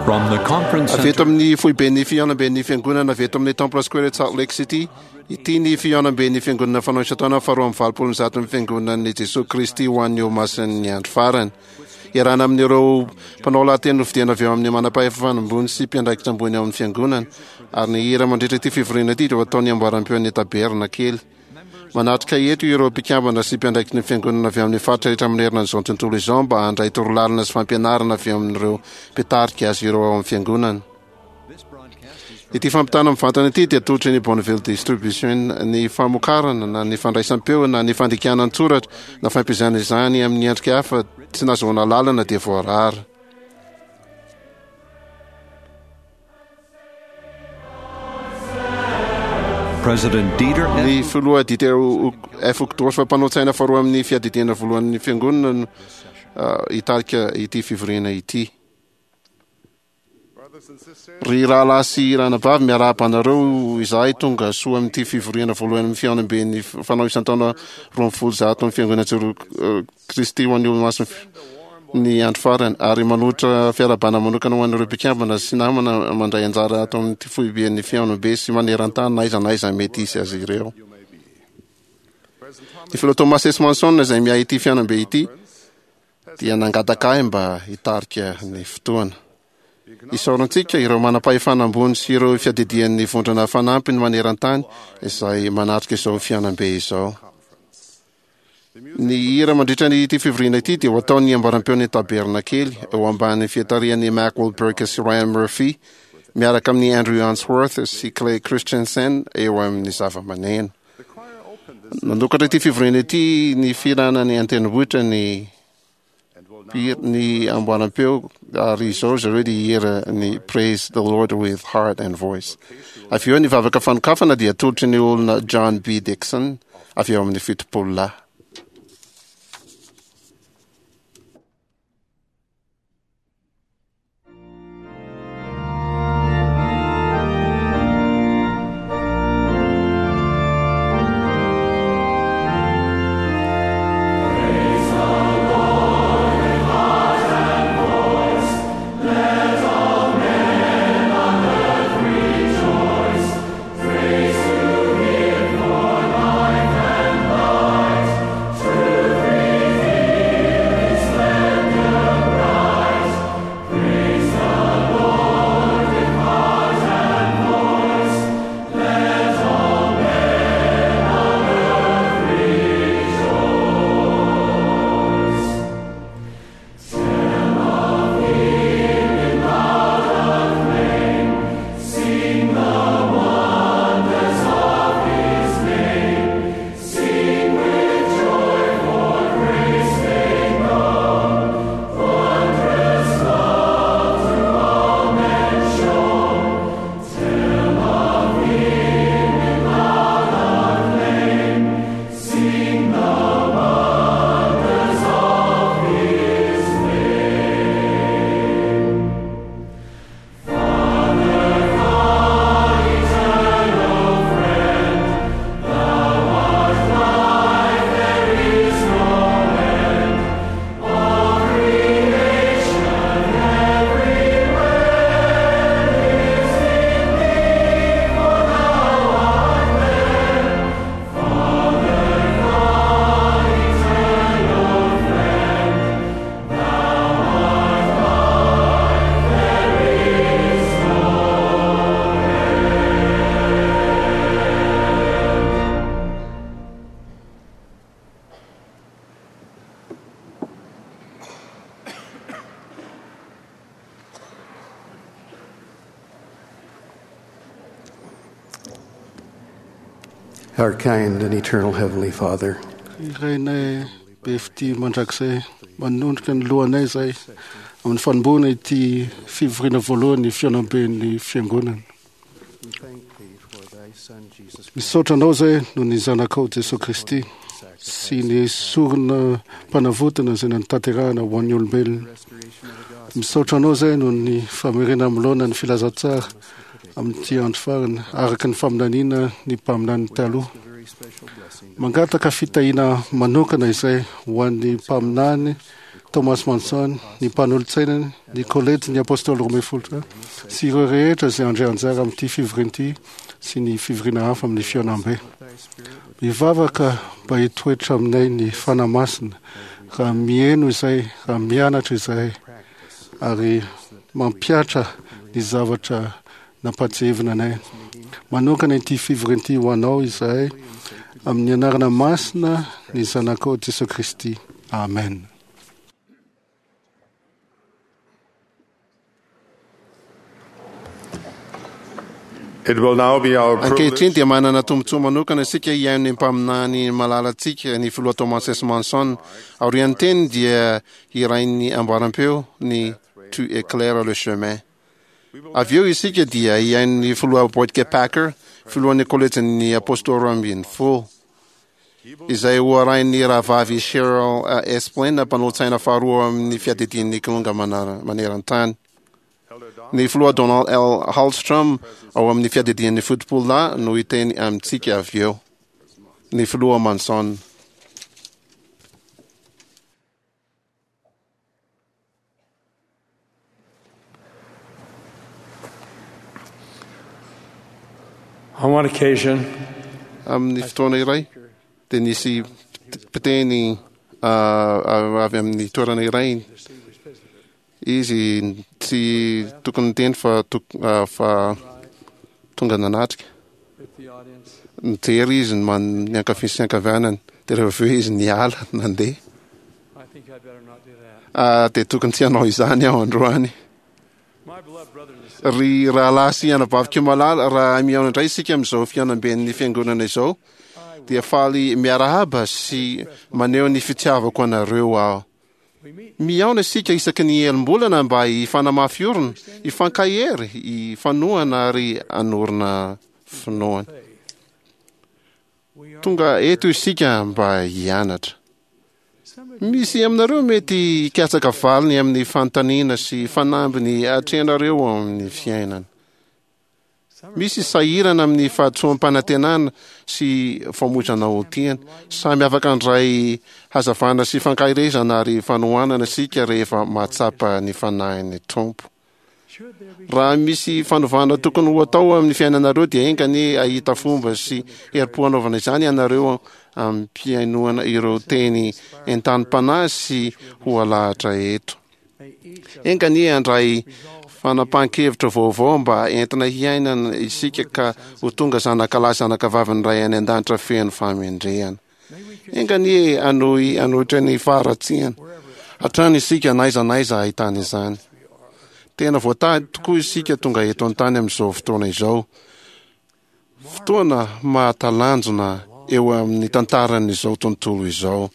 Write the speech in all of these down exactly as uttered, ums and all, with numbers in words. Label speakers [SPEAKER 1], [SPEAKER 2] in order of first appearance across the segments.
[SPEAKER 1] From the conference
[SPEAKER 2] Avy eto
[SPEAKER 1] center,
[SPEAKER 2] amin'ny foiben'ny fihaonamben'ny fiangonana avy eto amin'ny Temple Square at Salt Lake City, ity ny fihaonamben'ny fiangonana fanao isan-taona faharoa amby valopolo amby zato ny fiangonan'i Jesoa Kristy ho an'ny Olomasin'ny andro farany. Iarahana amin'ireo mpanao lahateny nofidiana avy eo amin'ny manam-pahefana ambony sy mpiandraikitra ambony ao amin'ny fiangonana, ary ny hira mandritra ity fivoriana ity dia ho ataon'ny amboaram-peon'ny tabernakely. Manatrika eto ireo mpikambana sy mpiandraikitry ny fiangonana avy amin'ny faritra rehetra manerana an'izao tontolo izao mba handray torolalana sy fampianarana avy amin'ireo mpitarika azy ireo ao amin'ny fiangonana. Ity fampitana mivantana ity dia atolotry ny Bonneville Distribution. Ny famokarana na ny fandraisam-peo na ny fandikana an-tsoratra na fampiasana izany amin'ny endrika hafa tsy nahazoana lalana dia voarara.
[SPEAKER 1] President Dieter
[SPEAKER 2] Ny filoha Dieter F. Uchtdorf, mpanao tsaina faharoa amin'ny fiadidiana voalohan'ny fiangonana no ah, hitarika ity fivoriana ity. Ry rahalahy sy ranabavy, miarahaba anareo izahay tonga soa amin'ity fivoriana voalohany amin'ny fihaonamben'ny fanao isan-taona roa amby folo zato amin'ny fiangonana Jesoa Kristy ho an'ny Olomasin'ny ny andro farany, ary manolotra fiarahabana manokana ho an'ireo mpikambana sy namana mandray anjara ato amin'ity foiben'ny fihaonambe sy maneran-tany na aiza na aiza mety hisy azy ireo. Ny filoha Thomas S. Monson izay miahy ity fihaonambe ity dia nangataka ahy mba hitarika ny fotoana. Isaorantsika ireo manam-pahefana ambony sy ireo fiadidian'ny vondrona fanampiny maneran-tany izay manatrika izao fihaonambe izao. Ny hira mandritra ny ity fivoriana ity dia ho ataon'ny amboaram-peon'ny tabernakely eo ambany fiatarihan'i Mac Wahlberg sy Ryan Murphy miaraka amin'ny Andrew Answorth sy Clay Christensen eo amin'ny zava-maneno. Nanokatra ity fivoriana ity ny fihirana ny an-tendrombohitra ny ny amboaram-peo, ary izao zareo dia hihira ny Praise the Lord with Heart and Voice. Avy eo ny vavaka fanokafana dia atolotry ny olona John B. Dixon avy eo amin'ny fitopolo lahy.
[SPEAKER 3] Our kind and eternal Heavenly Father,
[SPEAKER 4] Rainay be fitia mandrakizay, manondrika ny lohanay izay amin'ny fanombohana ity fivoriana voalohany fihaonamben'ny fiangonana.
[SPEAKER 3] we thank Thee for Thy Son Jesus
[SPEAKER 4] Misaotra anao izay noho ny zanakao Jesoa Kristy sy ny sorona mpanavotana izay nanotanterahana ho an'ny olombelona.
[SPEAKER 3] restoration of the gospel
[SPEAKER 4] Misaotra anao izay noho ny famerena milaona ny filazantsara amin'ity andro farany araka ny faminaniana ny mpaminany taloha.
[SPEAKER 3] a very special blessing
[SPEAKER 4] Mangataka fitahiana manokana izay ho an'ny mpaminany Thomas Monson, ny mpanolotsainany, ny kolejy ny apôstôly roa ambin'ny folo sy ireo rehetra izay handray anjara amin'ity fivoriana ity sy ny fivoriana hafa amin'ny fihaonambe. Mivavaka mba hitoetra aminay ny Fanahy Masina raha mihaino izay, raha mianatra izahay ary mampihatra ny zavatra nampahatsiahivina anay. Manokana ity fivoriana ity ho anao izahay amin'ny anarana masina ny Zanakao Jesoa Kristy. Amen.
[SPEAKER 5] It will now be our
[SPEAKER 2] Ankehitriny
[SPEAKER 5] privilege
[SPEAKER 2] dia manana tombontsoa manokana isika hihaino ny mpaminany malalantsika, ny filoha Thomas S. Monson. Aorian'ny teny dia hirain'ny amboaram-peo ny Tu éclaires le chemin. Avy eo isika dia hihaino ny filoha Boyd K. Packer, filohan'ny kolejin'ny apôstôly roa ambin'ny folo, izay ho arahin'ny rahavavy Cheryl Esplin, mpanolotsaina faharoa amin'ny fiadidian'ny Kilonga manara- maneran-tany. Ny filoha Donald L. Hallstrom ao amin'ny fiadidian'ny Fotopolona no hiteny amintsika avy eo. Ny filoha Monson.
[SPEAKER 6] On one occasion,
[SPEAKER 2] Amin'ny fotoana iray dia nisy mpiteny ah, avy amin'ny toerana iray izy tsy tokony niteny fa tok- ah, fa tonga nanatrika.
[SPEAKER 6] with the audience,
[SPEAKER 2] Nijery izy ny man- ny ankavia sy ny ankavanany, dia rehefa avy eo izy niala nandeha.
[SPEAKER 6] I think I'd better not do that.
[SPEAKER 2] Ah, dia tokony tsy hanao izany aho androany.
[SPEAKER 6] My beloved brothers and sisters,
[SPEAKER 2] Ry rahalahy sy anabaviko malala, raha mihaona indray isika amin'izao fihaonamben'ny fiangonana izao, dia faly miarahaba sy maneho ny fitiavako anareo aho.
[SPEAKER 6] we meet
[SPEAKER 2] Mihaona isika isaky ny elim-bolana mba hifanamafy orina, hifankahery, hifanohana ary hanorina finoana.
[SPEAKER 6] faith. We are
[SPEAKER 2] Tonga eto isika mba hianatra.
[SPEAKER 6] some of
[SPEAKER 2] Misy aminareo mety hikatsaka valiny amin'ny fanontaniana sy fanambiny atrehanareo amin'ny fiainana.
[SPEAKER 6] some are
[SPEAKER 2] Misy sahirana amin'ny fahatsoam-panantenana sy famoizana ho tiana. Samy afaka handray hazavana sy fankaherezana ary fanohanana isika rehefa mahatsapa ny fanahin'ny Tompo.
[SPEAKER 6] should there be
[SPEAKER 2] Raha misy fanovana tokony ho atao amin'ny fiainanareo dia enga anie hahita fomba sy herim-po hanaovana izany ianareo ampihainoana ireo teny entanim-panahy sy ho alahatra eto.
[SPEAKER 6] may each of
[SPEAKER 2] Enga anie handray fanapahan-kevitra vaovao mba entina hiainana isika ka ho tonga zanakalahy zanakavavin'ny Ray any an-danitra feno fahamendrehana.
[SPEAKER 6] may we
[SPEAKER 2] Enga anie hanohy hanohitra ny faharatsiana hatrany isika na aiza na aiza ahitana izany. Tena voatahy tokoa isika tonga eto an-tany amin'izao fotoana izao. Fotoana mahatalanjona eo amin'ny tantaran'izao tontolo izao.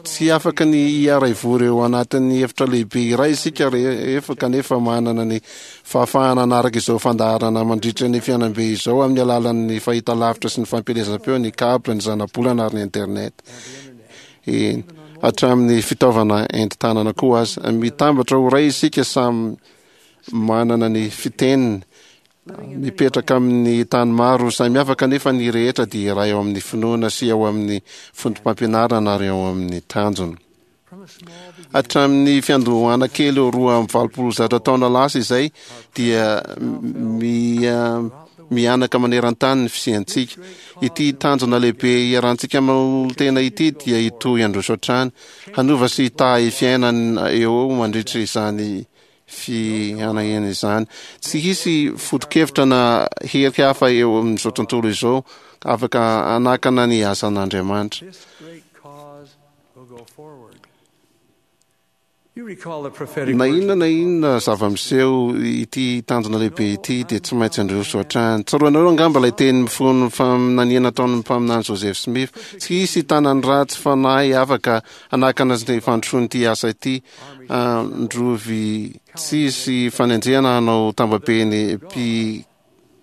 [SPEAKER 2] Tsy afaka ny hiara-hivory eo anatin'ny efitra lehibe iray isika rehefa kanefa manana ny fahafahana hanaraka izao fandaharana mandritra ny fihaonambe izao amin'ny alalan'ny fahitalavitra sy ny fampielezam-peo, ny câble, ny zanabolana ary ny internet. Eny, hatramin'ny fitaovana entin-tanana koa aza. Mitambatra ho iray isika samy manana ny fiteniny, mipetraka amin'ny tany maro samihafa kanefa ny rehetra dia iray ao amin'ny finoana sy ao amin'ny fotopampianarana ary ao amin'ny tanjona.
[SPEAKER 6] from a small beginning
[SPEAKER 2] Hatramin'ny fiandohana kely roa amby valopolo zato taona lasa izay dia mia- mianaka maneran-tany ny fisiantsika. Ity tanjona lehibe iarahantsika manolo-tena ity dia hitohy handroso hatrany, hanova sy hitahy fiainana eo mandritra izany fihanahana izany. Tsy hisy foto-kevitra na hery hafa eo amin'izao tontolo izao afaka hanakana ny asan'Andriamanitra.
[SPEAKER 6] this great cause will go forward. You recall the prophetic
[SPEAKER 2] Na
[SPEAKER 6] words
[SPEAKER 2] inona na inona zava-miseho ity tanjona lehibe ity dia tsy maintsy handroso hatrany. Tsaroanareo angamba ilay teny mifono faminaniana ataon'ny mpaminany Joseph Smith. Tsy hisy tanan'ny ratsy fanahy afaka hanakana ny fandrosoan'ity asa ity. Androvy tsy hisy fanenjehana hanao tambabe ny mpi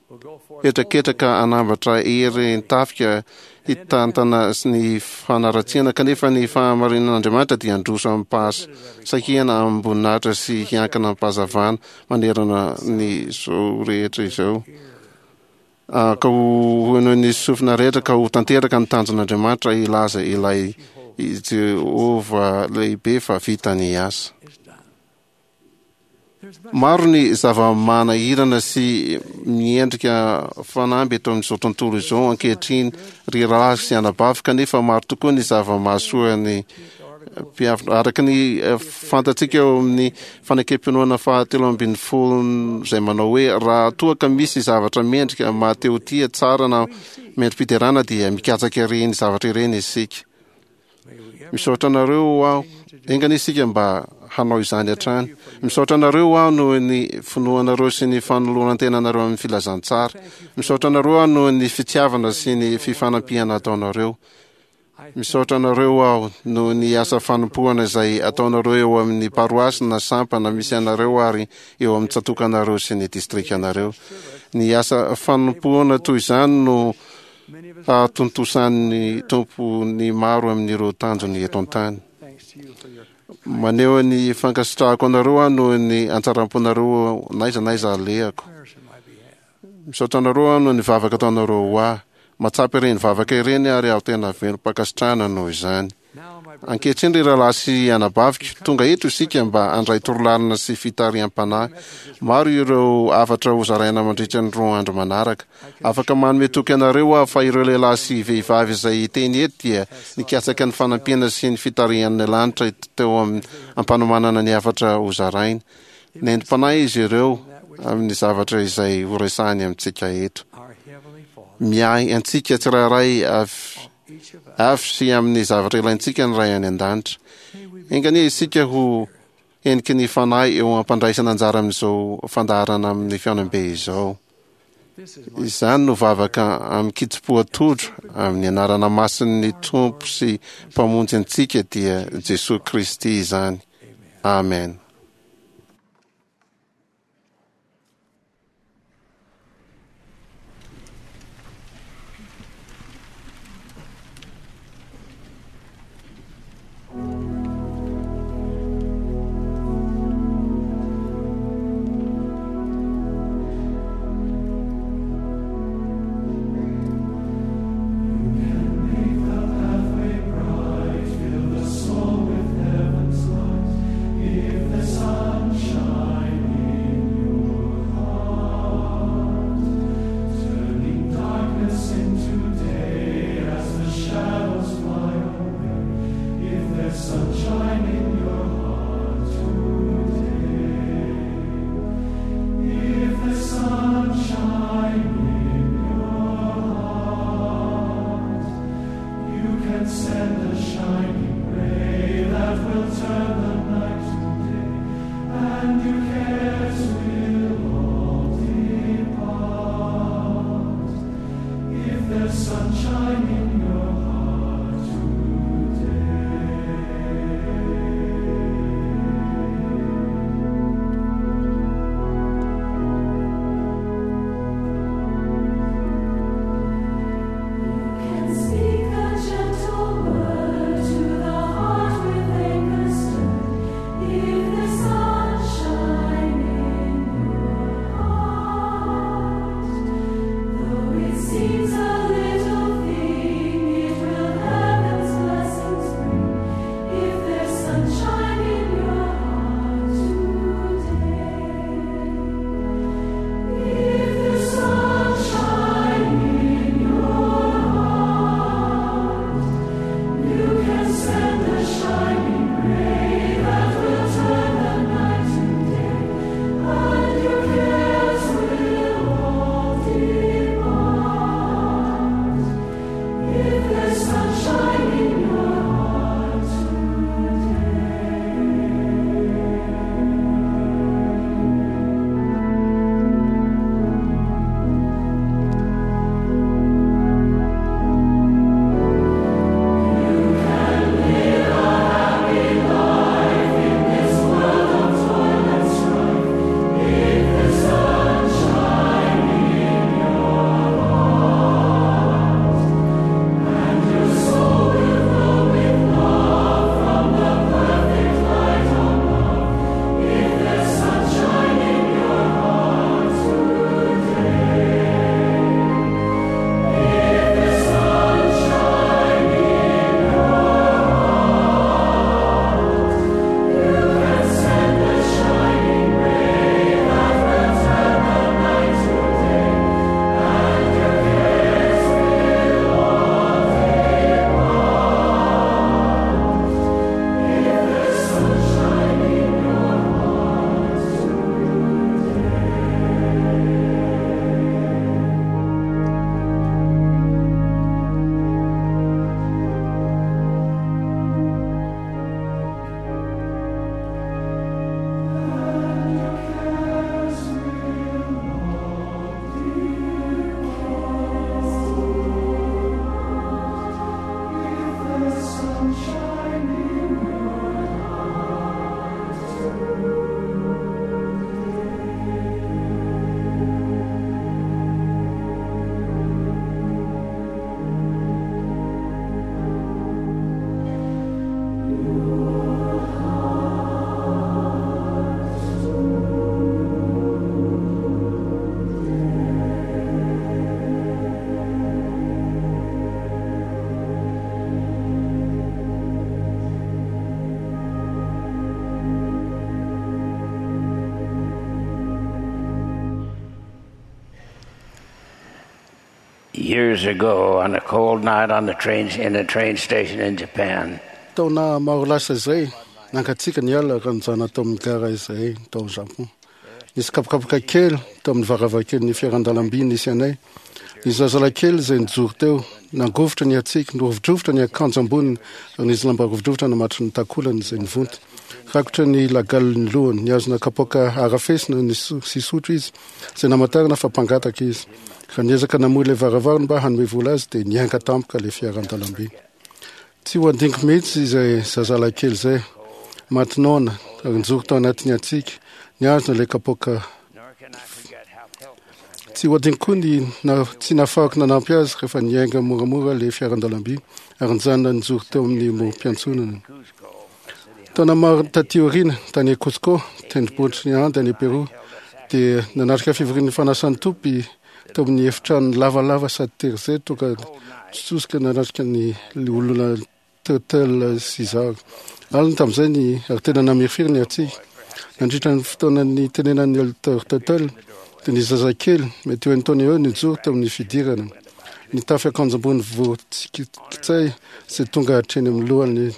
[SPEAKER 6] will go forth
[SPEAKER 2] hetraketraka hanambatra hery ny tafika hitantana sy ny fanaratsiana kanefa ny fahamarinan'Andriamanitra dia handroso amim-pahasahiana amim-boninahitra sy hiankina amim-pahazavana manerana ny zao rehetra izao. Ah, ka ho henoin'ny sofina rehetra ka ho tanteraka ny tanjon'Andriamanitra hilaza ilay Jehovah lehibe fa vita ny asa. Maro ny zava-manahirana sy miendrika fanamby eto amin'izao tontolo izao ankehitriny, ry rahalahy sy anabavy, kanefa maro tokoa ny zava-mahasoa ny mpiavina. Araka ny fantatsika eo amin'ny fanekem-pinoana fahatelo ambin'ny folo izay manao hoe raha toa ka misy zavatra mendrika mahatehotia tsara na mendri-piderana dia mikatsaka ireny zavatra ireny isika. Misaotra anareo aho, enga anie isika mba hanao izany hatrany. Misaotra anareo aho noho ny finoanareo sy ny fanoloran-tenanareo amin'ny filazantsara. Misaotra anareo aho noho ny fitiavana sy ny fifanampiana ataonareo. Misaotra anareo aho noho ny asa fanompoana izay ataonareo eo amin'ny paroasy na sampana misy anareo ary eo amin'ny tsatòkanareo sy ny distrikanareo. Ny asa fanompoana toy izany no hahatontosan'ny Tompo ny maro amin'ireo tanjony eto an-tany. Maneho ny fankasitrahako anareo aho noho ny hatsaram-ponareo n'aiza n'aiza alehako. Misaotra anareo aho noho ny vavaka ataonareo ho ahy. Mahatsapa ireny vavaka ireny ary aho tena velom-pankasitrahana noho izany. Ankehitriny ry rahalahy sy anabaviko, tonga eto isika mba handray torolalana sy fitariham-panahy. Maro ireo hafatra hozaraina mandritra ny roa andro manaraka. Afaka manome toky anareo aho fa ireo lehilahy sy vehivavy izay hiteny eto dia nikatsaka ny fanampiana sy ny fitarihan'ny lanitra teo amin'ny ampanomanana ny hafatra hozaraina. Nentim-panahy izy ireo amin'ny zavatra izay horesahiny amintsika eto. Miahy antsika tsirairay avy avy sy amin'ny zavatra ilaintsika ny Ray any an-danitra. Enga anie isika ho heniky ny fanahy eo am-pandraisana anjara amin'izao fandaharana amin'ny fihaonambe izao. Izany no vavaka amin-kitsim-po atodro amin'ny anarana masin'ny Tompo sy Mpamonjy antsika dia Jesoa Kristy izany. Amen.
[SPEAKER 7] Fill the soul with heaven's light. If Years ago, on a cold night on the train in a train station in Japan,
[SPEAKER 4] Taona maro lasa izay, nangatsiaka ny alina raha nijanona tao amin'ny gara izahay tao Japon. Nisy kapokapoka kely tao amin'ny varavarakelin'ny fiaran-dalamby nisy anay. Ny zazalahy kely izay nijoro teo, nangovitra ny hatsiaka, nirovidrovitra ny akanjo amboniny ary nisy lamba rovidrovitra namatry ny takolany izay nivonto. Rakotra ny lagalin'ny lohany, nihazona kapoaka arafesina ny so- sy sotro izy, izay namantarana fa mpangataka izy. Raha niezaka namoy ilay varavarana mba hanome vola azy dia niainga tampoka ilay fiaran-dalamby. Tsy ho adinoko mihitsy izay zazalahy kely izay, maty noana ary nijoro tao anatin'ny hatsiaka, nihazona ilay kapoaka.
[SPEAKER 7] nor can I forget how helpless I
[SPEAKER 4] Tsy ho adinoko koa ny na, tsy nahafahako nanampy azy rehefa niainga moramora ilay fiaran-dalamby ary nijanona nijoro teo amin'ny morom-piantsonana.
[SPEAKER 7] Cuzco, a city
[SPEAKER 4] Taona maro taty aoriana, tany Cusco, tendrombohitry ny Andes any Peru, dia nanatrika fivorian'ny fanasan'ny Tompo tao amin'ny efitrano lavalava sady tery izay tonga tsosika nanatrika ny olona Tuttle sy izaho. Alina tamin'izay ny ary tena namirifiry ny hatsiaka. Nandritra ny fotoana nitenenan'ny Elder Tuttle dia ny zazakely mety ho enin-taona eo nijoro teo amin'ny fidirana. Nitafy akanjo ambony voatsikitsay izay tonga hatreny amin'ny lohany.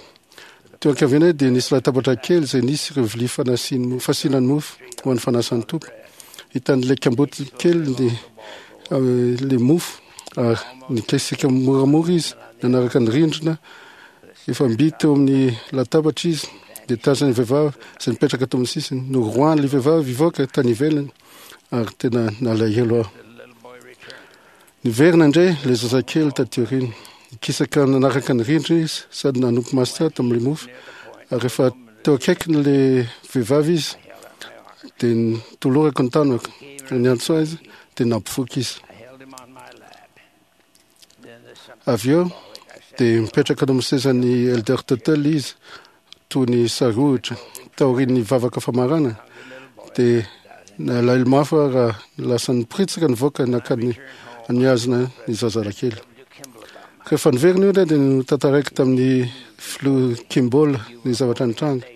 [SPEAKER 4] Teo ankavianay dia nisy latabatra kely izay nisy ireo vilia fanasiny- fasiana ny mofo ho an'ny fanasan'ny Tompo. Hitan'ilay kamboty kely ny eh, le mofo ary nikasika moramora izy nanaraka ny rindrina. Efa mby teo amin'ny latabatra izy dia tazan'ny vehivavy izay nipetraka teo amin'ny sisiny. Noroahan'ilay vehivavy hivoaka tany ivelany ary tena nalahelo aho.
[SPEAKER 7] the little boy returned.
[SPEAKER 4] Niverina indray ilay zazakely taty aoriana. Nikisaka nanaraka ny rindrina izy sady nanompo maso tsara tamin'ilay mofo. Ary rehefa teo akaikin'ilay vehivavy izy dia nitolorako ny tanako. Niantso azy dia nampifoka izy.
[SPEAKER 7] I held him on my lap. Then there's something
[SPEAKER 4] Avy eo
[SPEAKER 7] symbolic. I said,
[SPEAKER 4] dia mipetraka teo amin'ny sezan'ny Elder Tuttle izy toy ny sarohitra taorian'ny vavaka famarana dia nalahelo mafy aho raha lasa niporitsaka nivoaka nankany nihazona ny zazalahy kely.
[SPEAKER 7] W. Kimball about my
[SPEAKER 4] Rehefa niverina io indray dia notantaraiko tamin'ny filoha Kimball ny zavatra nitranga.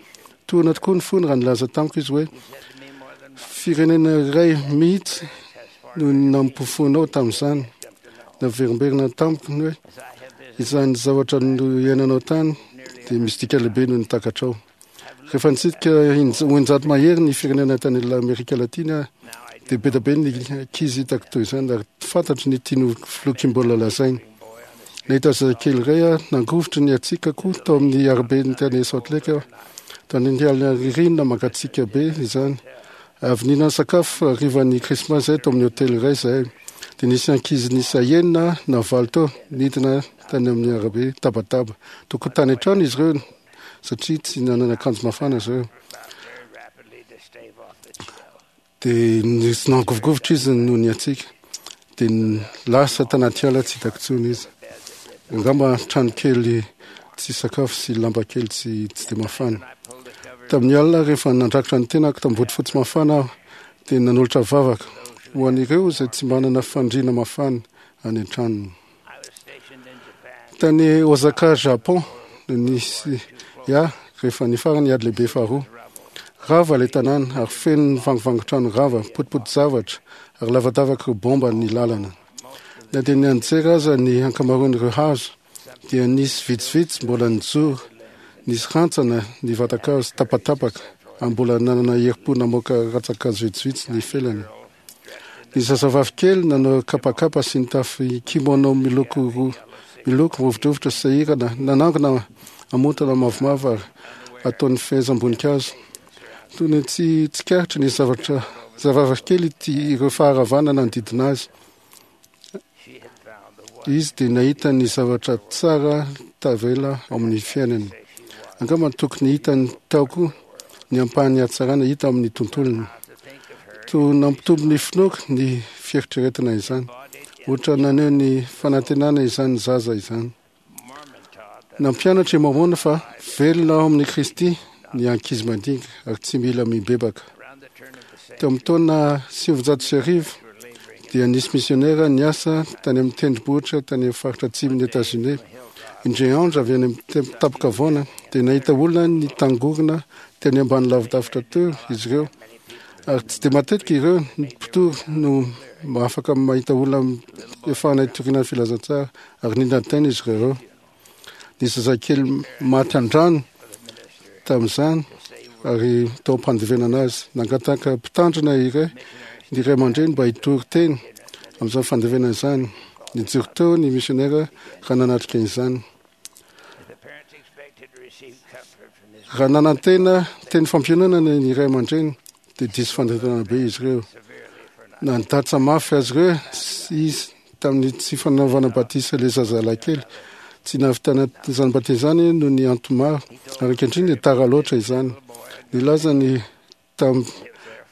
[SPEAKER 4] Tohina tokoa ny fony raha nilaza tamiko izy hoe
[SPEAKER 7] He said to me more than once,
[SPEAKER 4] firenena iray mihitsy
[SPEAKER 7] has far
[SPEAKER 4] no nampofonao tamin'izany. Naverimberina tamiko ny hoe
[SPEAKER 7] as I have visited
[SPEAKER 4] izany zavatra no iainanao tany dia misy dika lehibe noho ny takatrao. Rehefa nitsidika inj- oninjato mahery ny firenena tany Amerika Latina aho,
[SPEAKER 7] now I do
[SPEAKER 4] dia be dia be ny ankizy hitako toy izany ary fantatro ny tian'ny filoha Kimball lazaina.
[SPEAKER 7] boy on the street
[SPEAKER 4] Nahita zazakely iray aho nangovitra ny hatsiaka koa tao amin'ny arabe tany Salt Lake aho. Tany ny alina ririnina mangatsiaka be izany. Avy nihinana sakafo harivan'ny Krismasy zahay tao amin'ny hôtely iray zahay. Dia nisy ankizy niisa enina na valo teo nidina tany amin'ny arabe tabataba. Tokony tany an-trano izy ireo satria tsy nanana akanjo mafana izy ireo.
[SPEAKER 7] about very rapidly to stave off the chill.
[SPEAKER 4] Dia nisy nangovigovitra izy noho ny hatsiaka. Dia n- lasa tanaty ala tsy hitako intsony izy. Angamba trano kely tsy sakafo sy lamba kely tsy tsy dia mafana.
[SPEAKER 7] I pulled the covers
[SPEAKER 4] Tamin'ny alina rehefa nandrakotra ny tenako tamin'ny bodofotsy mafana aho dia nanolotra vavaka ho an'ireo izay tsy manana fandriana mafana any an-tranony.
[SPEAKER 7] I was stationed in Japan.
[SPEAKER 4] Tany Osaka, Japon, no nisy ahy rehefa nifarana ny ady lehibe faharoa. Rava ilay tanàna ary feno ny vangovangon-trano rava, potipoty zavatra ary lavadavaka ireo bomba ny lalana. Na dia nianjera aza ny ankamaroan'ireo hazo dia nisy vitsivitsy mbola nijoro, nisy rantsana ny vatan-kazo tapatapaka ary mbola nanana herim-po namoaka rantsan-kazo vitsivitsy ny felany. Ny zazavavy kely nanao kapakapa sy nitafy kimono miloko ro- miloko rovidrovitra sy sahirana nanangona amontana mavomavo ary ataon'ny fehezam-boninkazo. Toy ny tsy tsikaritry ny zavatra zavavavy kely ity ireo faharavana nanodidina azy.
[SPEAKER 7] She had found the one
[SPEAKER 4] Izy dia nahita ny zavatra tsara tavela ao amin'ny fiainany. Angamba tokony hitany tao koa ny ampahan'ny hatsarana hita amin'ny tontolony.
[SPEAKER 7] to think of her
[SPEAKER 4] Toa nampitombo ny finoako ny fieritreretana izany. Ohatra naneho ny fanantenana izany zaza izany.
[SPEAKER 7] Mormon taught that
[SPEAKER 4] Nampianatra i Mormona fa velona ao amin'ny Kristy ny ankizy madinika ary tsy mila mibebaka.
[SPEAKER 7] around the turn of the century
[SPEAKER 4] Teo amin'ny taona sivinjato sy arivo
[SPEAKER 7] were laboring
[SPEAKER 4] dia nisy misionera niasa tany amin'ny tendrombohitra tany amin'ny faritra atsimon'ny États-Unis. Indray andro avy any amin'ny tem- tampon-kavoana dia nahita olona nitangorona teny ambany lavidavitra teo izy ireo. Ary tsy dia matetika ireo ny mpitory no afaka mahita olona efahana hitoriana ny filazantsara ary nindran-tena izy ireo. Ny zazakely maty an-drano tamin'izany ary tao am-pandevenana azy. Nangataka mpitandrina iray ny ray aman-dreny mba hitory teny amin'izany fandevenana izany. Nijoro teo ny misionera raha nanatrika izany. Raha nanantena teny fampiononana ny ray aman-dreny dia diso fanantenana be izy ireo. Nandatsa mafy azy ireo izy tamin'ny tsy fanaovana batisa ilay zazalahy kely. Tsy nahavitana izany batisa izany noho ny antony maro, ary ankehitriny dia tara loatra izany. Nilaza ny tam-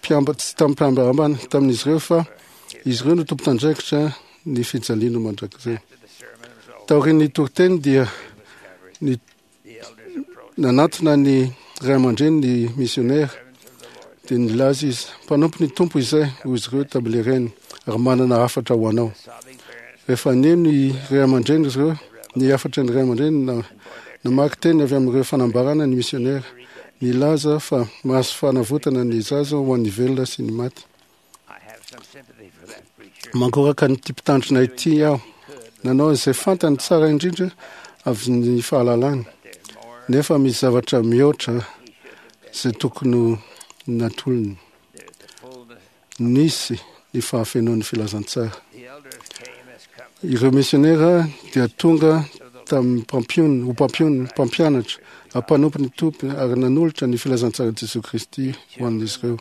[SPEAKER 4] mpiamba- tsy tamin'ny tamin'izy ireo fa izy ireo no tompon'andraikitra ny fijaliana mandrakizay. Taorian'ny toriteny dia ny nanatona ny ray aman-dreny ny misionera dia nilaza izy, mpanompo ny Tompo izay, hoy izy ireo tamin'ilay reny, ary manana hafatra ho anao. Rehefa neno ny ray aman-dreny izy ireo, ny hafatra ny ray aman-dreny na namaky teny avy amin'ireo fanambarana ny misionera, nilaza fa mahazo fanavotana ny zaza ho an'ny velona sy ny maty. Mangoraka an'ity mpitandrina ity aho, nanao izay fantany tsara indrindra avy ny fahalalany, nefa misy zavatra mihoatra izay tokony ho natolony. Nisy ny fahafenoan'ny filazantsara. Ireo misionera dia tonga tamin'ny mpampion- ho mpampion- mpampianatra, mpanompo ny Tompo ary nanolotra ny filazantsara Jesoa Kristy ho an'izy ireo.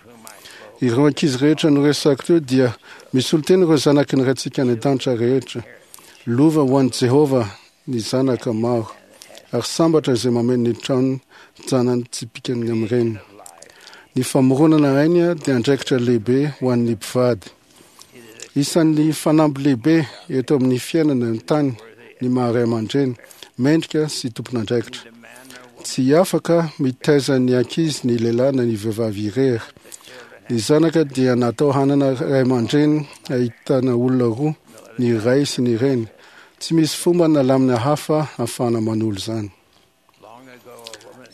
[SPEAKER 4] Ireo ankizy rehetra noresahako teo dia misolo tena ireo zanaky ny Raintsika any an-danitra rehetra. Lova ho an'i Jehovah ny zanaka maro, ary sambatra izay mameno ny trano janany tsipikany amin'ireny. Ny famoronana aina dia andraikitra lehibe ho an'ny mpivady. Isan'ny fanamby lehibe eto amin'ny fiainana ny tany ny maha ray aman-dreny, mendrika sy tompon'andraikitra. Tsy afaka mitaiza ny ankizy ny lehilahy na ny vehivavy irery. Ny zanaka dia natao hanana ray aman-dreny ahitana olona roa, ny ray sy ny reny. Tsy misy fomba na lamina hafa ahafahana manolo izany.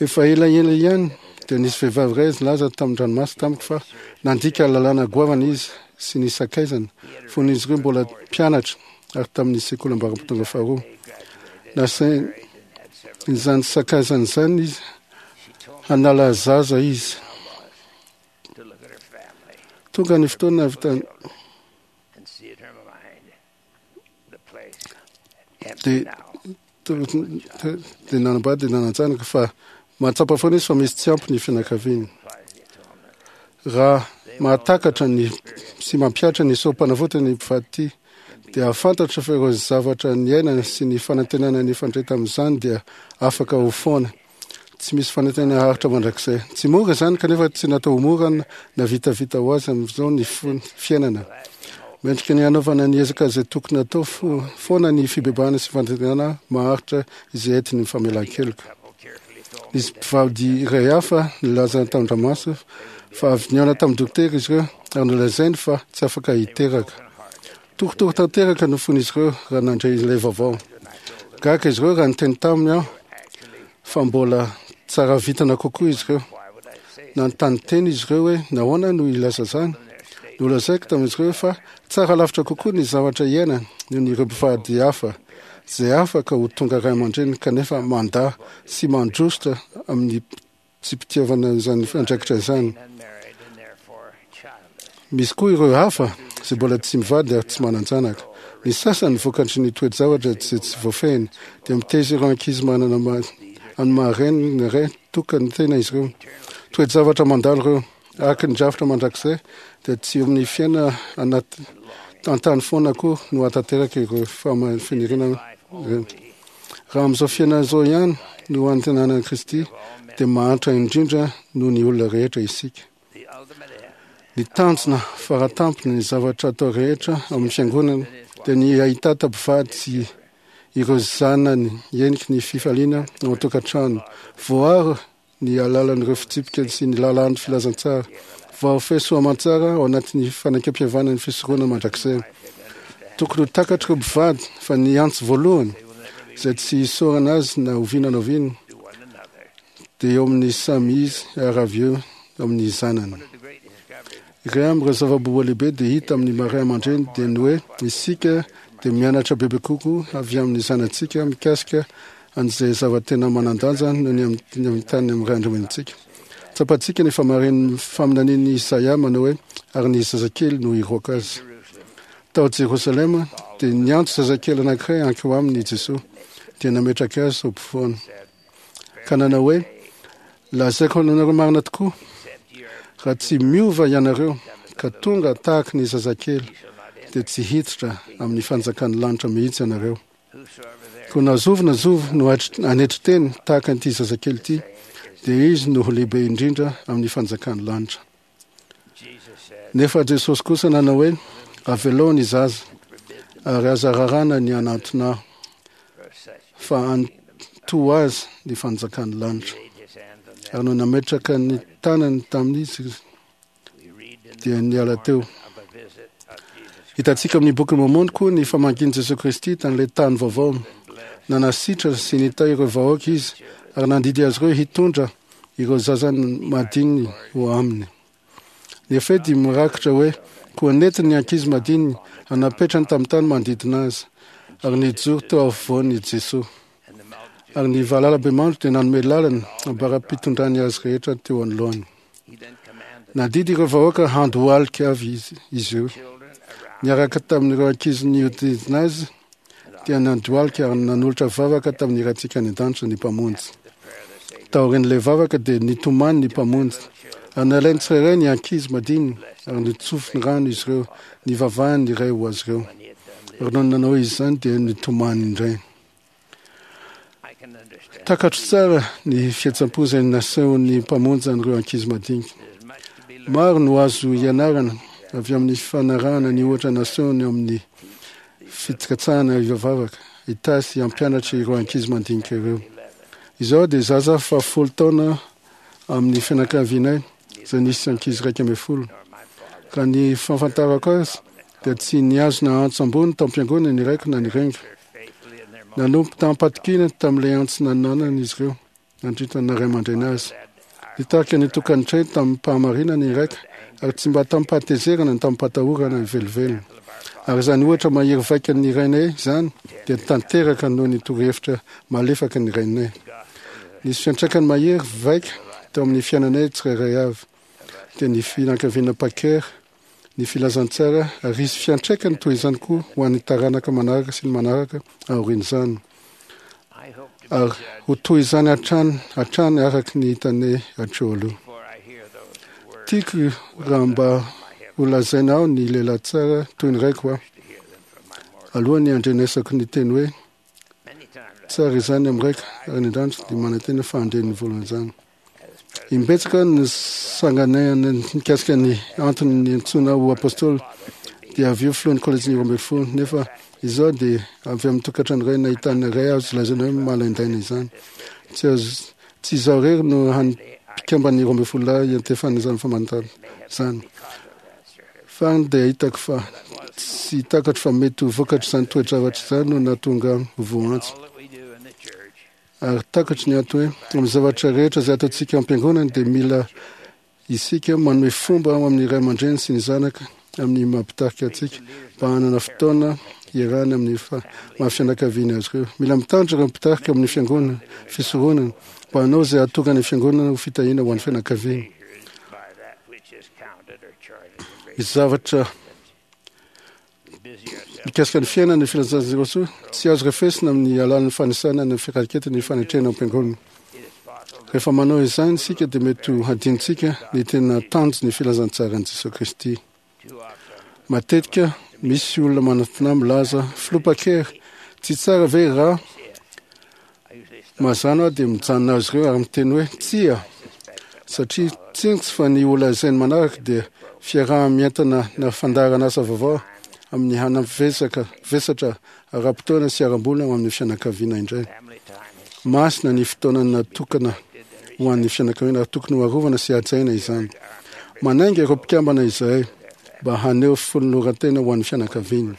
[SPEAKER 4] Efa elaela ihany dia nisy vehivavy iray nilaza tamin'ny ranomaso tamiko fa nandika lalàna goavana izy sy ny sakaizany fony izy ireo mbola mpianatra ary tamin'ny sekoly ambaratonga faharoa. Nasainy izany sakaizany izany izy hanala zaza izy. Tonga ny fotoana nahavitany dia dia nanambady dia nanan-janaka fa mahatsapa foana izy fa misy tsy ampy ny fianakaviany. Raha mahatakatra ny sy mampihatra ny sorom-panavotana ny mpivady ity dia hahafantatra fa ireo zavatra niainana sy ny fanantenana nifandray tamin'izany dia afaka ho foana. Tsy misy fanantenana haharitra mandrakizay. Tsy mora izany kanefa tsy natao ho mora na vitavita ho azy amin'izao ny fiainana. Mendrika ny hanaovana ny ezaka izay tokony atao foana ny fibebahana sy fanantenana maharitra izay entin'ny famelan-keloka. Nisy mpivady iray hafa nilaza tamin-dramaso fa avy nihaona tamin'ny dokotera izy ireo ary nolazainy fa tsy afaka hiteraka. Torotoro tanteraka no fon'izy ireo raha nandre ilay vaovao. Gaga izy ireo raha niteny taminy aho fa mbola tsara vintana kokoa izy ireo. Nanontany tena izy ireo hoe nahoana no hilaza izany. Nolazaiko tamin'izy ireo fa tsara lavitra kokoa ny zavatra iainana noho ny ireo mpivady hafa izay afaka ho tonga ray aman-dreny kanefa mandà sy mandositra amin'ny tsy mpitiavana izany andraikitra izany. Misy koa ireo hafa izay mbola tsy mivady ary tsy manan-janaka. Ny sasany vokatry ny toe-javatra izay tsy voafehiny dia mitaiza ireo ankizy manana amin'ny maha-reny ny ray tokana tena izy ireo. Toe-javatra mandalo ireo. Araka ny drafitra mandrakizay dia tsy eo amin'ny fiainana anaty an-tany foana koa no hahatanteraka ireo faniriana ireo. Raha amin'izao fiainana izao ihany no antenana an'i Kristy dia mahantra indrindra noho ny olona rehetra isika. Ny tanjona faratampony ny zavatra atao rehetra amin'ny fiangonana dia ny hahitata mpivady sy ireo zanany heniky ny fifaliana ao an-tokantrano. Voaro ny alalan'ireo fitsipika sy ny lalàn'ny filazantsara. Voafehy soa aman-tsara ao anatin'ny fanekempihavanana ny fisoronana mandrakizay. Tokony ho takatr'ireo mpivady fa ny antso voalohany izay tsy hisaorana azy na oviana na oviana dia eo amin'ny samy izy ary avy eo amin'ny zanany. Iray amin'ireo zava-boa lehibe dia hita amin'ny maray aman-dreny dia ny hoe isika dia mianatra bebe kokoa avy amin'ny zanatsika mikasika an'izay zava-tena manan-danja noho ny amin'ny tany amin'ny ray aman-drenintsika. Tsapantsika ny famarin'ny faminanian'i Isaia manao hoe ary ny zazakely no hiroaka azy. Tao Jerosalema dia niantso zazakely anankiray hankeo aminy i Jesoa, dia nametraka azy ho mpifoana. Ka nanao hoe lazaiko anareo marina tokoa, raha tsy miova ianareo ka tonga tahaka ny zazakely dia tsy hiditra amin'ny fanjakan'ny lanitra mihitsy ianareo. Koa na zovy na zovy no hanetry teny tahaka an'ity zazakely ity, dia izy no ho lehibe indrindra amin'ny fanjakan'ny lanitra. Nefa Jesosy kosa nanao hoe avelao ny zaza ary aza rarana ny hanantona aho, fa antoa azy ny fanjakan'ny lanitra. Ary no nametraka ny tanany tamin'izy dia niala teo. Hitantsika amin'ny boky Mômôna koa ny famangian'i Jesosy Kristy tamin'ilay tany vaovao. Nanasitra sy nitahy ireo vahoaka izy ary nandidy azy ireo hitondra ireo zaza madininy ho aminy. Nefa dia mirakitra hoe koa nentiny ny ankizy madininy anapetrany tamin'ny tany manodidina azy ary nijoro teo afovoany Jesosy. Ary ny valalabemandry dia nanome lalana ambara-pitondrany azy rehetra teo anoloany. Nandidy ireo vahoaka handohalika avy izy izy ireo. Niaraka tamin'ireo ankizy nihodidina azy dia nandohalika ary nanolotra vavaka tamin'ny Raintsika any an-danitra ny Mpamonjy. Taorian'ilay vavaka dia nitomany ny Mpamonjy. Ary nalainy tsirairay ny ankizy madininy ary nitsofiny rano izy ireo, nivavahany ny Ray ho azy ireo. Ary nony nanao izany dia nitomany indray. Takatro tsara ny fihetseham-po izay nasehon'ny Mpamonjy an'ireo ankizy madinika. Maro no azo ianarana avy amin'ny fanarahana ny ohatra nasehony amin'ny fitikatsahana hivavaka, hitahy sy hampianatra ireo ankizy madinika ireo. Izao dia zaza fahafolo taona amin'ny fianakavianay izay nisy ankizy iraika ambin'ny folo. Raha ny fahafantarako azy dia tsy nihazona antso ambony tao am-piangonana ny raiko na ny reniko. Nanompo tamim-patokiana tamin'ilay antso nananany izy ireo nandritra ny ray aman-dreny azy. Nitarika ny tokantrano tamin'ny-pahamarinana ny raiko ary tsy mba tamin'ny-pahatezerana na tamin'ny-pahatahorana velively. Ary izany ohatra mahery vaika ny rainay izany dia tanteraka noho ny torohevitra malefaka ny rainay. Nisy fiantraikany mahery vaika teo amin'ny fiainanay tsirairay avy dia ny fianakaviana Packer, ny filazantsara ary hisy fiantraikany toy izany koa ho an'ny taranaka manaraka sy ny manaraka aorian'izany. Ary ho toy izany hatrany hatrany araka ny hitanay hatreo aloha. Tiako raha mba ho lazaina aho ny lehilahy tsara toy ny raiko aho. Alohan'ny handrenesako ny teny hoe tsara izany amin'ny raiko ary ny andranitra dia manantena fa handre ny voalohany. Imbetsaka ny sanganehana mikasika ny antony niantsoana ho apôstôly dia avy eo filohan'ny kolejin'ny roa ambin'ny folo, nefa izao dia avy amin'ny tokantrano iray nahitana iray azo lazaina hoe malaindaina izany. Tsy azo tsy izaho irery no hany mpikamban'ny roa ambin'ny folo lahy iantefan'izany izany famantarana izany. Farany dia hitako fa tsy takatro fa mety ho vokatr'izany toe-javatra izany no nahatonga ho voantso. Ary takatro ny antony hoe amin'ny zavatra rehetra izay ataontsika am-piangonana dia mila isika manome fomba ao amin'ny ray aman-dreny sy ny zanaka amin'ny mampitarika antsika mba hanana fotoana iarahana amin'ny maha fianakaviana azy ireo. Mila mitandro ireo mpitarika amin'ny fiangonana, fisoronana, mba hanao izay hahatonga ny fiangonana ho fitahiana ho an'ny fianakaviana. Ny zavatra mikasika ny fiainana ny filazantsara soa tsy azo refesina amin'ny alalan'ny fanisana ny firaketana ny fanetrena am-piangonana. Rehefa manao izany isika dia mety ho hadinontsika ny tena tanjon'ny filazantsaran'i Jesosy Kristy. Matetika misy olona manantena milaza filoha Packer, tsy tsara ve raha mazàna aho dia mijanona azy ireo ary miteny hoe tsia, satria tsinjo fa ny holazainy manaraka dia fiaraha-mientana na fandaharan'asa vaovao amin'ny hanavesaka vesatra ara-potoana sy ara-bola ho amin'ny fianakaviana indray. Masina ny fotoana natokana ho an'ny fianakaviana ary tokony ho arovana sy hajaina izany. Manainga ireo mpikambana izahay mba haneho fanoloran-tena ho an'ny fianakaviana.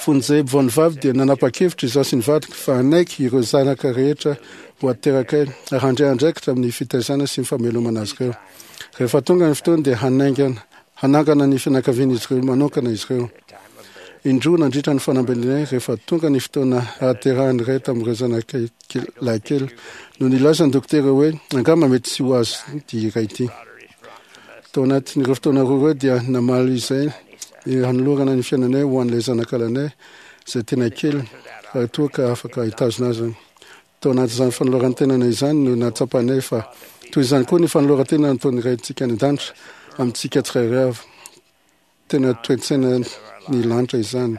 [SPEAKER 4] Fony izahay vao nivady dia nanapa-kevitra izaho sy ny vadiko fa hanaiky ireo zanaka rehetra ho aterakay ary handray andraikitra amin'ny fitaizana sy ny famelomana azy ireo. Rehefa tonga ny fotoana dia hanaingana hanangana ny fianakavian'izy ireo manokana izy ireo. Indroa nandritra ny fanambadianay, rehefa tonga ny fotoana hahaterahan'ny iray tamin'ireo zanakay lahikely, no nilaza ny dokotera hoe angamba mety tsy ho azo ity iray ity. Tao anatin'ireo fotoana roa ireo dia namaly izay ny hanolorana ny fiainanay ho an'ilay zanakalahinay izay tena kely raha toa ka afaka hitazona azy. Tao anatin'izany fanoloran-tenana izany no nahatsapanay fa toy izany koa ny fanoloran-tena nataon'ny Raintsika any an-danitra amintsika tsirairay avy. Tena toe-tsaina ny lanitra izany.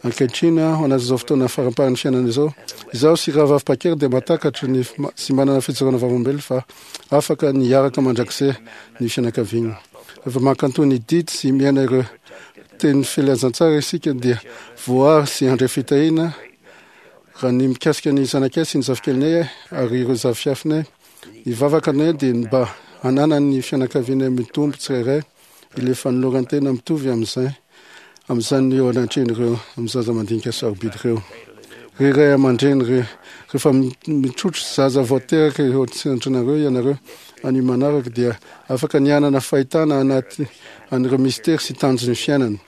[SPEAKER 4] Ankehitriny, ao anatin'izao fotoana faramparan'ny fiainana izao, izaho sy Rahavavy Packer dia mahatakatra ny sy manana fijoroana vavolombelona fa afaka ny hiaraka mandrakizay ny fianakaviana. Rehefa mankatò ny didy sy miaina ireo teny filazantsara isika dia voary sy handray fitahiana. Raha ny mikasika ny zanakay sy ny zafikelinay ary ireo zafiafinay, ny vavaka anay dia ny mba hananan'ny fianakavianay mitombo tsirairay ilay fanoloran-tena mitovy amin'izay amin'izany eo anatrehan'ireo amin'ny zaza mandinika sarobidy ireo. Ry ray aman-dreny, ry rehefa mitrotro zaza vao teraka eo an-tsendrinareo ianareo anio manaraka dia afaka ny hanana fahitana anaty an'ireo mistery sy tanjon'ny fiainana.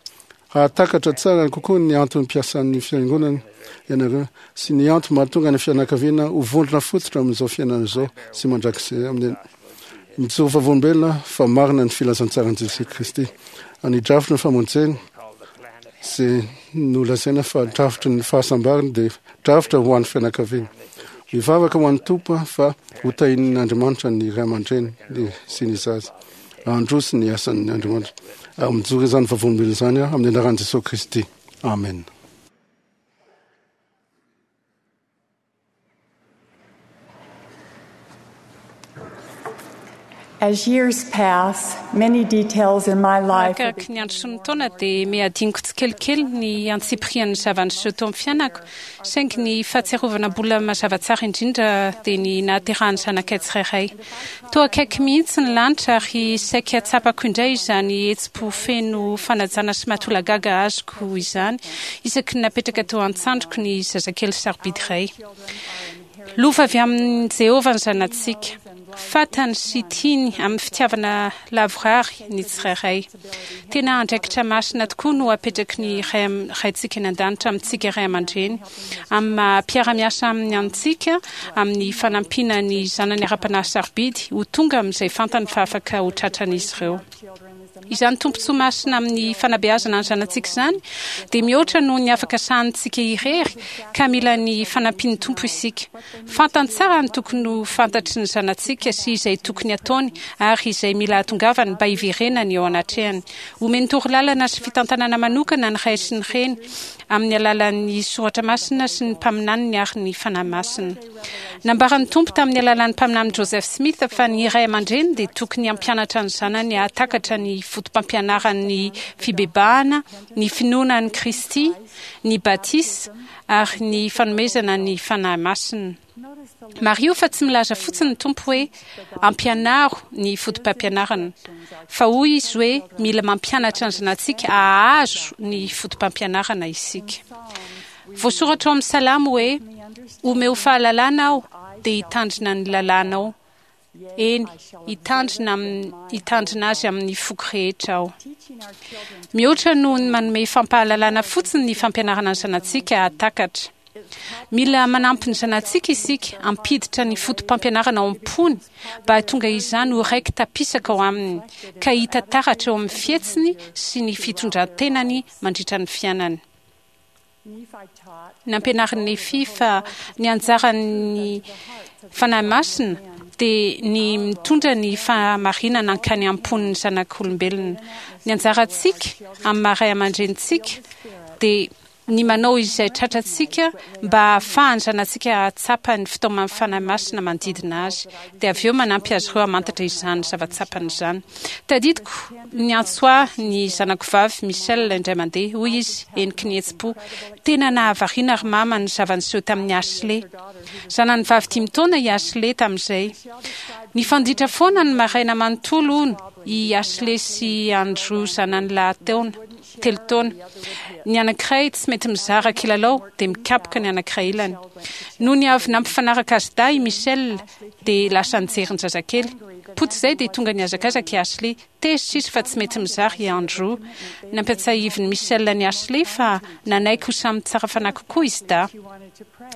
[SPEAKER 4] Hahatakatra tsara kokoa ny antony mpiasan'ny fiangonana ianareo sy ny antony mahatonga ny fianakaviana ho vondrona fototra amin'izao fiainana izao sy mandrakizay amin'ny Mijoro vavolombelona fa marina ny filazantsaran'i Jesoa Kristy. Ny drafitry ny famonjena izay nolazaina fa drafitry ny fahasambarana dia drafitra ho an'ny fianakaviana. Mivavaka ho an'ny Tompo fa ho tahian'Andriamanitra ny ray aman-dreny sy ny zaza. Handroso ny asan'ny Andriamanitra. Ary mijoro izany vavolombelona izany aho amin'ny anaran'i Jesoa Kristy. Amen.
[SPEAKER 8] As years pass, many details in my life
[SPEAKER 9] Arakaraky ny andro sy ny taona dia mihadinoko tsikelikely ny antsipirian'ny zava-niseho teo amin'ny fiainako, saingy ny fahatsiarovana mbola mazava tsara indrindra dia ny nahaterahan'ny zanakay tsirairay. Toa akaiky mihitsy ny lanitra ary saika tsapako indray izany hetsi-po feno fanajana sy mahatolagaga azoko izany isaky ny napetraka teo an-tsandriko ny zazakely sarobidy iray. Lova avy amin'i Jehovah ny zanatsika. Fantany sy tiany amin'ny fitiavana lavorary ny tsirairay. Tena andraikitra masina tokoa no apetraky ny Ray Raintsika any An-danitra amintsika ray aman-dreny, amin'ny maha mpiara-miasa aminy antsika, amin'ny fanampiana ny zanany ara-panahy sarobidy ho tonga amin'izay fantany fa afaka ho tratran'izy ireo. Izany tombontsoa masina amin'ny fanabeazana ny zanatsika izany dia mihoatra noho ny afaka sahanintsika irery ka mila ny fanampian'ny Tompo isika. Fantany tsara ny tokony ho fantatry ny zanatsika sy izay tokony hataony ary izay mila hahatongavany mba hiverenany eo anatrehany. Omeny torolalana sy fitantanana manokana ny ray sy ny reny amin'ny alalan'ny soratra masina sy ny mpaminaniny ary ny Fanahy Masina. Nambaran'ny Tompo tamin'ny alalan'ny Mpaminany Joseph Smith fa ny ray aman-dreny dia tokony hampianatra ny zanany hahatakatra ny fotopampianaran'ny fibebahana, ny finoana an'i Kristy, ny batisa, ary ny fanomezana ny Fanahy Masina. Mariho fa tsy milaza fotsiny ny Tompo hoe ampianaro ny fotopampianarana, fa hoy Izy hoe mila mampianatra ny zanatsika hahazo ny fotopampianarana isika. Voasoratra ao amin'ny Salamo hoe, Omeo fahalalana aho, dia hitandrina ny lalànao. Eny, hitandrina amin'ny, hitandrina azy amin'ny foko rehetra aho. Mihoatra noho ny manome fampahalalana fotsiny ny fampianarana ny zanatsika hahatakatra. Mila manampy ny zanatsika isika hampiditra ny fotopampianarana ao am-pony mba hahatonga izany ho raiki-tapisaka ao aminy, ka hita taratra eo amin'ny fihetsiny sy ny fitondran-tenany mandritra ny fiainany. Nampianarin'i Nefia fa ny anjaran'ny Fanahy Masina dia ny mitondra ny fahamarinana hankany am-pon'ny zanak'olombelona. Ny anjarantsika amin'ny maha ray aman-drenintsika dia ny manao izay tratrantsika mba hahafahan'ny zanatsika hahatsapa ny fitaoman'ny Fanahy Masina manodidina azy, dia avy eo manampy azy ireo hamantatra izany zava-tsapany izany. Tadidiko niantso ahy ny zanako vavy Michelle indray mandeha. Hoy izy, heniky ny hetsi-po, Tena nahavariana ry mama ny zava-niseho tamin'i Ashley. Zanany vavy dimy taona i Ashley tamin'izay. Nifanditra foana ny maraina manontolo, hono, i Ashley sy Andrew zanany lahy taona. telo taona. Ny anankiray tsy mety mizara kilalao dia mikapoka ny anankiray ilany. Nony avy nampifanaraka azy dahy i Michel dia lasa nijery ny zazakely. Potsy izay dia tonga nihazakazaka i Ashley. Tezitra izy fa tsy mety mizara i Andrew. Nampiatsahivin'i Michel an'i Ashley fa nanaiky ho samy tsara fanahy kokoa izy dahy.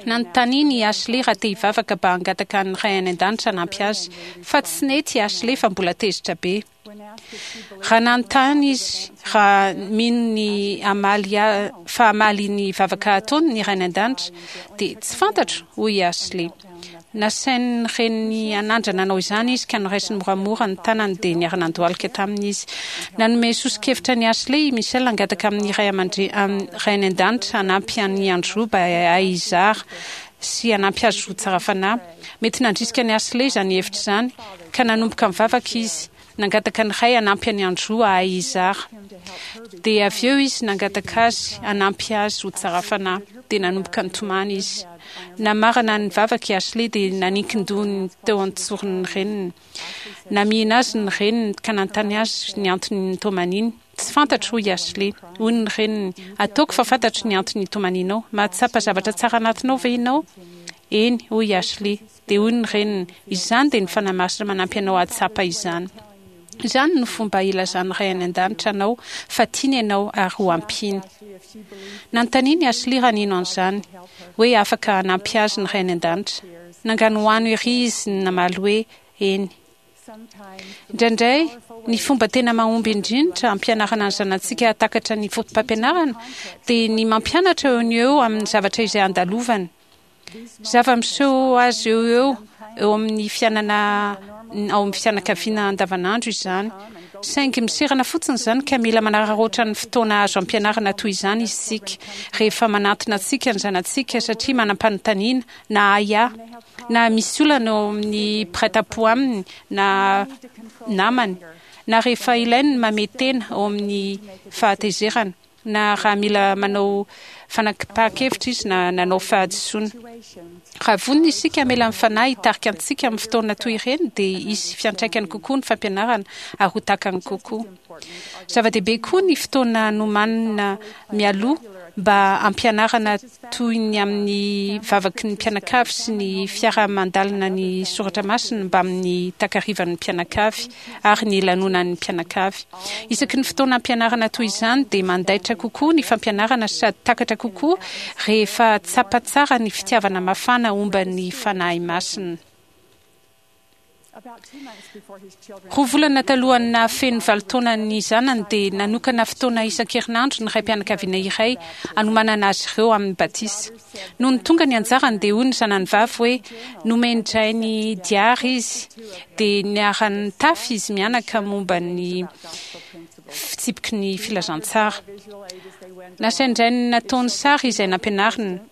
[SPEAKER 9] Nanontaniany i Ashley raha te hivavaka mba hangataka ny Ray any an-danitra hanampy azy, fa tsy nety i Ashley fa mbola tezitra be. Raha nanontany izy raha mino ny hamaly fa hamaly ny vavaka ataony ny Ray any an-danitra, dia tsy fantatro, hoy i Ashley. Nasain'ny reniny hanandrana nanao izany izy ka noraisiny moramora ny tanany dia niara-nandohalika taminy izy. Nanome soso-kevitra an'i Ashley i Michel hangataka amin'ny Ray aman-dre- amin'ny Ray any an-danitra hanampy an'i Andrew mba hahay hizara sy hanampy azy ho tsara fanahy. Mety nandrisika an'i Ashley izany hevitra izany ka nanomboka nivavaka izy. Nangataka ny Ray hanampy an'i Andrew hahay hizara. Dia avy eo izy nangataka azy hanampy azy ho tsara fanahy. Dia nanomboka nitomany izy. Namarana ny vavaka i Ashley dia naninkin-dohany teo an-tsoron'ny reniny. Namihina azy ny reniny ka nanontany azy ny antony nitomaniny. Tsy fantatro, hoy i Ashley. Hoy ny reniny, ataoko fa fantatro ny antony itomaninao. Mahatsapa zavatra tsara anatinao ve ianao? Eny, hoy i Ashley. Dia hoy ny reniny, izany dia ny Fanahy Masina manampy anao hahatsapa izany. Izany no fomba ilazan'ny Ray any an-danitra anao fa tiany ianao ary ho ampiany. Nanontaniany i Ashley raha nino an'izany, hoe afaka hanampy azy ny Ray any an-danitra. Nanganohano ery izy namaly hoe eny. Indraindray, ny fomba tena mahomby indrindra hampianarana ny zanatsika hahatakatra ny fotopampianarana dia ny mampianatra eo no eo amin'ny zavatra izay andalovany. Zava-miseho azy eo eo eo amin'ny fiainana ao amin'ny fianakaviana andavanandro izany. Saingy miserana fotsiny izany ka mila manararaotra ny fotoana azo ampianarana toy izany isika rehefa manantona antsika ny zanatsika satria manam-panontaniana na ahiahy na misy olana eo amin'ny mpiray tampo aminy na namany na rehefa ilainy ny mamehy tena ao amin'ny fahatezerana na raha mila manao fanapahan-kevitra izy na nanao fahadisoana. Raha vonona isika hamela ny Fanahy hitarika antsika amin'ny fotoana toy ireny dia hisy fiantraikany kokoa ny fampianarana ary ho takany kokoa. Zava-dehibe koa ny fotoana nomanina mialoha mba hampianarana toy ny amin'ny vavaky ny mpianakavy sy ny fiaraha-mandalina ny soratra masina mbamin'ny takarivan'ny mpianakavy ary ny lanonan'ny mpianakavy. Isaky ny fotoana ampianarana toy izany dia mandaitra kokoa ny fampianarana sady takatra kokoa rehefa tsapa tsara ny fitiavana mafana omban'ny Fanahy Masina. Roa volana talohan'ny nahafeno valo taona ny zanany dia nanokana fotoana isan-kerinandro ny raim-pianakaviana iray hanomanana azy ireo amin'ny batisa. Nony tonga ny anjarany dia hoy ny zanany vavy hoe nomen-drainy diary izy dia niara-nitafy izy mianaka momba ny fitsipiky ny filazantsara. Nasain-drainy nataony sary izay nampianarina.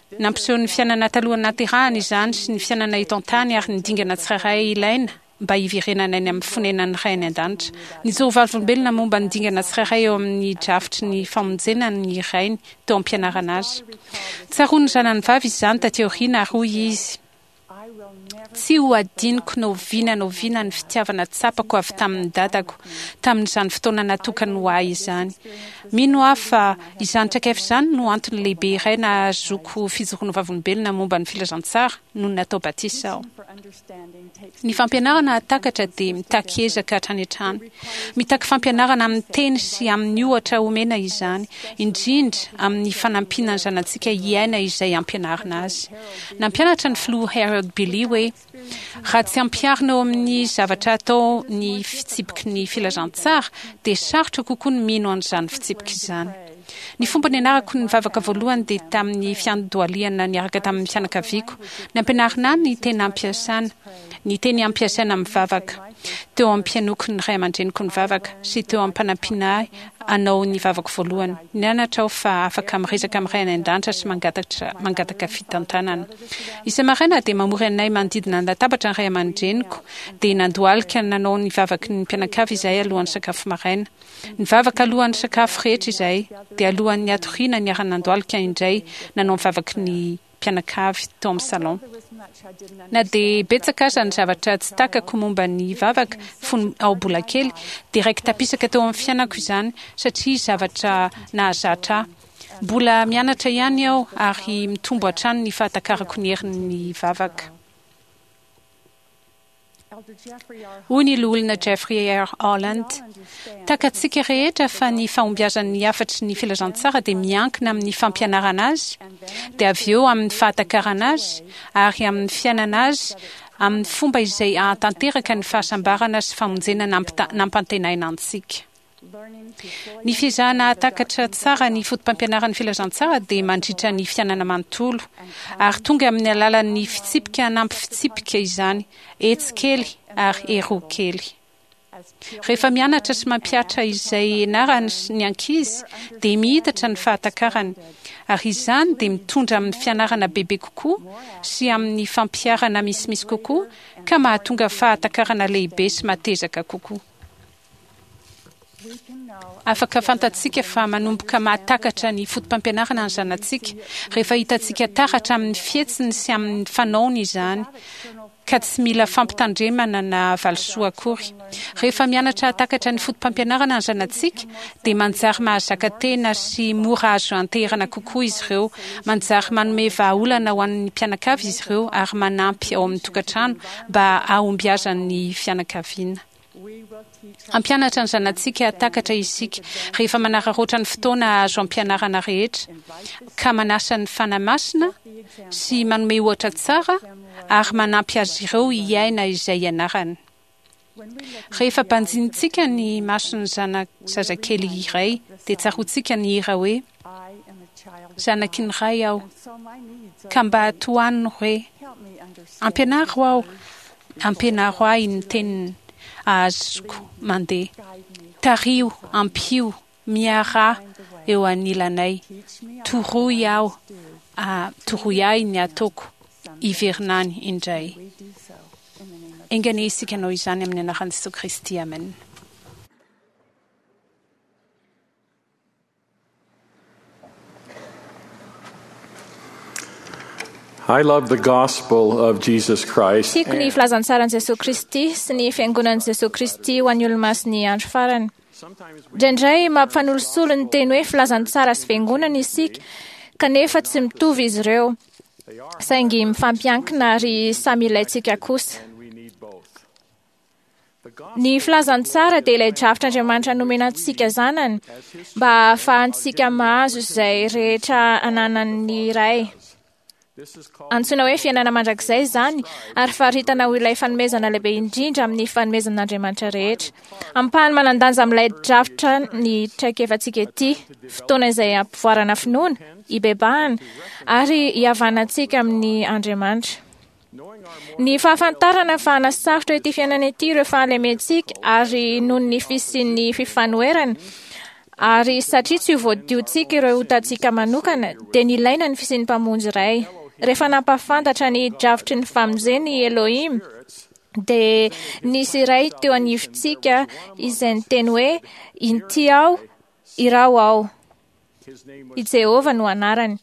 [SPEAKER 9] Nampiseho ny fiainana talohan'ny nahaterahany izany sy ny fiainana eto an-tany ary ny dingana tsirairay ilaina mba hiverenana any amin'ny fonenan'ny Ray any an-danitra. Nijoro vavolombelona momba ny dingana tsirairay eo amin'ny drafitry ny famonjena ny rainy teo am-pianarana azy. Tsaroan'ny zanany vavy izany taty aoriana ary hoy izy, Tsy ho adinoko na oviana na oviana ny fitiavana tsapako avy tamin'ny dadako tamin'izany fotoana natokany ho ahy izany. Mino aho fa izany traikefa izany no antony lehibe iray nahazoako fijoroana vavolombelona momba ny filazantsara nony natao batisa aho. Ny fampianarana hahatakatra dia mitaky ezaka hatrany hatrany. Mitaky fampianarana amin'ny teny sy amin'ny ohatra omena izany, indrindra amin'ny fanampiana ny zanatsika hiaina izay ampianarina azy. Nampianatra ny filoha Harold Billy hoe, Raha tsy ampiharina eo amin'ny zavatra atao ny fitsipiky ny filazantsara, dia sarotra kokoa ny mino an'izany fitsipika izany. Ny fomba nianarako ny vavaka voalohany dia tamin'ny fiandohalihana niaraka tamin'ny fianakaviako. Nampianarina ahy ny tena ampiasana, ny teny ampiasaina amin'ny vavaka, teo am-pihainoako ny ray aman-dreniko nivavaka, sy teo am-panampiana ahy hanao ny vavako voalohany. Nianatra aho fa afaka miresaka amin'ny Ray any An-danitra sy mangataka fitantanana. Isa-maraina dia mamory anay manodidina ny latabatra ny ray aman-dreniko, dia nandohalika nanao ny vavaky ny mpianakavy izahay alohan'ny sakafo maraina. Nivavaka alohan'ny sakafo rehetra izahay, dia alohan'ny hatoriana niara-nandohalika indray nanao ny vavaky ny mpianakavy tao amin'ny salon. Na dia betsaka aza ny zavatra tsy takako momba ny vavaka fony aho mbola kely, dia raiki-tapisaka teo amin'ny fiainako izany satria zavatra nahazatra ahy. Mbola mianatra ihany aho ary mitombo hatrany ny fahatakarako ny herin'ny vavaka. Hoy ny loholona Jeffrey R. Holland: "Takatsika rehetra fa ny fahombiazan'ny hafatry ny filazantsara dia miankina amin'ny fampianarana azy, dia avy eo amin'ny fahatakarana azy, ary amin'ny fiainana azy amin'ny fomba izay hahatanteraka ny fahasambarana sy famonjena nampantenaina antsika. Ny fiezahana hahatakatra tsara ny fotopampianaran'ny filazantsara dia mandritra ny fiainana manontolo, ary tonga amin'ny alalan'ny fitsipika hanampy fitsipika izany, etsy kely ary eroa kely. Rehefa mianatra sy mampihatra izay ianarany ny ankizy, dia mihitatra ny fahatakarany, ary izany dia mitondra amin'ny fianarana bebe kokoa sy amin'ny fampiharana misimisy kokoa, ka mahatonga fahatakarana lehibe sy matezaka kokoa. Afaka fantatsika fa manomboka mahatakatra ny fotopampianarana ny zanatsika rehefa hitantsika taratra amin'ny fihetsiny sy amin'ny fanaony izany, ka tsy mila fampitandremana na valisoa akory. Rehefa mianatra hahatakatra ny fotopampianarana ny zanatsika, dia manjary mahazaka tena sy mora azo anteherana kokoa izy ireo, manjary manome vahaolana ho an'ny mpianakavy izy ireo ary manampy ao amin'ny tokantrano mba hahombiazan'ny fianakaviana. Hampianatra ny zanatsika hahatakatra isika rehefa manararaotra ny fotoana azo ampianarana rehetra, ka manasa ny Fanahy Masina sy manome ohatra tsara ary manampy azy ireo hiaina izay ianarany. Rehefa banjinintsika ny mason'ny zana-zazakely iray, dia tsaroantsika ny hira hoe: "Zanaky ny Ray aho, ka mba tohanino re. Ampianaro aho, ampianaro ahy ny teniny ahazoko mandeha. Tariho, ampio, miaraha eo anilanay. Toroy aho, toroy ahy ny ataoko, hiverina any indray." Enga anie isika hanao izany amin'ny anaran'i Jesoa Kristy. Amen.
[SPEAKER 5] I love the gospel of Jesus Christ.
[SPEAKER 10] Tiako ny filazantsaran'i Jesoa Kristy sy ny fiangonan'i Jesoa Kristy ho an'ny olomasin'ny andro farany. Indraindray mampifanolosolo ny teny hoe filazantsara sy fiangonana isika, kanefa tsy mitovy izy ireo, saingy mifampiankina ary samy ilaintsika kosa. Ny filazantsara dia ilay drafitr'Andriamanitra nomena antsika zanany mba hahafahantsika mahazo izay rehetra ananan'ny Ray. Antsoina hoe fiainana mandrakizay izany ary faritana ho ilay fanomezana lehibe indrindra amin'ny fanomezan'Andriamanitra rehetra. Ampahany manan-danja amin'ilay drafitra ny traikefantsika ity, fotoana izay ampivoarana finoana, ibebahana ary ihavanantsika amin'ny Andriamanitra. Ny fahafantarana fa hanasarotra ity fiainana ity ireo fahalementsika ary noho ny fisian'ny fifanoherana, ary satria tsy ho voadiontsika ireo otantsika manokana, dia nilaina ny fisian'ny Mpamonjy iray. Rehefa nampahafantatra ny drafitry ny famonjena i Elohim, dia nisy iray teo anivontsika izay niteny hoe: "Inty aho, iraho aho." I Jehovah no anarany.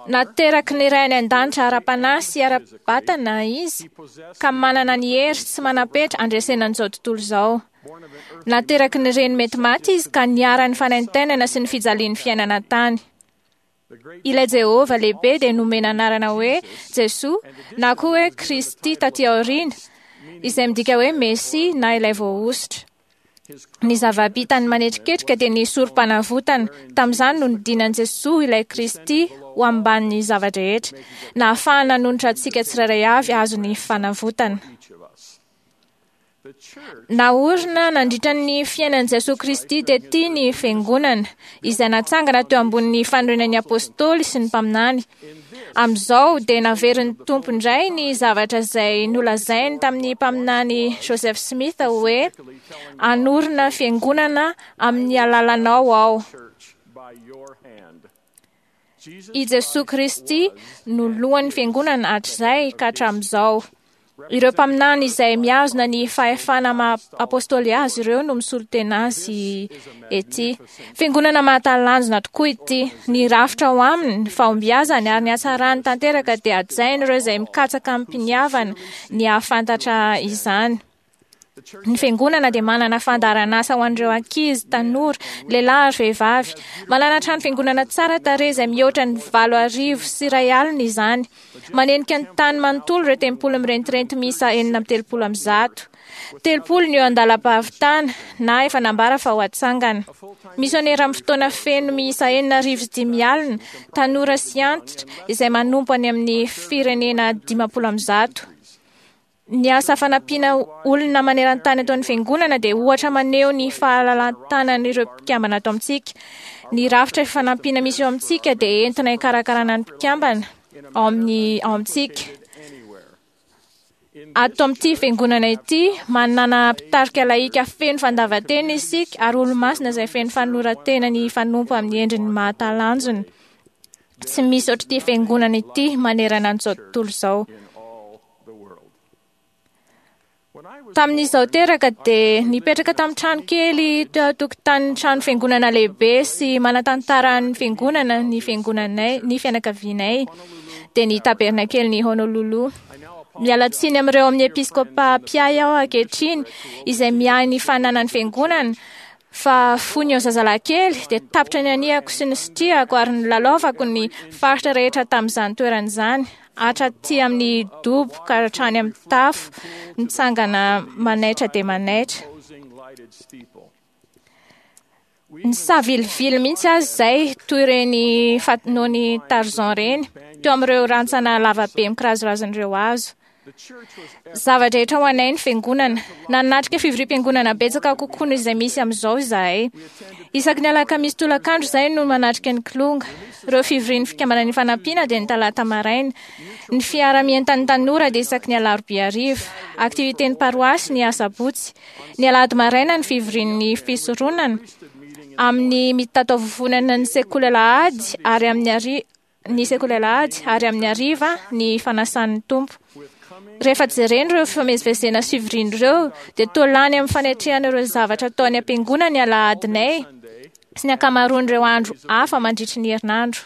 [SPEAKER 10] Nateraky ny Ray any an-danitra ara-panahy sy ara-batana izy, ka manana ny hery tsy manam-petra handresena an'izao tontolo izao. Nateraky ny reny mety maty izy ka niharan'ny fanaintainana sy ny fijalian'ny fiainana tany. Ilay Jehovah lehibe dia nomena anarana hoe Jesoa na koa hoe Kristy taty aoriana, izay midika hoe Mesia na ilay voahosotra. Ny zava-bitany manetriketrika dia ny sorom-panavotana. Tamin'izany no nidinan'i Jesoa ilay Kristy ho ambanin'ny zava-drehetra, nahafahana nanonitra antsika tsirairay avy hahazo ny fanavotana. Naorina nandritra ny fiainan'i Jesoa Kristy tety ny fiangonana, izay natsangana teo ambonin'ny fanorenan'ny apôstôly sy ny mpaminany. Amin'izao dia naverin'ny Tompo indray ny zavatra izay nolazainy tamin'ny mpaminany Joseph Smith hoe: "Hanorina fiangonana amin'ny alalanao aho." I Jesoa Kristy no lohan'ny fiangonana hatrizay ka hatramin'izao. Ireo mpaminany izay mihazona ny fahefana maha apôstôly azy ireo no misolo tena azy ety. Fiangonana mahatalanjona tokoa ity. Ny rafitra ao aminy, ny fahombiazany ary ny hatsarany tanteraka dia hajain'ireo izay mikatsaka amim-piniavana ny hahafantatra izany. Ny fiangonana dia manana fandaharanasa ho an'ireo ankizy, tanora, lehilahy ary vehivavy. Manana trano fiangonana tsara tarehy izay mihoatra ny valo arivo sy iray alina izany. Manenika ny tany manontolo ireo tempoly mirentirenty miisa enina amby telopolo amby zato. Telopolo ny eo an-dalam-pahavitana na efa nambara fa ho atsangana. Misionera amin'ny fotoana feno miisa enina arivo sy dimy alina, tanora sy antitra izay manompo any amin'ny firenena dimampolo amby zato. Ny asa fanampiana olona maneran-tany ataon'ny fiangonana dia ohatra maneho ny fahalalan-tanan'ireo mpikambana ato amintsika. Ny rafitra fanampiana misy eo amintsika dia entina hikarakarana ny mpikambana ao amin'ny ao amintsika. Ato amin'ity fiangonana ity, manana mpitarika lahika feno fandavan-tena isika ary olo-masina izay feno fanoloran-tena ny fanompo amin'ny endriny mahatalanjona. Tsy misy ohatr'ity fiangonana ity manerana an'izao tontolo izao. Tamin'izaho teraka dia nipetraka tamin'ny trano kely teo an-tokotanin'ny trano fiangonana lehibe sy manan-tantaran'ny fiangonana ny fiangonanay, ny fianakavianay, dia ny tabernakelin'i Honolulu. Miala tsiny amin'ireo amin'ny episkopa mpiahy aho ankehitriny izay miahy ny fananan'ny fiangonana, fa fony eo zazalahy kely dia tapitra ny anihako sy ny sitrihako ary nilalaovako ny faritra rehetra tamin'izany toerana izany, hatraty amin'ny dobo ka hatrany amin'ny tafo, mitsangana manaitra dia manaitra. Nisavilivily mihitsy azy izay toy ireny fanoany Tarzan ireny, teo amin'ireo rantsana lavabe mikirazorazon'ireo hazo. Zava-drehetra ho anay ny fiangonana. Nanatrika fivoriam-piangonana betsaka kokoa noho izay misy amin'izao izahay. Isaky ny alakamisy tolakandro izahay no manatrika ny kilonga. Ireo fivorian'ny fikambanan'ny fanampiana dia ny talata maraina. Ny fiara-mientan'ny tanora dia isaky ny alarobia hariva. Aktiviten'ny paroasy ny asabotsy. Ny alahady maraina ny fivorian'ny fisoronana. Amin'ny mitataovovonana ny sekoly alahady ary amin'ny ari ny sekoly alahady ary amin'ny hariva ny fanasan'ny Tompo. Rehefa jerena ireo fifamezivezena sy fivoriana ireo dia toa lany amin'ny fanetrehana ireo zavatra atao any am-piangonana ny alahadinay sy ny ankamaroan'ireo andro hafa mandritry ny herinandro.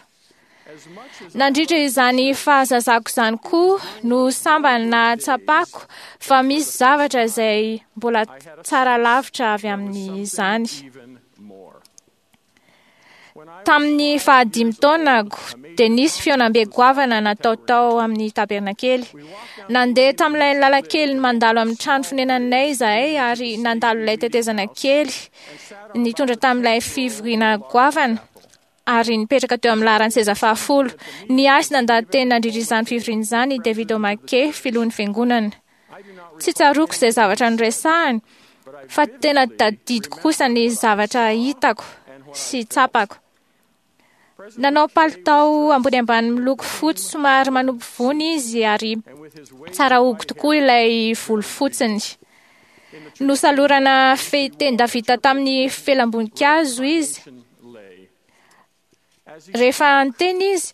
[SPEAKER 10] Nandritra izany fahazazako izany koa no sambany nahatsapako fa misy zavatra izay mbola tsara lavitra avy amin'izany. Tamin'ny fahadimy taonako dia nisy fihaonambe goavana natao tao amin'ny tabernakely. Nandeha tamin'ilay lalan-kely mandalo amin'ny trano fonenanay izahay ary nandalo ilay tetezana kely nitondra tamin'ilay fivoriana goavana ary nipetraka teo amin'ny laharan-tseza fahafolo. Niasy nandaha-teny nandritra izany fivoriana izany i David O'Mackey, filohan'ny fiangonana. Tsy tsaroako izay zavatra noresahany, fa tena tadidiko kosa ny zavatra hitako sy tsapako. Nanao palitao ambony ambany miloko fotsy somary manopy vony izy ary tsara hogo tokoa ilay volo fotsiny. Nosalorana fehitenda vita tamin'ny felam-boninkazo izy. Rehefa niteny izy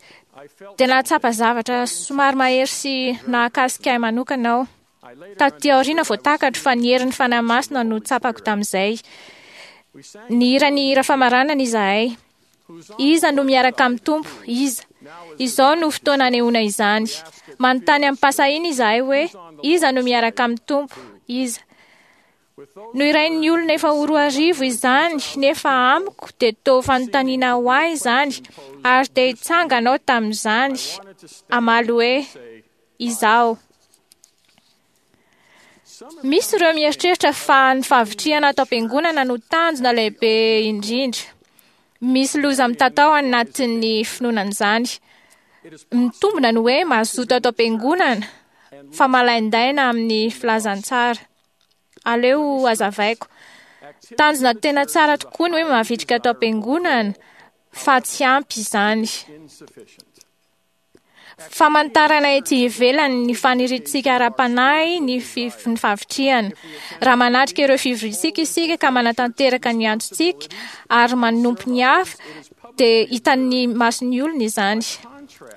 [SPEAKER 10] dia nahatsapa zavatra somary mahery sy nahakasika ahy manokana aho. Taty aoriana vao takatro fa ny herin'ny Fanahy Masina no tsapako tamin'izay. Nihira ny hira famaranana izahay. Iza no miaraka amin'ny Tompo? Iza? Izao no fotoana anehoana izany. Manontany amin'ny-pahasahiana izahay hoe iza no miaraka amin'ny Tompo? Iza? Nohirain'ny olona efa ho roa arivo izany, nefa amiko dia toa fanontaniana ho ahy izany, ary dia hitsangana aho tamin'izany, hamaly hoe izaho. Misy ireo mieritreritra fa ny fahavitrihana ato am-piangonana no tanjona lehibe indrindra. Misy loza mitatao anatin'ny finoana an'izany. Mitombina ny hoe mazoto ato am-piangonana fa malaindaina amin'ny filazantsara. Aleo hazavaiko. Tanjona tena tsara tokoa ny hoe mavitrika ato am-piangonana fa tsy ampy izany. Famantarana ety ivelany ny faniriantsika ara-panahy ny fi- ny fahavitrihana. Raha manatrika ireo fivoriantsika isika ka manatanteraka ny antsontsika ary manompo ny hafa, dia hitan'ny mason'ny olona izany.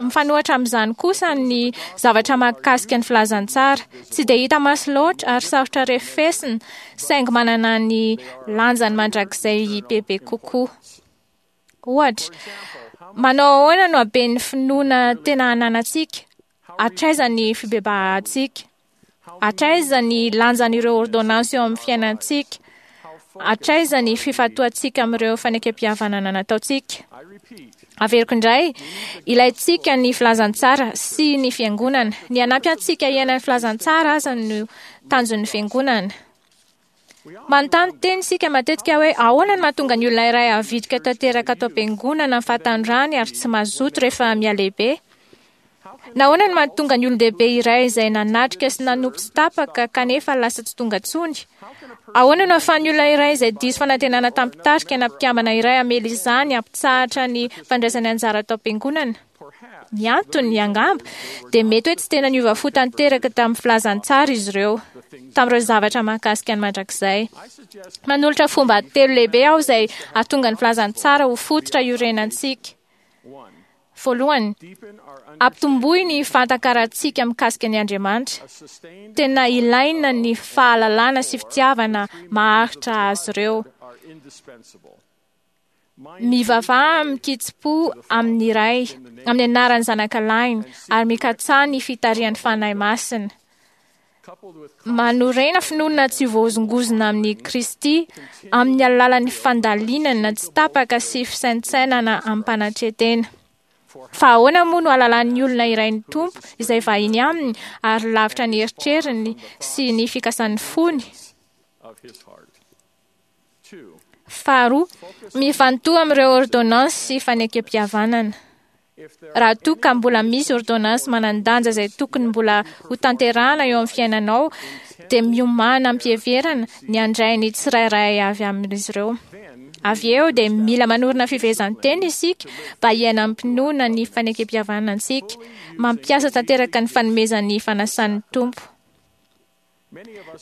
[SPEAKER 10] Mifanohitra amin'izany kosa ny zavatra mahakasika ny filazantsara. Tsy dia hita maso loatra ary sarotra refesina, saingy manana ny lanjany mandrakizay bebe kokoa. Ohatra, manao ahoana no haben'ny finoana tena ananantsika? Hatraiza ny fibebahantsika? Hatraiza ny lanjan'ireo ordonnances eo amin'ny fiainantsika? Hatraiza ny fifantohantsika amin'ireo fanekempihavanana nataontsika? Averiko indray, ilaintsika ny filazantsara sy ny fiangonana. Ny hanampy antsika hiaina ny filazantsara aza no tanjon'ny fiangonana. Manontany tena isika matetika hoe ahoana no mahatonga ny olona iray havitrika tanteraka ato am-piangonana amin'ny fahatanorany ary tsy mazoto rehefa mihalehibe? Nahoana no mahatonga ny olon-dehibe iray izay nanatrika sy nanompo tsy tapaka kanefa lasa tsy tonga intsony? Ahoana no ahafahan'ny olona iray izay diso fanantenana tamin'ny mpitarika na mpikambana iray hamela izany hampitsahatra ny fandraisany anjara ato am-piangonana? Ny antony, angamba, dia mety hoe tsy tena niova fo tanteraka tamin'ny filazantsara izy ireo, tamin'ireo zavatra mahakasika ny mandrakizay. Manolotra fomba telo lehibe aho izay hahatonga ny filazantsara ho fototra iorenantsika. Voalohany, ampitomboy ny fahatakarantsika mikasika ny Andriamanitra. Tena ilaina ny fahalalana sy fitiavana maharitra azy ireo. Mivavaha amin-kitsim-po amin'ny Ray, amin'ny anaran'ny Zanakalahiny, ary mikatsaha ny fitarihan'ny Fanahy Masina. Manorena finoana tsy voahozongozona amin'i Kristy amin'ny alalan'ny fandalinana tsy tapaka sy fisaintsainana amim-panetren-tena. Fa ahoana moa no ahalalan'ny olona iray ny Tompo izay vahiny aminy ary lavitra ny eritreriny sy ny fikasan'ny fony? Faharoa, mifantoha amin'ireo ordonnances sy fanekempihavanana. Raha toa ka mbola misy ordonnance manan-danja izay tokony mbola ho tanterahana eo amin'ny fiainanao, dia miomàna am-piheverana ny handray ny tsirairay avy amin'izy ireo. Avy eo dia mila manorina fivezan-tena isika mba hiaina am-pinoana ny fanekempihavanantsika, mampiasa tanteraka ny fanomezan'ny fanasan'ny Tompo.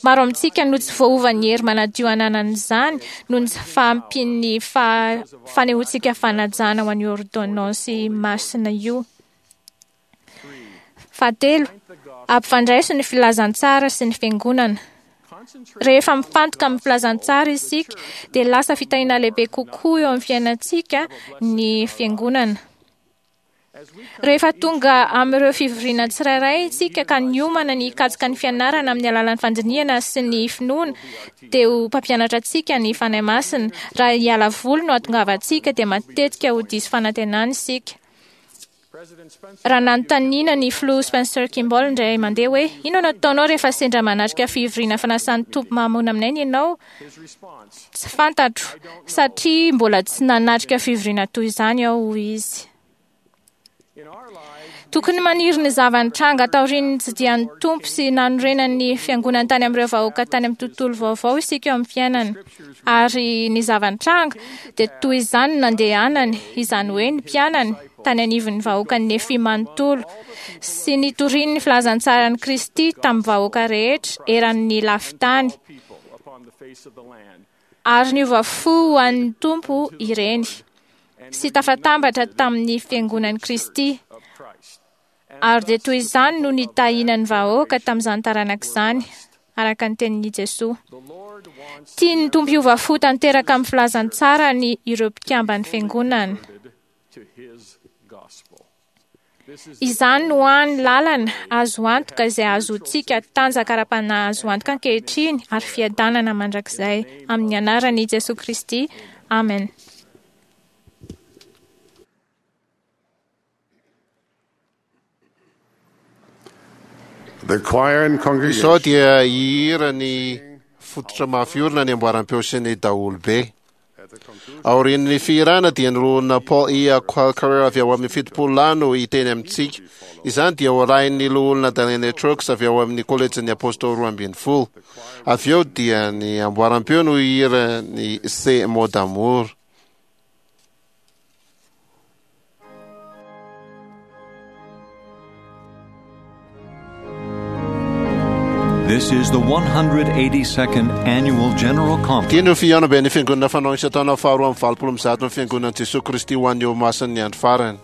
[SPEAKER 10] Maro amintsika no tsy voaovan'ny hery manadio ananan'izany noho ny tsy fahampian'ny fa- fanehoantsika fanajana ho an'io ordonnance masina io. Fahatelo, ampifandraiso ny filazantsara sy ny fiangonana. Rehefa mifantoka amin'ny filazantsara isika, dia lasa fitahiana lehibe kokoa eo amin'ny fiainantsika ny fiangonana. Rehefa tonga amin'ireo fivoriana tsirairay isika ka niomana ny hikatsaka ny fianarana amin'ny alalan'ny fandinihana sy ny finoana, dia ho mpampianatra antsika ny Fanahy Masina. Raha hiala voly no hahatongavantsika, dia matetika ho diso fanantenana isika. Raha nanontaniana ny filoha Spencer Kimball indray mandeha hoe inona no ataonao rehefa sendra manatrika fivoriana fanasan'ny Tompo mahamona aminay ianao? Tsy fantatro, satria mbola tsy nanatrika fivoriana toy izany aho, hoy izy. Tokony maniry ny zava-nitranga taorian'ny nitsidihan'ny Tompo sy nanorenan'ny fiangonany tany amin'ireo vahoaka tany amin'ny tontolo vaovao isika eo amin'ny fiainana. Ary ny zava-nitranga dia toy izany no nandehanany, izany hoe ny mpianany, tany anivon'ny vahoakan'ny Nefy manontolo, sy nitoriany ny filazantsaran'i Kristy tamin'ny vahoaka rehetra eran'ny lafin-tany. Ary niova fo ho an'ny Tompo ireny, sy tafatambatra tamin'ny fiangonan'i Kristy. Ary dia toy izany no nitahiana ny vahoaka tamin'izany taranaka izany, araka ny tenin'i Jesoa. Tian'ny Tompo hiova fo tanteraka amin'ny filazantsarany ireo mpikamban'ny fiangonana. Izany no hany lalana azo antoka izay ahazoantsika tanjaka ara-panahy azo antoka ankehitriny ary fiadanana mandrakizay amin'ny anaran'i Jesoa Kristy. Amen.
[SPEAKER 11] The choir and
[SPEAKER 2] Izao
[SPEAKER 11] congregation
[SPEAKER 2] dia hihira ny fototra mafy orina ny amboaram-peo sy ny daholobe. Aorian'ny fihirana dia ny loholona Paul E. Qualker avy ao amin'ny fitopolo lahy no hiteny amintsika. Izany dia horahin'ny loholona Daniel Trucks avy ao amin'ny kolejin'ny Apôstôly roa ambin'ny folo. Avy eo dia ny amboaram-peo no hihira ny Ces mots d'amour.
[SPEAKER 1] This is the one hundred eighty-second Annual General Conference.
[SPEAKER 2] Ity no fihaonamben'ny fiangonana fanao isan-taona faharoa amby valopolo amby zato ny fiangonan'i Jesoa Kristy ho an'ny eo masin'ny andro farany.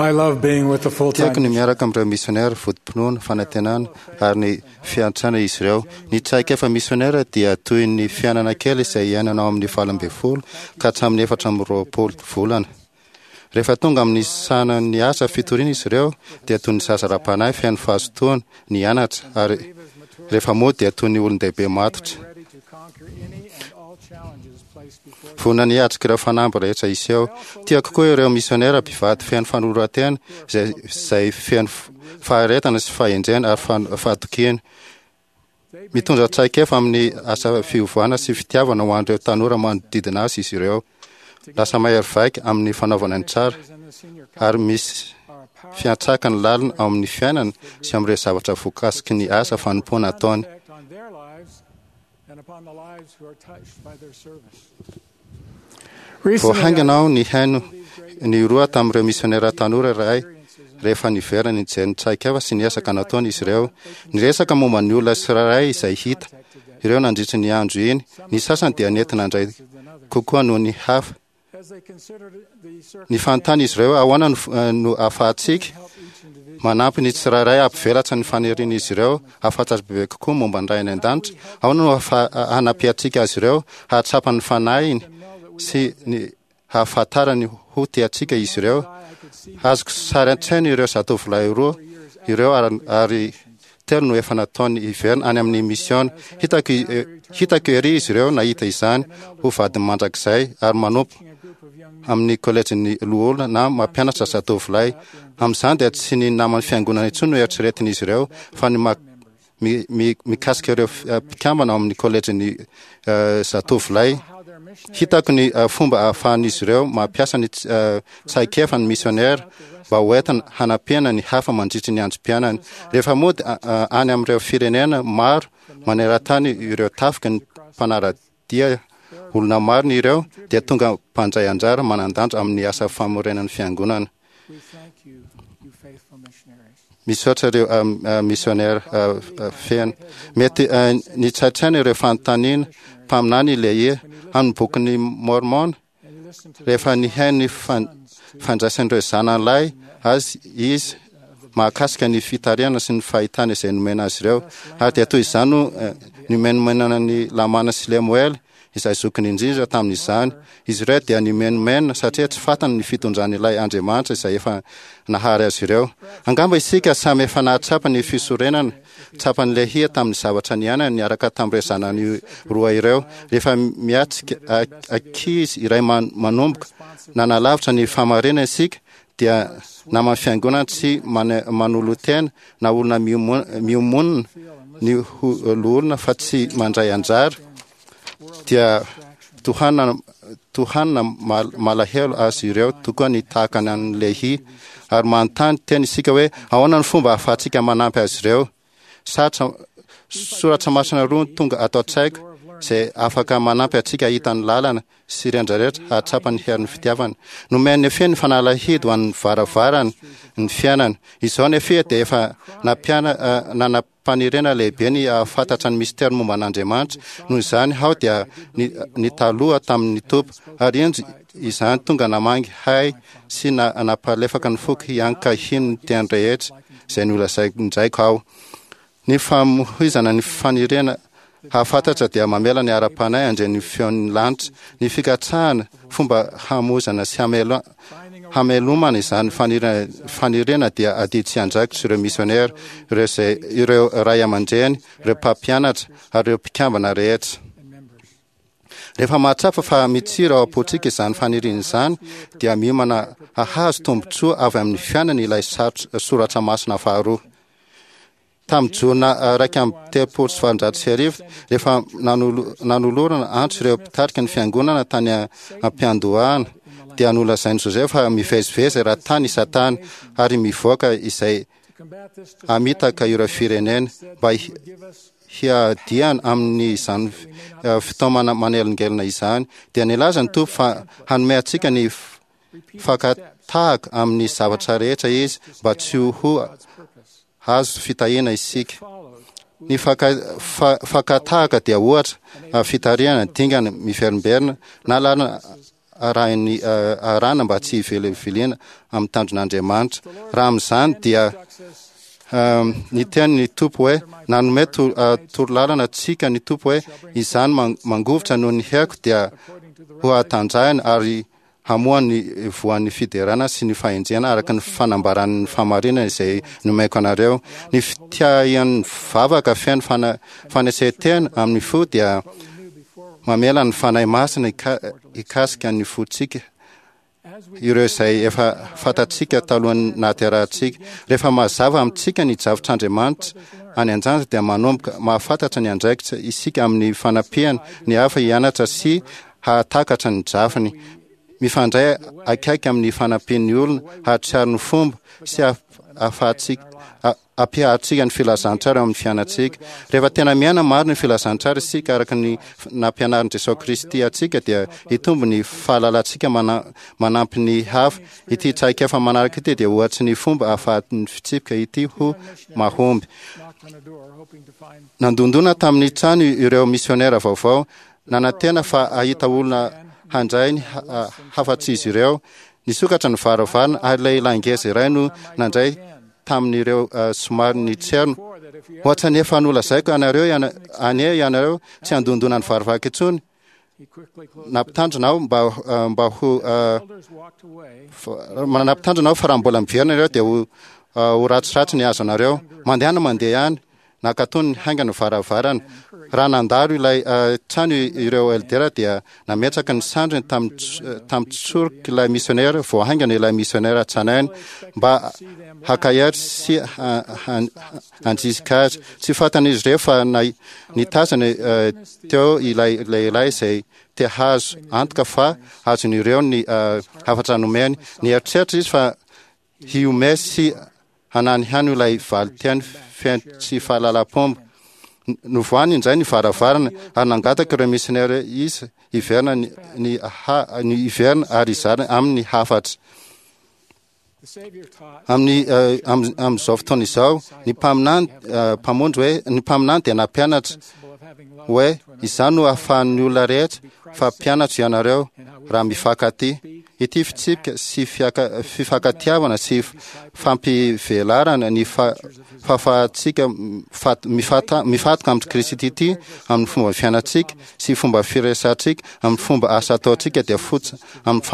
[SPEAKER 6] I love being with the full
[SPEAKER 12] Tiako ny
[SPEAKER 6] time.
[SPEAKER 12] miaraka amin'ireo misionera votom-pinoana, fanantenana ary ny fiantrana izy ireo. Ny traikefa misionera dia toy ny fiainana kely izay iainana ao amin'ny valo ambin'ny folo ka hatramin'ny efatra amby roapolo volana. Rehefa tonga amin'ny sanan'ny asa fitoriana izy ireo dia toy ny zaza ara-panahy feno fahazotoana ny anatra, ary rehefa mody dia toy ny olon-dehibe matotra.
[SPEAKER 6] Ready to conquer any and all challenges placed before
[SPEAKER 12] Vonona ny hiatrika ireo fanamby rehetra iseho. Tiako koa ireo misionera mpivady feno fanoloran-tena izay, izay feno f- faharetana sy fahendrena ary fan- fahatokiana. Mitondra traikefa amin'ny asa fiovana sy fitiavana ho an'ireo tanora manodidina azy izy ireo. Lasa mahery vaika amin'ny fanaovana ny tsara ary misy fiantraikany lalina ao amin'ny fiainana sy amin'ireo zavatra voakasiky ny asa fanompoana ataony.
[SPEAKER 6] effect on their lives and upon the lives who are touched by their service.
[SPEAKER 12] Vao haingana aho nihaino ny roa tamin'ireo misionera tanora iray rehefa niverina nijery ny traikefa sy ny ezaka nataony izy ireo. Niresaka momba ny olona tsirairay izay hita ireo nandritry ny andro iny. Ny sasany dia nentina indray kokoa noho ny hafa.
[SPEAKER 6] As they considered the
[SPEAKER 12] Ny fanontany izy ireo ahoana no f- eh, no ahafahantsika manampy ny tsirairay hampivelatra ny fanirian'izy ireo hahafantatra bebe kokoa momba ny Ray any an-danitra. Ahoana no ahafa- hanampiantsika azy ireo hahatsapa ny fanahiny sy ny hahafantarany ho tiantsika izy ireo. Azoko sary an-tsaina ireo zatovolahy roa ireo ary, ary telo no efa nataony hiverina any amin'ny misiona. Hitako, eh, hitako ery izy ireo nahita izany ho vadiny mandrakizay ary manompo amin'ny kolejin'ny loholona na mampianatra zatovolahy. Amin'izany dia tsy ny naman'ny fiangonana intsony no eritreretin'izy ireo fa ny ma- mi- mi- mikasika ireo f- eh, mpikambana ao amin'ny kolejin'ny eh, zatovolahy. Hitako ny eh, fomba ahafahan'izy ireo mampiasa ny ts- eh, traikefa ny misionera mba ho entina hanampiana ny hafa mandritry ny androm-piainany. Rehefa mody a- a- any amin'ireo firenena maro maneran-tany ireo tafika ny mpanara-dia olona marina ireo dia tonga mpandray anjara manan-danja amin'ny asa famorenan'ny fiangonana.
[SPEAKER 6] We thank you, you faithful missionaries.
[SPEAKER 12] Misaotra ireo um, uh, misionera uh, uh, feno. Mety uh, nitsaitsaina ireo fanontaniana mpaminany ilay amin'ny bokin'ny Mormon rehefa nihaino ny fan- fandraisan'ireo zanany lahy azy izy mahakasika ny fitarihana sy ny fahitana izay nomena azy ireo. Ary dia toy izany no eh, nomenomenana ny Lamana sy Lemoela izay zokiny indrindra tamin'izany. Izy ireo dia nimenomena satria tsy fantany ny fitondran'ilay Andriamanitra izay efa nahary azy ireo. Angamba isika samy efa nahatsapa ny fisorenana tsapan'ny Lehia tamin'ny zavatra niainany niaraka tamin'ireo zanany roa ireo. Rehefa miatrika a- ankizy iray man- manomboka nanalavitra ny fahamarinana isika dia naman'ny fiangonana tsy mane- manolo-tena na olona miomo- miomonina ny ho loholona fa tsy mandray anjara dia tohanana tohanana mal- malahelo azy ireo tokoa ny tahaka ny an'ny Lehi ary manontany tena isika hoe ahoana ny fomba ahafahantsika manampy azy ireo. Sarotra soratra masina roa no tonga ato an-tsaiko izay afaka manampy antsika hahita ny lalana sy rehetra hahatsapa ny herin'ny fitiavana. Nomen'ny Nefia ny fanalahidy ho an'ny varavarana ny fiainana. Izao Nefia dia efa nampiana eh, nanam-paniriana lehibe ny hahafantatra ny mistery momba an'Andriamanitra. Noho izany aho dia ni- nitaloha tamin'ny Tompo ary indro izany tonga namangy hay sy na- nampalefaka ny foko hianka hino ny teny rehetra izay nolazain-draiko aho. Ny famoizana ny faniriana hahafantatra dia mamela ny ara-panahy handre ny feon'ny lanitra. Ny fikatsahana fomba hamoizana sy hamelo- hamelomana izany faniriana, faniriana dia adidy sy andraikitra ireo misionera, ireo, izay, ireo ray aman-dreny, ireo mpampianatra ary ireo mpikambana rehetra. Rehefa mahatsapa fa mitsiry ao am-pontsika izany faniriana izany dia miomana hahazo tombontsoa avy amin'ny fiainana ilay sarotra- soratra masina faharoa. Tamin'ny jona eh, iraika amby telopolo sy valonjato sy arivo, rehefa nanolo- nanolorana antso ireo mpitarika ny fiangonana tany a- am-piandohana, dia nolazain'i Joseph fa mivezivezy raha tany i Satana ary mivoaka izay hamitaka ireo firenena mba hi- hiadiana amin'izany eh, fitaomana manelingelina izany. Dia nilaza ny Tompo fa hanome antsika ny f- fakatahaka amin'ny zavatra rehetra izy mba tsy ho hazo fitahiana isika. Ny faka- fa- fakatahaka dia ohatra ah, fitarihana dingana miverimberina na lalana arahin'ny arahana mba tsy hiveliviliana amin'ny tanjon'Andriamanitra. Raha amin'izany dia niteny ny Tompo hoe, nanome torolalana antsika ny Tompo hoe, izany mangovitra noho ny heriko dia ho hatanjahina ary hamoa ny voan'ny fiderana sy ny fahendrena araka ny fanambaran'ny fahamarinana izay nomeko anareo. Ny fitiahian'ny vavaka feno fanesetena amin'ny fo dia mamela ny Fanahy Masina hikasika ny fontsika, ireo izay efa fantatsika talohan'ny nahaterahantsika. Rehefa mazava amintsika ny drafitr'Andriamanitra any an-danitra dia manomboka mahafantatra ny andraikitra isika amin'ny fanampiana ny hafa hianatra sy hahatakatra ny drafiny. Mifandray akaiky amin'ny fanampian'ny olona hahatsiaro ny fomba sy ahafahantsika ampiharintsika ny filazantsara eo amin'ny fiainantsika. Rehefa tena miaina marina ny filazantsara isika araka ny nampianarin'i Jesoa Kristy antsika dia hitombo ny fahalalantsika manampy ny hafa. Ity traikefa manaraka ity dia ohatry ny fomba ahafahan'ny fitsipika ity ho mahomby. Nandondona tamin'ny trano ireo misionera vaovao, nanantena fa hahita olona handray ny hafatr'izy ireo. Nisokatra ny varavarana ary lehilahy ngeza iray no nandray tamin'ireo somary nitserona. Hoatran'ny efa nolazaiko anareo anie ianareo tsy handondona ny varavarana intsony. Nampitandrina aho mba mba ho nampitandrina aho fa raha mbola miverina ianareo dia ho ho ratsiratsy ny hazo anareo. Mandehana mandeha ihany. Nakatony haingana ny varavarana. Raha nandalo ilay trano ireo eldera dia nametraka ny sandriny tamin'ny tsorok'ilay misionera vao haingana ilay misionera tranainy mba hakahery sy handrisika azy. Tsy fantan'izy ireo fa nitazana teo ilay lehilahy izay te hahazo antoka fa azon'ireo ny hafatra nomeny. Nieritreritra izy fa hihomehy sy hananihany ilay valin-teny feno tsy fahalalam-pomba. Novohany indray ny varavarana ary nangataka ireo misionera izy hiverina ny, ny, ha, ny hiverina ary hizara aminy ny hafatra. Amin'ny eh, amin'izao fotoana izao, ny mpaminany eh, mpamonjy hoe ny mpaminany dia nampianatra hoe izany no ahafahan'ny olona rehetra fa mpianatro ianareo raha mifankatia. Ity fitsipika sy fifankatiavana sy fampivelarana ny fahafahantsika mifatoka amin'i Kristy ity amin'ny fomba fiainantsika sy fomba firesantsika amin'ny fomba asa ataontsika dia fototra amin'ny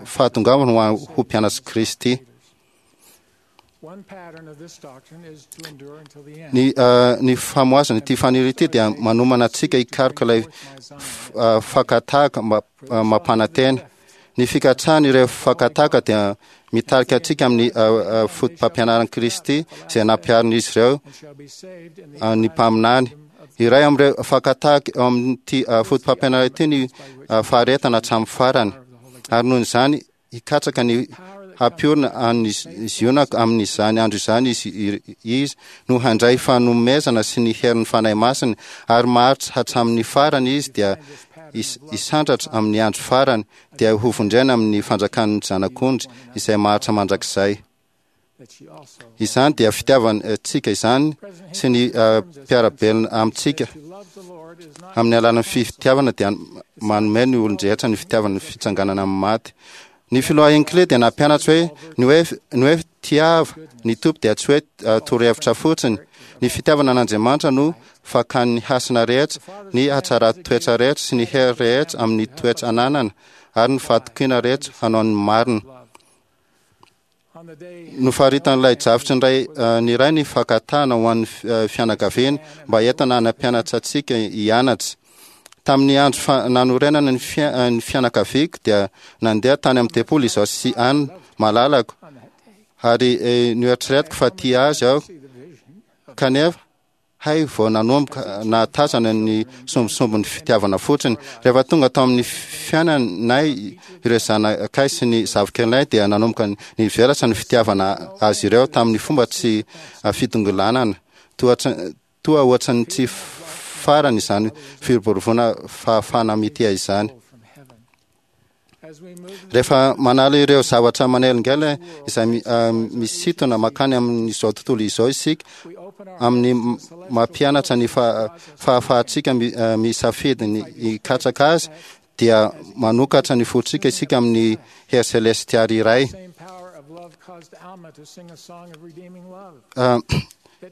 [SPEAKER 12] fahatongavana ho mpianatr'i Kristy. Ny, uh, ny famoazana ity faniry ity dia manomana antsika hikaroka ilay uh, fakatahaka uh, mampanantena. Ny fikatsahana ireo fakatahaka dia mitarika antsika amin'ny uh, uh, fotopampianaran'i Kristy izay nampiharin'izy ireo uh, ny mpaminany. Iray amin'ireo fakatahaka eo amin'ity uh, fotopampianarana ity ny uh, faharetana hatramin'ny farany. Ary noho izany hikatsaka ny hampiorina an'i Ziona amin'izany andro izany izy, izy no handray fanomezana sy ny herin'ny Fanahy Masina, ary maharitra hatramin'ny farany izy dia hisandratra amin'ny andro farany, dia hovonjena amin'ny fanjakan'ny Zanak'ondry izay maharitra mandrakizay. Izany dia fitiavantsika izany sy ny mpiara-belona amintsika. Amin'ny alalan'ny fitiavana dia manome ny olon-drehetra ny fitiavana ny fitsanganana amin'ny maty. Ny filoha Hinckley dia nampianatra hoe ny hoe ny hoe tiava ny Tompo dia tsy hoe torohevitra fotsiny. Ny fitiavana an'Andriamanitra no fakan'ny hasina rehetra, ny hatsaran-toetra rehetra sy ny hery rehetra amin'ny toetra ananana ary ny fahatokiana rehetra hanao ny marina. Nofaritan'ilay drafitry ny ray ny ray ny fankatahana ho an'ny fianakaviana mba entina hanampianatra antsika hianatra. Tamin'ny andro nanorenana ny fianakaviako dia nandeha tany amin'ny tempoly izaho sy Ann malalako ary noeritreretiko fa tia azy aho kanefa Hay vao nanomboka nahatazana ny sombisombin'ny fitiavana fotsiny. Rehefa tonga tao amin'ny fiainanay ireo zanakay sy ny zafikelinay dia nanomboka nivelatra ny fitiavana azy ireo tamin'ny fomba tsy fitongilanana. Toa toa ohatran'ny tsy farany izany firoboroboana fahafahana mitia izany. Rehefa manala ireo zavatra manelingelina izay misintona mankany amin'izao tontolo izao isika, amin'ny mampianatra ny fahafahantsika misafidy ny hikatsaka azy, dia manokatra ny fontsika isika amin'ny hery selestialy iray.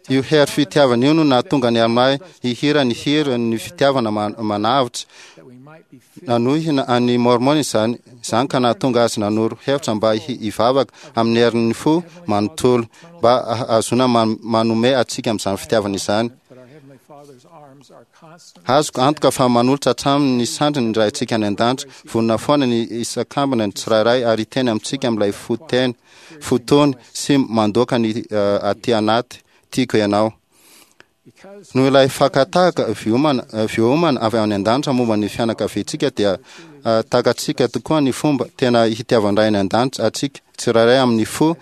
[SPEAKER 12] Io hery fitiavana io no nahatonga ny Almà hihira ny hira ny fitiavana manavotra. Nanohina an'i Môrmôna izany, izany ka nahatonga azy nanoro hevitra mba hivavaka amin'ny herin'ny fo manontolo mba hahazoana manome antsika amin'izany fitiavana izany. Azoko antoka fa manolotra hatramin'ny ny sandriny ny Raintsika any an-danitra, vonona foana ny hisakambina ny tsirairay ary hiteny amintsika amin'ilay fo teny, fo tony sy mandoaka ny aty anaty, Tiako ianao. Noho ilay fakan-tahaka voaomana avy any an-danitra momba ny fianakaviantsika dia takatsika tokoa ny fomba tena hitiavan-dRay any an-danitra antsika tsirairay amin'ny fo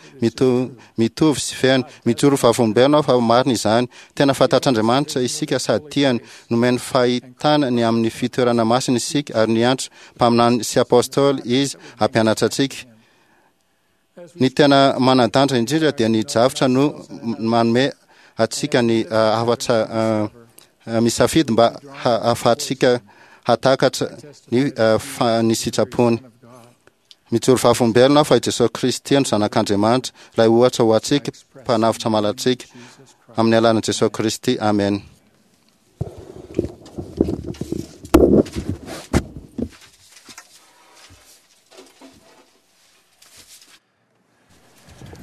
[SPEAKER 12] mitovy sy feno. Mijoro vavolombelona aho fa marina izany. Tena fantatr'Andriamanitra isika sady tiany. Nomeny fahitana ny amin'ny fitoerana masina isika ary niantso mpaminany sy apôstôly Izy hampianatra antsika. Ny tena manan-danja indrindra dia ny drafitra no manome antsika ny hafatra misafidy mba hahafahantsika hahatakatra ny ny sitrapony. Mijoro vavolombelona aho fa i Jesosy Kristy no Zanak'Andriamanitra, ilay ohatra ho antsika, Mpanavotra malantsika. Amin'ny alalan'i Jesosy Kristy, amena.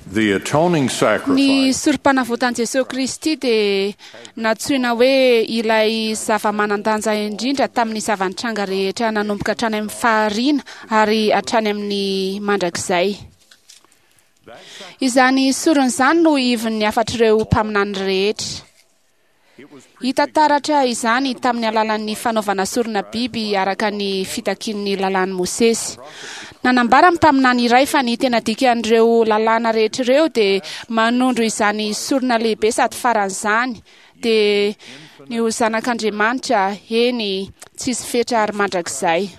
[SPEAKER 9] Ny Sorompanavotan'i Jesoa Kristy dia nantsoina hoe ilay zava-manan-danja indrindra tamin'ny zava-nitranga rehetra nanomboka hatrany amin'ny fahariana ary hatrany amin'ny mandrakizay. Izany sorona izany no ivon'ny hafatr'ireo mpaminany rehetra. Hita taratra izany tamin'ny alalan'ny fanaovana sorona biby araka ny fitakian'ny lalàn'i Mosesy. Nanambara ny mpaminany iray fa ny tena dikan'ireo lalàna rehetra ireo dia manondro izany sorona lehibe sady faran'izany, dia ny ho Zanak'Andriamanitra, eny, tsisy fetra ary mandrakizay.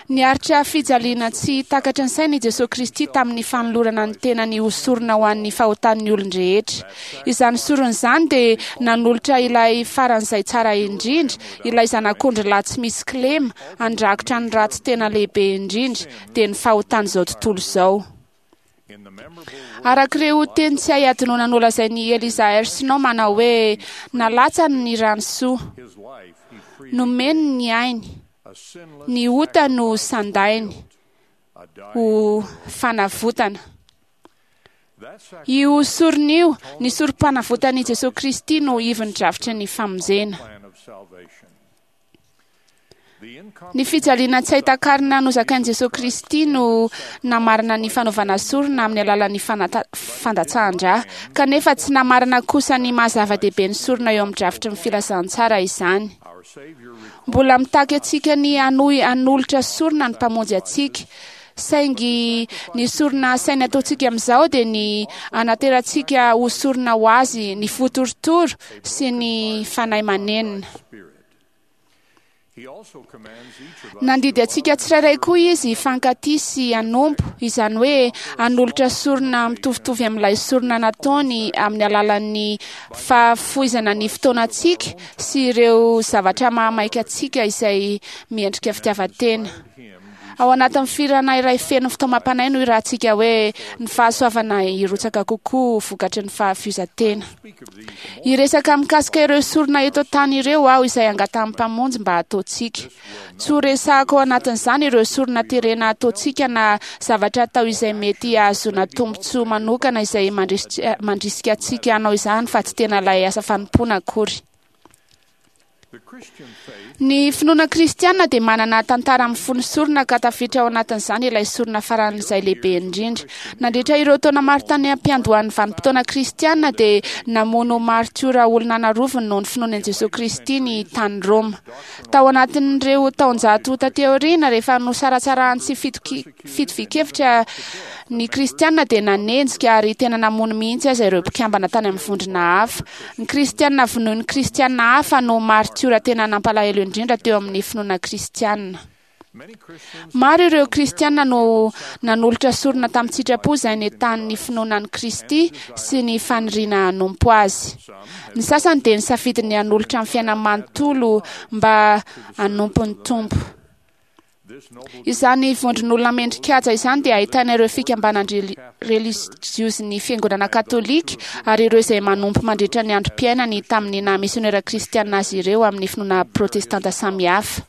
[SPEAKER 9] Niaritra fijaliana tsy takatry ny saina i Jesoa Kristy tamin'ny fanolorana ny tenany ho sorona ho an'ny fahotan'ny olon-drehetra. Izany sorona izany dia nanolotra ilay faran'izay tsara indrindra, ilay Zanak'ondry lahy tsy misy kilema, handrakotra ny ratsy tena lehibe indrindra, dia ny fahotan'izao tontolo izao. Araka ireo teny tsy hay hadinoina nolazain'i Eliza R. Snow manao hoe, Nalatsany ny rany soa. Nomeny ny ainy. Ny ota no sandainy ho fanavotana. Io sorona io, ny sorom-panavotan'i Jesoa Kristy no ivon'ny drafitry ny famonjena. Ny fijaliana tsy hay takarina nozakain'i Jesoa Kristy no namarana ny fanaovana sorona amin'ny alalan'ny fandatsahan-drà, kanefa tsy namarana kosa ny maha zava-dehibe ny sorona eo amin'ny drafitry ny filazantsara izany. Mbola mitaky antsika ny hanohy hanolotra sorona ny Mpamonjy antsika. Saingy ny sorona asainy ataontsika amin'izao dia ny hanaterantsika ho sorona ho Azy ny fo torotoro sy ny fanahy manenina. Nandidy antsika tsirairay koa Izy hifankatia sy hanompo, izany hoe hanolotra sorona mitovitovy amin'ilay sorona nataony amin'ny alalan'ny fahafoizana ny fotoanantsika sy ireo zavatra mahamaika antsika izay miendrika fitiavan-tena. Ao anatin'ny fihirana iray feno fitaomam-panahy no hirahantsika hoe ny fahasoavana hirotsaka kokoa vokatry ny fahafoizan-tena. Hiresaka mikasika ireo sorona eto an-tany ireo aho izay angatahan'ny Mpamonjy mba hataontsika. Tsy ho resahako ao anatin'izany ireo sorona terena ataontsika na zavatra atao izay mety hahazoana tombontsoa manokana izay mandrisika antsika hanao izany fa tsy tena ilay asa fanompoana akory. Ny finoana kristiana dia manana tantara mifono sorona ka tafiditra ao anatin'izany ilay sorona faran'izay lehibe indrindra. Nandritra ireo taona maro tany am-piandohan'ny vanim-potoana kristiana dia namono martiora olona an'arivony noho ny finoany an'i Jesoa Kristy ny tany Roma. Tao anatin'ireo taonjato taty aoriana, rehefa nosaratsarahan'ny tsy fitovian-kevitra ny Kristiana dia nanenjika ary tena namono mihitsy aza ireo mpikambana tany amin'ny vondrona hafa. Ny Kristiana vonoin'ny Kristiana hafa no martiora tena nampalahelo indrindra teo amin'ny finoana kristiana. Maro ireo Kristiana no nanolotra sorona tamin-tsitrapo izay nentanin'ny finoana an'i Kristy sy ny faniriana hanompo Azy. Ny sasany dia nisafidy ny hanolotra ny fiainany manontolo mba hanompo ny Tompo.
[SPEAKER 13] Izany vondron'olona mendrikaja izany dia ahitana ireo fikambanan-drelijiozin'ny fiangonana katolika ary ireo izay manompo mandritra ny androm-piainany tamin'ny naha misionera kristiana azy ireo amin'ny finoana protestanta samihafa.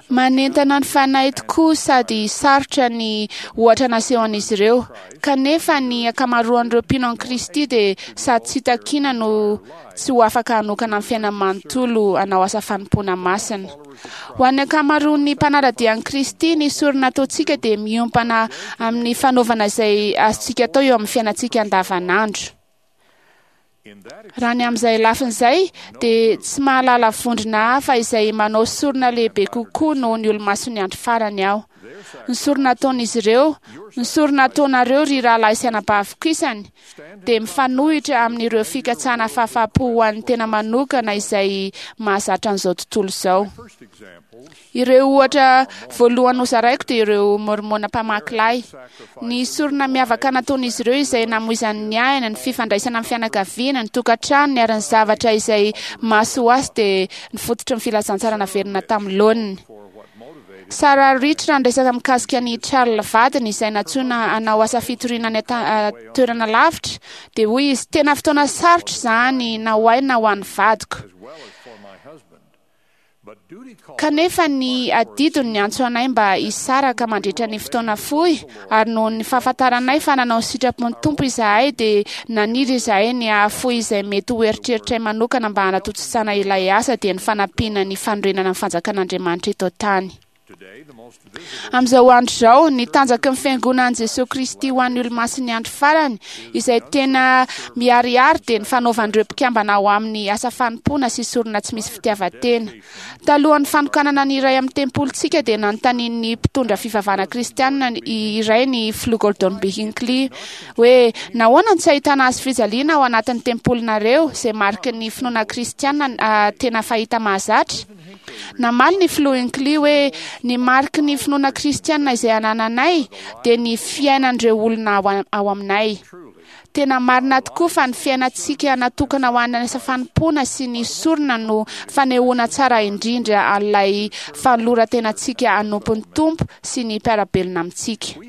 [SPEAKER 13] Manentana ny fanahy tokoa sady sarotra ny ohatra nasehon'izy ireo, kanefa ny ankamaroan'ireo mpino an'i Kristy dia sady tsy takiana no tsy ho afaka hanokana ny fiainany manontolo hanao asa fanompoana masina. Ho an'ny ankamaroan'ny mpanara-dia an'i Kristy, ny sorona ataontsika dia miompana amin'ny fanaovana izay azontsika atao eo amin'ny fiainantsika andavanandro. Raha ny amin'izay lafiny izay dia tsy mahalala vondrona hafa izay manao sorona lehibe kokoa noho ny olomasin'ny andro farany aho. Ny sorona ataon'izy ireo, ny sorona ataonareo ry rahalahy sy anabaviko isany, dia mifanohitra amin'ireo fikatsahana fahafahampo ho an'ny tena manokana izay mahazatra an'izao tontolo izao. Ireo ohatra voalohany hozaraiko dia ireo mormona mpamaky lay. Ny sorona miavaka nataon'izy ireo izay namoizany ny aina, ny fifandraisana amin'ny fianakaviana, ny tokantranony ary ny zavatra izay mahasoa azy dia ny fototry ny filazantsara naverina tamin'ny laoniny. Sarah Rich raha niresaka mikasika ny Charles vadiny izay nantsoina hanao asa fitoriana any toerana lavitra dia hoy izy, tena fotoana sarotra izany na ho ahy na ho an'ny vadiko. Kanefa ny adidiny niantso anay mba hisaraka mandritra ny fotoana fohy, ary noho ny fahafantaranay fa nanao ny sitrapon'ny Tompo izahay dia naniry izahay ny hahafoy izay mety ho eritreritray manokana mba hanatontosana ilay asa, dia ny fanampiana ny fanorenana ny fanjakan'Andriamanitra eto an-tany. Amin'izao andro izao, ny tanjaky ny fiangonan'i Jesoa Kristy ho an'ny olomasin'ny andro farany, izay tena miharihary, dia ny fanaovan'ireo mpikambana ao amin'ny asa fanompoana sy sorona tsy misy fitiavan-tena. Talohan'ny fanokanana ny iray amin'ny tempolintsika dia nanontanian'ny mpitondra fivavahana kristianina iray ny filoha Gordon B. Hinckley hoe nahoana no tsy ahitana hazo fijaliana ao anatin'ny tempolinareo, izay mariky ny finoana kristianina tena fahita mahazatra? Namaly ny filoha Hinckley hoe ny mariky ny finoana kristianina izay anananay dia ny fiainan'ireo olona ao aminay. Tena marina tokoa fa ny fiainantsika natokana ho an'ny asa fanompoana sy ny sorona no fanehoana tsara indrindra an'ilay fanoloran-tenantsika hanompo ny Tompo sy ny mpiara-belona amintsika.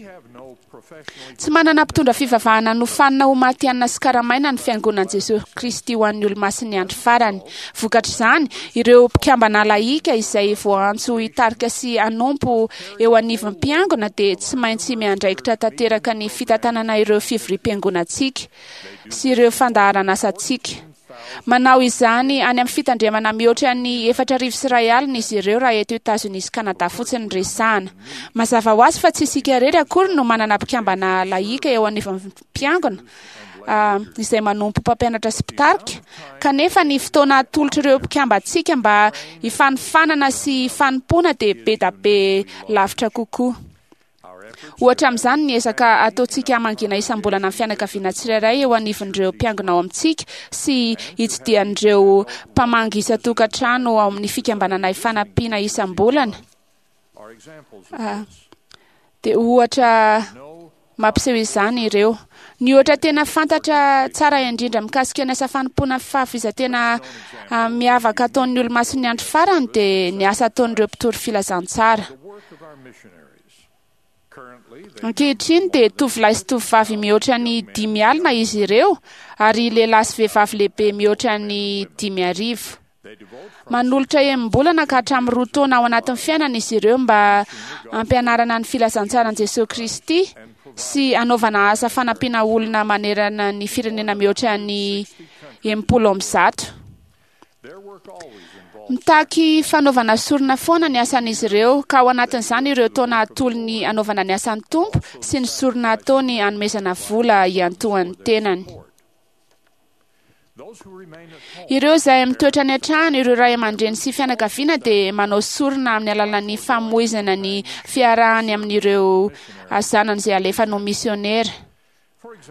[SPEAKER 13] Tsy manana mpitondra fivavahana nofanina ho matihanina sy karamaina ny fiangonan'i Jesoa Kristy ho an'ny olomasin'ny andro farany. Vokatr'izany, ireo mpikambana lahika izay voaantso hitarika sy hanompo eo anivon'ny mpiangona dia tsy maintsy miandraikitra tanteraka ny fitantanana ireo fivoriam-piangonantsika sy ireo fandaharan'asantsika. Manao izany any amin'ny fitandremana mihoatra ny efatra arivo sy iray alina izy ireo raha eto Etazonia sy Kanada fotsiny no resahana. Mazava ho azy fa tsy isika irery akory no manana mpikambana lahika eo anivon'ny mpiangona izay manompo mpampianatra sy mpitarika, kanefa ny fotoana atolotr'ireo mpikambantsika mba hifanofanana sy hifanompoana dia be da be lavitra kokoa. Ohatra amin'izany ny ezaka ataontsika hamangina isam-bolana ny fianakaviana tsirairay eo anivon'ireo mpiangona ao amintsika sy hitsidihan'ireo mpamangy isan-tokantrano ao amin'ny fikambanana ifanampiana isam-bolana. Dia ohatra mampiseho izany ireo. Ny ohatra tena fantatra tsara indrindra mikasika ny asa fanompoana fahafoizan-tena miavaka ataon'ny olomasin'ny andro farany dia ny asa ataon'ireo mpitory filazantsara. Ankehitriny dia tovolahy sy tovovavy mihoatra ny dimy alina izy ireo ary lehilahy sy vehivavy lehibe mihoatra ny dimy arivo. Manolotra enim-bolana ka hatramin'ny roa taona ao anatin'ny fiainana izy ireo mba hampianarana ny filazantsaran'i Jesoa Kristy sy hanaovana asa fanampiana olona manerana ny firenena mihoatra ny enimpolo amby zato. Mitaky fanaovana sorona foana ny asan'izy ireo, ka ao anatin'izany ireo taona atolony hanaovana ny asan'ny Tompo sy ny sorona ataony hanomezana vola hiantohan'ny tenany. Ireo izay mitoetra any an-trano, ireo ray aman-dreny sy fianakaviana dia manao sorona amin'ny alalan'ny famoizana ny fiarahany amin'ireo zanany izay alefa ho misionera.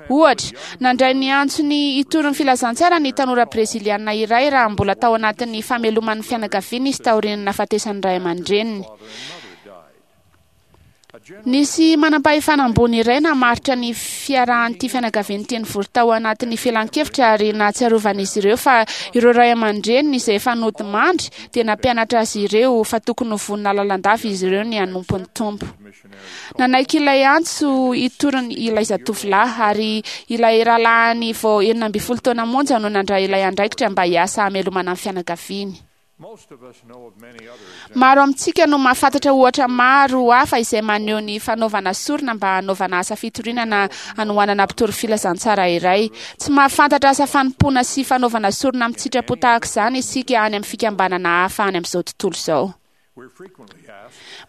[SPEAKER 13] Ohatra, nandray ny antsony hitory ny filazantsara ny tanora breziliana iray raha mbola tao anatin'ny fameloman'ny fianakaviana izy taorian'ny nahafatesan'ny ray aman-dreniny. Nisy manam-pahefana ambony iray namaritra ny fiarahan'ity fianakavian'ity nivory tao anatin'ny filan-kevitra ary nahatsiarovan'izy ireo fa ireo ray aman-dreniny izay efa nodimandry dia nampianatra azy ireo fa tokony ho vonona lalandava izy ireo ny hanompo ny Tompo. Nanaiky ilay antso hitoriny ilay zatovolahy ary ilay rahalahiny vao enina ambin'ny folo taona monja no nandray ilay andraikitra mba hiasa hamelomana ny fianakaviany. Maro amintsika no mahafantatra ohatra maro hafa izay maneho ny fanaovana sorona mba hanaovana asa fitoriana na hanohanana mpitory filazantsara iray. Tsy mahafantatra asa fanompoana sy fanaovana sorona amin'ny sitrapo tahaka izany isika any amin'ny fikambanana hafa any amin'izao tontolo izao.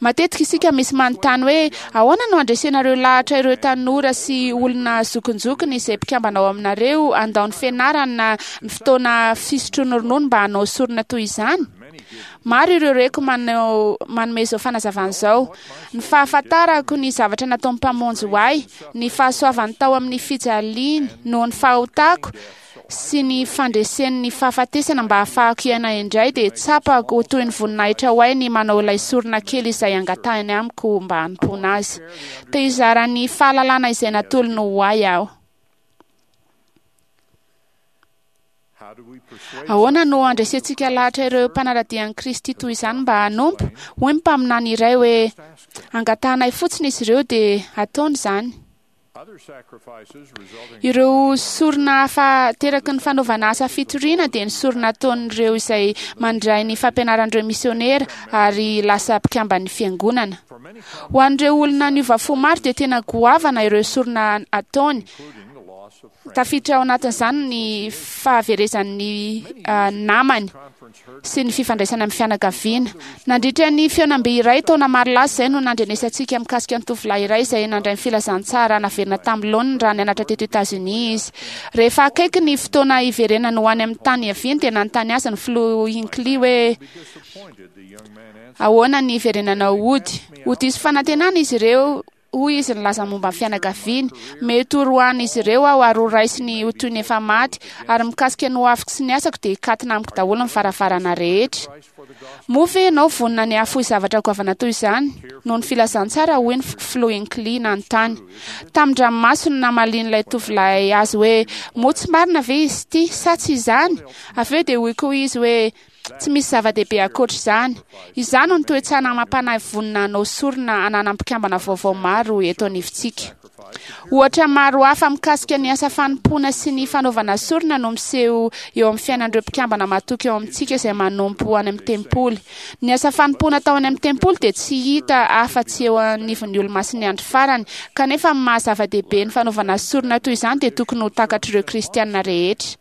[SPEAKER 13] Matetika isika misy manontany hoe ahoana no andresenareo lahatra ireo tanora sy olona zokinjokiny izay mpikambana ao aminareo handao ny fianarana na ny fotoana fisotroana ronono mba hanao sorona toy izany? Maro ireo reko manao manome izao fanazavana izao. Ny fahafantarako ny zavatra nataon'ny Mpamonjy ho ahy, ny fahasoavany tao amin'ny fijaliany noho ny fahotako sy ny fandresen'ny fahafatesana mba hahafahako hiaina indray dia tsapako ho toy ny voninahitra ho ahy ny manao ilay sorona kely izay angatahiny amiko mba hanompoana azy. Te hizara ny fahalalana izay natolony ho ahy aho. Ahoana no andresentsika lahatra ireo mpanara-dia an'i Kristy toy izany mba hanompo? Hoy ny mpaminany iray hoe angatahanay fotsiny izy ireo dia ataony izany. Ireo sorona hafa teraky ny fanaovana asa fitoriana dia ny sorona ataon'ireo izay mandray ny fampianaran'ireo misionera ary lasa mpikamban'ny fiangonana. Ho an'ireo olona niova fo maro dia tena goavana ireo sorona ataony. Tafiditra ao anatin'izany ny fahaverezan'ny namany sy ny fifandraisana amin'ny fianakaviana. Nandritra ny fihaonambe iray taona maro lasa izay no nandrenesantsika mikasika ny tovolahy iray izay nandray ny filazantsara naverina tamin'ny laoniny raha nianatra teto Etazonia izy. Rehefa akaiky ny fotoana hiverenany ho any amin'ny tany hiaviany dia nanontany azy ny filoha Hinckley hoe ahoana ny hiverenanao hody. Ho diso fanantenana izy ireo, hoy izy nilaza momba ny fianakaviany. Mety ho roahan'izy ireo aho ary ho raisiny ho toy ny efa maty, ary mikasika ny hoaviko sy ny asako dia hikatona amiko daholo ny varavarana rehetra. Moa ve ianao vonona ny hahafoy zavatra goavana toy izany noho ny filazantsara? Hoy ny filoha Hinckley nanontany. Tamin-dranomaso no namalian'ilay tovolahy azy hoe moa tsy marina ve izy ity sa tsy izany? Avy eo dia hoy koa izy hoe tsy misy zava-dehibe ankoatra izany. Izany no toe-tsaina amam-panahy vonona hanao sorona ananan'ny mpikambana vaovao maro eto anivontsika. Ohatra maro hafa mikasika ny asa fanompoana sy ny fanaovana sorona no miseho eo amin'ny fiainan'ireo mpikambana matoky eo amintsika izay manompo any amin'ny tempoly. Ny asa fanompoana atao any amin'ny tempoly dia tsy hita afa-tsy eo anivon'ny olomasin'ny andro farany, kanefa amin'ny maha zava-dehibe ny fanaovana sorona toy izany dia tokony ho takatr'ireo kristianina rehetra.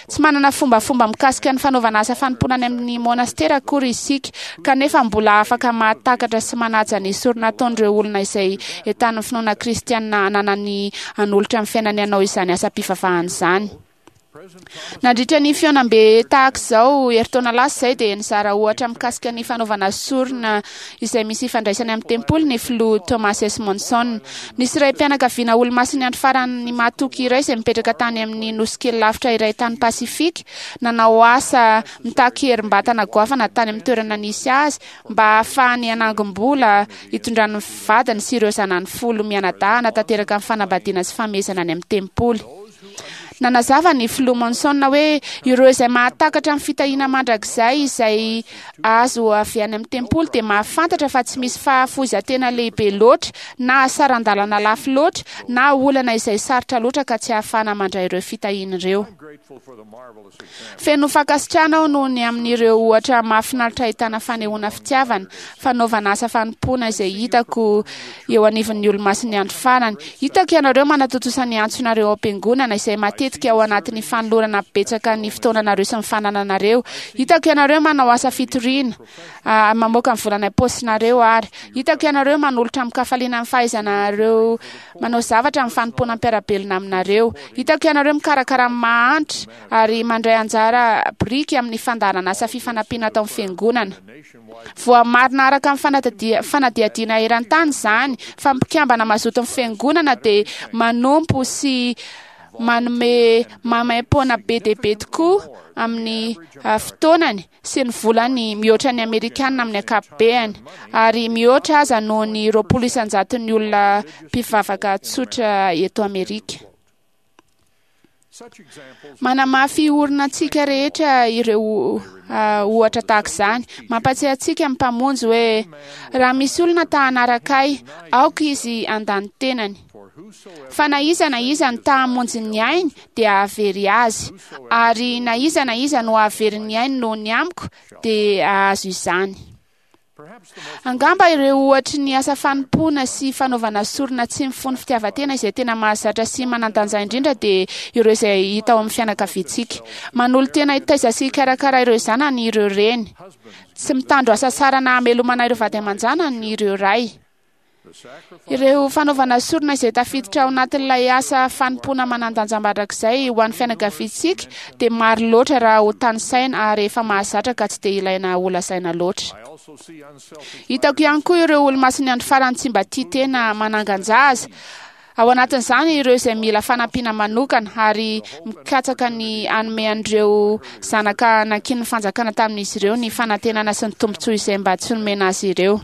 [SPEAKER 13] Tsy manana fombafomba mikasika ny fanaovana asa fanompoana any amin'ny monastera akory isika, kanefa mbola afaka mahatakatra sy manaja ny sorona ataon'ireo olona izay entanin'ny finoana kristianina ananany hanolotra ny fiainany hanao izany asam-pivavahana izany. Nandritra ny fihaonambe tahaka izao herintaona lasa izay dia nizara ohatra mikasika ny fanaovana sorona izay misy ifandraisany amin'ny tempoly ny filoha Thomas S. Monson. Nisy raim-pianakaviana olomasin'ny andro farany matoky iray izay mipetraka tany amin'ny nosy kely lavitra iray tany Pasifika, nanao asa mitaky herim-batana goavana tany amin'ny toerana nisy azy mba hahafahany hanangom-bola hitondrany ny vadiny sy ireo zanany folo mianadahy hanatanteraka ny fanambadiana sy famehezana any amin'ny tempoly. Nanazava ny filoha Monson hoe ireo izay mahatakatra ny fitahiana mandrakizay izay azo avy any amin'ny tempoly dia mahafantatra fa tsy misy fahafoizan-tena lehibe loatra na saran-dalana lafo loatra na olana izay sarotra loatra ka tsy ahafahana mandray ireo fitahiana ireo. Feno fankasitrahana aho noho ny amin'ireo ohatra mahafinaritra ahitana fanehoana fitiavana, fanaovana asa fanompoana izay hitako eo anivon'ny olomasin'ny andro farany. Hitako ianareo manatontosa ny antsonareo ao am-piangonana izay matetika ao anatin'ny fanolorana betsaka ny fotoananareo sy ny fanananareo. Hitako ianareo manao asa fitoriana, mamoaka ny volana am-paosinareo ary hitako ianareo manolotra amin-kafaliana ny fahaizanareo manao zavatra amin'ny fanompoana mpiara-belona aminareo. Hitako ianareo mikarakara ny mahantra ary mandray anjara biriky amin'ny fandaharana asa fifanampiana atao amin'ny fiangonana. Voamarina araka ny fanadihadiana eran-tany izany fa mpikambana mazoto ny fiangonana dia manompo sy Manome maimaim-poana be dia be tokoa amin'ny fotoanany sy ny volany mihoatra ny Amerikanina amin'ny ankapobeany, ary mihoatra aza noho ny roapolo isan-jaton'ny olona mpivavaka tsotra eto Amerika. Manamafy orina antsika rehetra ireo ohatra tahaka izany. Mampatsiahy antsika ny Mpamonjy hoe raha misy olona ta hanaraka ahy, aoka izy handany tenany. Fa na iza na iza no ta hamonjy ny ainy dia hahavery azy, ary na iza na iza no hahavery ny ainy noho ny amiko dia hahazo izany. Angamba ireo ohatry ny asa fanompoana sy fanaovana sorona tsy mifono fitiavan-tena izay tena mahazatra sy manan-danja indrindra dia ireo izay hita ao amin'ny fianakaviantsika. Manolo-tena hitaiza sy hikarakara ireo zanany ireo reny. Tsy mitandro hasasarana hamelomana ireo vady aman-janany ireo ray. Ireo fanaovana sorona izay tafiditra ao anatin'ilay asa fanompoana manan-danja mandrakizay ho an'ny fianakaviantsika dia maro loatra raha ho tanisaina ary efa mahazatra ka tsy dia ilaina holazaina loatra. Hitako ihany koa ireo olomasin'ny andro farany tsy mba tia tena manangan-jaza. Ao anatin'izany ireo izay mila fanampiana manokana ary mikatsaka ny hanome an'ireo zanaka nankinin'ny fanjakana tamin'izy ireo ny fanantenana sy ny tombontsoa izay mba tsy nomena azy ireo.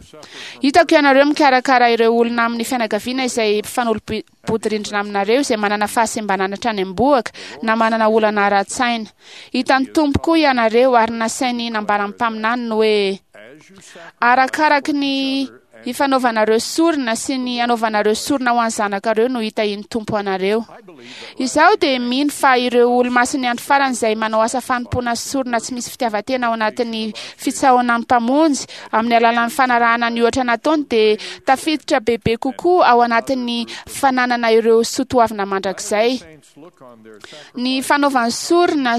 [SPEAKER 13] Hitako ianareo mikarakara ireo olona amin'ny fianakaviana izay mpifanolo-bodirindrina aminareo izay manana fahasembanana hatrany am-bohoka na manana olana ara-tsaina. Hitan'ny Tompo koa ianareo ary nasainy nambaran'ny mpaminany ny hoe arakaraky ny ifanaovanareo sorona sy ny anaovanareo sorona ho an'ny zanakareo no hitahian'ny Tompo anareo. Izaho dia mino fa ireo olomasin'ny andro farany izay manao asa fanompoana sorona tsy misy fitiavan-tena ao anatin'ny fitsaohan'ny Mpamonjy amin'ny alalan'ny fanarahana ny ohatra nataony dia tafiditra bebe kokoa ao anatin'ny fananana ireo soatoavina mandrakizay. Ny fanaovany sorona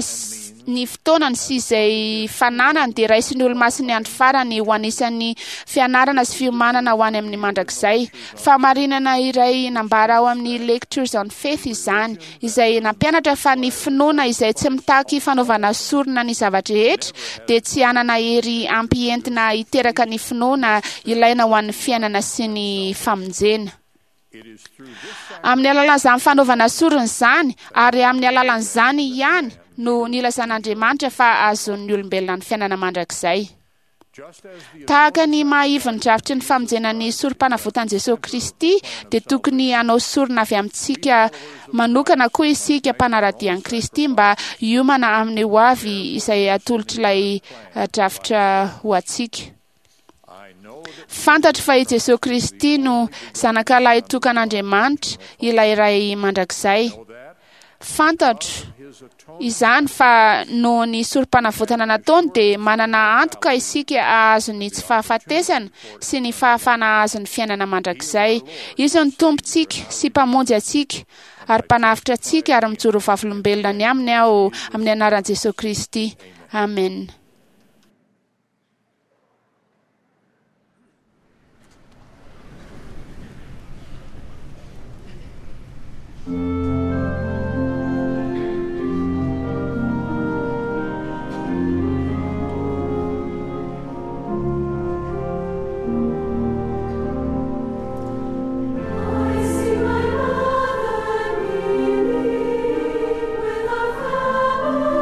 [SPEAKER 13] ny fotoanany sy izay fananany dia raisin'ny olomasin'ny andro farany ho anisan'ny fianarana sy fiomanana ho any amin'ny mandrakizay. Fahamarinana iray nambara ao amin'ny Lectures on Faith izany, izay nampianatra fa ny finoana izay tsy mitaky fanaovana sorona ny zava-drehetra dia tsy hanana hery ampy entina hiteraka ny finoana ilaina ho an'ny fiainana sy ny famonjena. Amin'ny alalan'izany fanaovana sorona izany ary amin'ny alalan'izany ihany no nilazan'Andriamanitra fa azon'ny olombelona ny fiainana mandrakizay. Tahaka ny maha-ivon'ny drafitry ny famonjena ny sorom-panavotan'i Jesosy Kristy dia tokony hanao sorona avy amintsika manokana koa isika mpanara-dia an'i Kristy mba hiomana amin'ny hoavy izay atolotr'ilay drafitra ho antsika. Fantatro fa i Jesosy Kristy no zanaka lahitokan'Andriamanitra, ilay Ray mandrakizay. Fantatro izany fa noho ny sorom-panavotana nataony dia manana antoka isika hahazo ny tsy fahafatesana sy ny fahafahana hahazo ny fiainana mandrakizay. Izy no Tompontsika sy Mpamonjy antsika ary Mpanavotra antsika ary mijoro vavolombelona ny aminy aho amin'ny anaran'i Jesosy Kristy. Amen.
[SPEAKER 14] I see my mother kneeling with our family.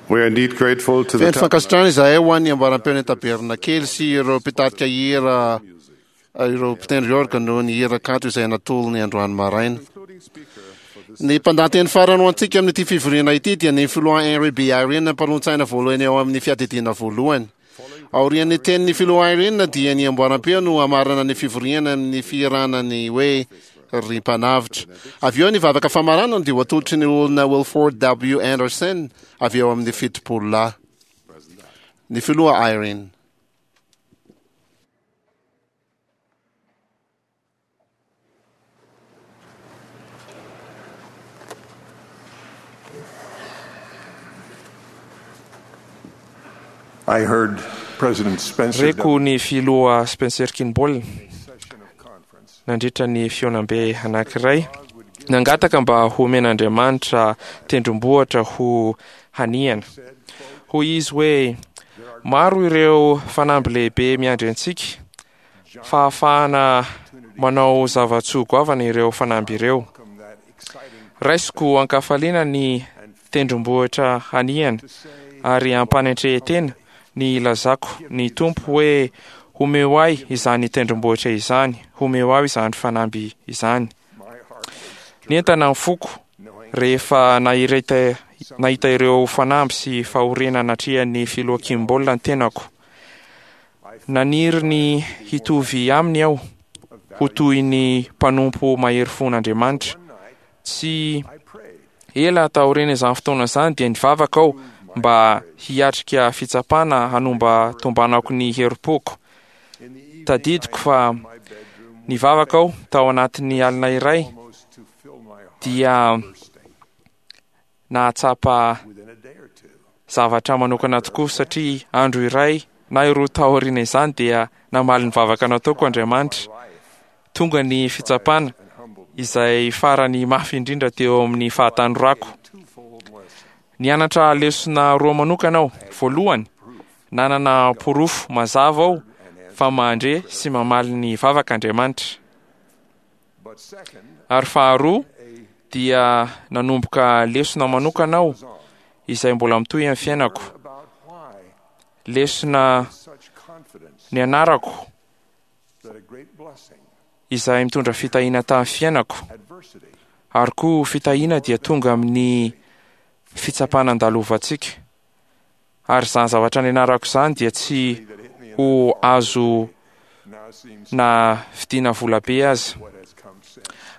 [SPEAKER 11] We are indeed grateful to the
[SPEAKER 2] Feno fankasitrahana izahay ho an'ny ambaram-peon'ny tabernakely sy ireo mpitarika hira, ireo mpitendry orga noho ny hira kanto izay natolony androany maraina. Ny mpandahateny farany ho antsika amin'ity fivoriana ity dia ny filoha Henry B. Eyring, mpanolotsaina voalohany ao amin'ny fiadidiana voalohany. Aorian'ny tenin'ny filoha Eyring dia ny amboaram-peo no hamarana ny fivoriana amin'ny fihirana ny hoe Ry Mpanavotra. Avy eo ny vavaka famaranana dia ho atolotry ny olona Wilford W. Anderson avy eo amin'ny fitopolo lahy. Ny filoha Eyring.
[SPEAKER 11] I heard President Spencer
[SPEAKER 14] Reko ny filoha Spencer Kimball nandritra ny fihaonambe anankiray nangataka mba homen'Andriamanitra tendrombohitra ho hanihana. Hoy izy hoe maro ireo fanamby lehibe miandry antsika, fahafahana manao zava-tsoa goavana ireo fanamby ireo. Raisiko ankafaliana ny tendrombohitra hanihana ary ampanetren-tena ny ilazako ny Tompo hoe homeo ahy izany tendrombohitra izany, homeo ahy izany fanamby izany. Nientana ny foko rehefa nahireta, nahita ireo fanamby sy fahoriana natrehan'ny filoha Kimball ny tenako. Naniry ny hitovy aminy aho, ho toy ny mpanompo mahery fon'Andriamanitra. Tsy ela taorian'izany fotoana izany dia nivavaka aho mba hiatrika fitsapana hanomba tombanako ny herim-poko. Tadidiko fa nivavaka aho tao anatin'ny alina iray dia nahatsapa zavatra manokana tokoa satria andro iray na roa taoriana izany dia namaly ny vavaka nataoko Andriamanitra. Tonga ny fitsapana izay farany mafy indrindra teo amin'ny fahatanorako. Nianatra lesona roa manokana aho. Voalohany, nanana porofo mazava aho fa mandre sy mamaly ny vavaka Andriamanitra. Ary faharoa dia nanomboka lesona manokana aho izay mbola mitohy amin'ny fiainako. Lesona nianarako izay mitondra fitahiana tamin'ny fiainako. Ary koa fitahiana dia tonga amin'ny fitsapana andalovantsika. Ary izany zavatra nianarako izany dia tsy ho azo na vidiana vola be aza.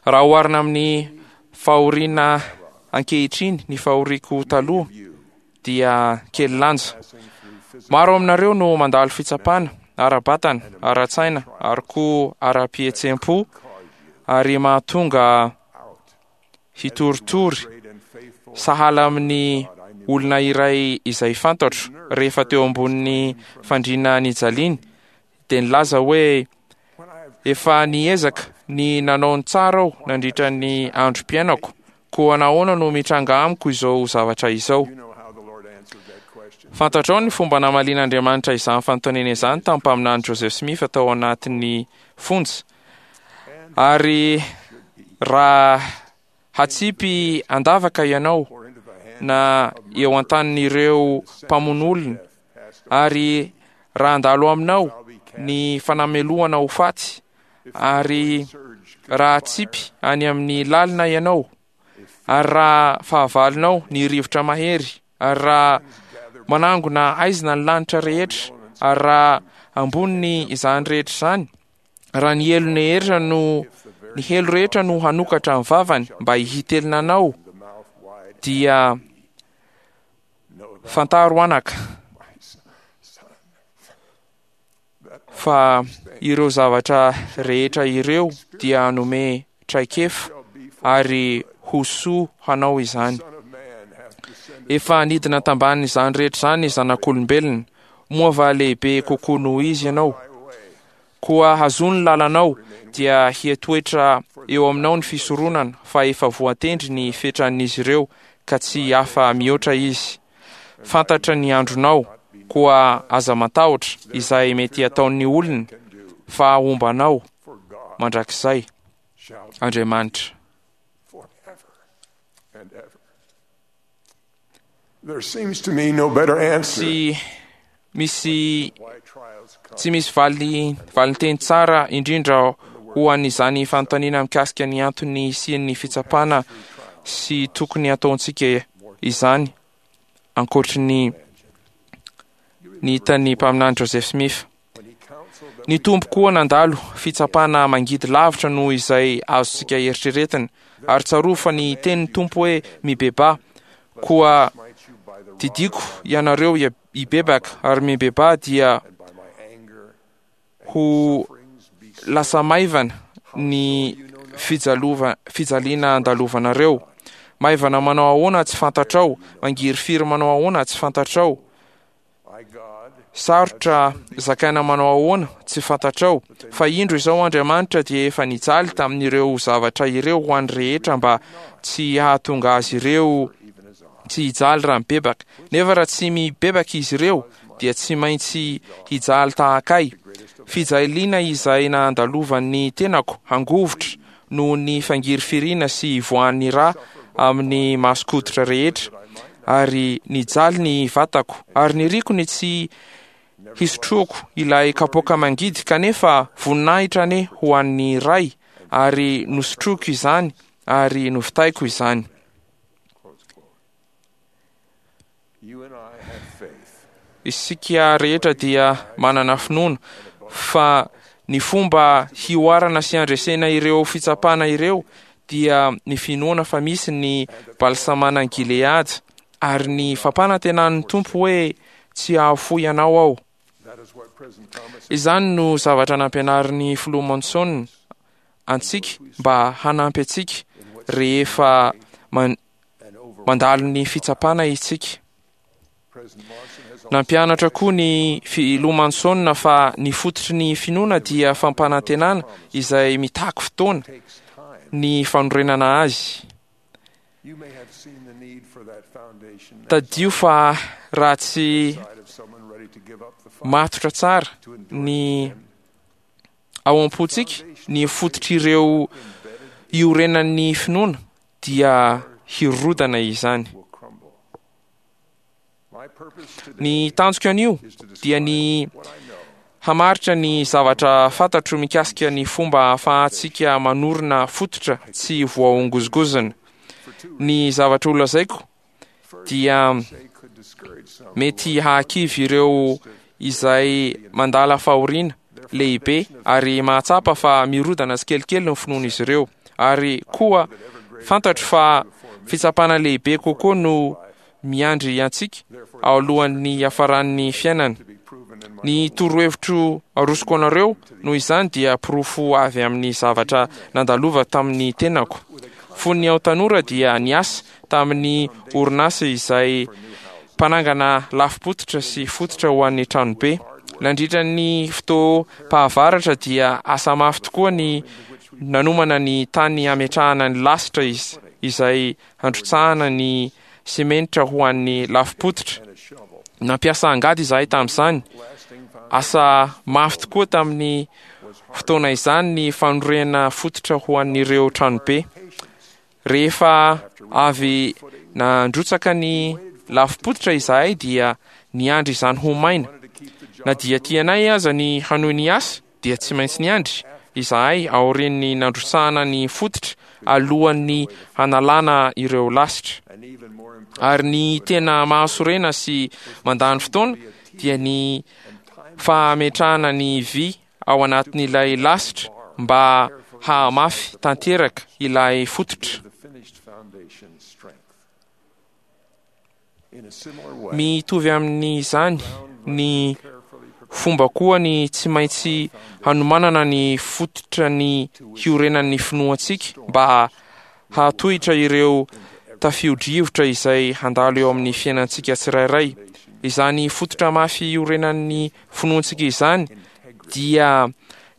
[SPEAKER 14] Raha oharina amin'ny fahoriana ankehitriny ny fahoriako taloha dia kely lanja. Maro aminareo no mandalo fitsapana ara-batana, ara-tsaina ary koa ara-pihetseham-po ary mahatonga hitoritory sahala amin'ny olona iray izay fantatro rehefa teo ambonin'ny fandriana nijaliany dia nilaza hoe efa niezaka ny nanao ny tsara aho nandritra ny androm-piainako, koa nahoana no mitranga amiko izao zavatra izao? Fantatrao ny fomba namalian'Andriamanitra izany fanontaniana izany tamin'ny mpaminany Joseph Smith tao anatin'ny fonja. Ary raha hatsipy an-davaka ianao na eo an-tanin'ireo mpamono olona, ary raha handalo aminao ny fanamelohana ho faty, ary raha hatsipy any amin'ny lalina ianao, ary raha fahavalonao ny rivotra mahery, ary raha manangona aizina ny lanitra rehetra, ary raha amboniny izany rehetra izany, raha ny helo rehetra no ny helo rehetra no hanokatra ny vavany mba hitelina anao, dia fantaro anaka fa ireo zavatra rehetra ireo dia hanome traikefa ary ho soa hanao izany. Efa nidina tambanin'izany rehetra izany ny zanak'olombelona, moa va lehibe kokoa noho izy ianao? Koa hazoa ny lalanao, dia hihatoetra eo aminao ny fisoronana, fa efa voatendry ny fetran'izy ireo, ka tsy afa mihoatra izy. Fantatra ny andronao, koa aza matahotra izay mety hataon'ny olona, fa homba anao mandrakizay Andriamanitra. Tsy misy tsy misy valy valinteny tsara indrindra ho an'izany fanontaniana mikasika ny antony hisian'ny fitsapana sy tokony ataontsika izany ankoatry ny ny hitan'ny mpaminany Joseph Smith. Ny Tompo koa nandalo fitsapana mangidy lavitra noho izay azontsika eritreretina, ary tsarovy fa ny tenin'ny Tompo hoe mibebaha, koa didiako ianareo hibebaka, ary mibebaha dia ho lasa maivana ny fijalova fijaliana andalovanareo. Maivana manao ahoana tsy fantatrao, mangirifiry manao ahoana tsy fantatrao, sarotra zakaina manao ahoana tsy fantatrao, fa indro izao Andriamanitra dia efa nijaly tamin'ireo zavatra ireo ho an'ny rehetra mba tsy hahatonga azy ireo tsy hijaly raha mibebaka. Nefa raha tsy mibebaka izy ireo dia tsy maintsy hijaly tahaka ahy. Fijaliana izay nandalovan'ny tenako hangovitra noho ny fangirifiriana sy ivoahan'ny rà amin'ny mason-koditra rehetra, ary nijaly ny vatako, ary niriko ny tsy hisotroako ilay kapoaka mangidy, kanefa voninahitra anie ho an'ny Ray, ary nosotroiko izany ary novitaiko izany. Isika rehetra dia manana finoana fa ny fomba hihoarana sy handresena ireo fitsapana ireo dia ny finoana fa misy ny balsamanan'i Gileada ary ny fampanantenan'ny Tompo hoe tsy hahafoy anao aho. Izany no zavatra nampianarin'ny filoha Monson antsika mba hanampy antsika rehefa mandalo ny fitsapana isika. Nampianatra koa ny filoha Monson fa ny fototry ny finoana dia fampanantenana izay mitaky fotoana ny fanorenana azy. Tadidio fa raha tsy matotra tsara ny ao am-pontsika ny fototr'ireo iorenan'ny finoana dia hirodana izany. Ny tanjoko anio dia ny hamaritra ny zavatra fantatro mikasika ny fomba ahafahantsika manorina fototra tsy voahongozongozona. Ny zavatra holazaiko dia mety hahakivy ireo izay mandala fahoriana lehibe ary mahatsapa fa mirodana tsikelikely ny finoan'izy ireo. Ary koa fantatro fa fitsapana lehibe kokoa no miandry antsika alohan'ny hiafaran'ny fiainana. Ny torohevitro arosoko anareo noho izany dia porofo avy amin'ny zavatra nandalovako tamin'ny tenako. Fony aho tanora dia niasa tamin'ny orinasa izay mpanangana lafim-pototra sy fototra ho an'ny tranobe. Nandritra ny fotoam-pahavaratra dia asa mafy tokoa ny nanomana ny tany hametrahana ny lasitra izay handrotsahana ny simenitra ho an'ny lafim-pototra. Nampiasa angady izahay tamin'izany. Asa mafy tokoa tamin'ny fotoana izany ny fanorenana fototra ho an'ireo tranobe. Rehefa avy nandrotsaka ny lafim-pototra izahay dia niandry izany ho maina. Na dia tianay aza ny hanohy ny asa dia tsy maintsy niandry izahay aorian'ny nandrotsahana ny fototra alohan'ny hanalana ireo lasitra. Ary ny tena mahasorena sy mandany fotoana dia ny fametrahana ny vy ao anatin'ilay lasitra mba hahamafy tanteraka ilay fototra. Mitovy amin'izany ny fomba koa ny tsy maintsy hanomanana ny fototra ny hiorenan'ny finoantsika mba hahatohitra ireo tafio-drivotra izay handalo eo amin'ny fiainantsika tsirairay. Izany fototra mafy iorenan'ny finoantsika izany dia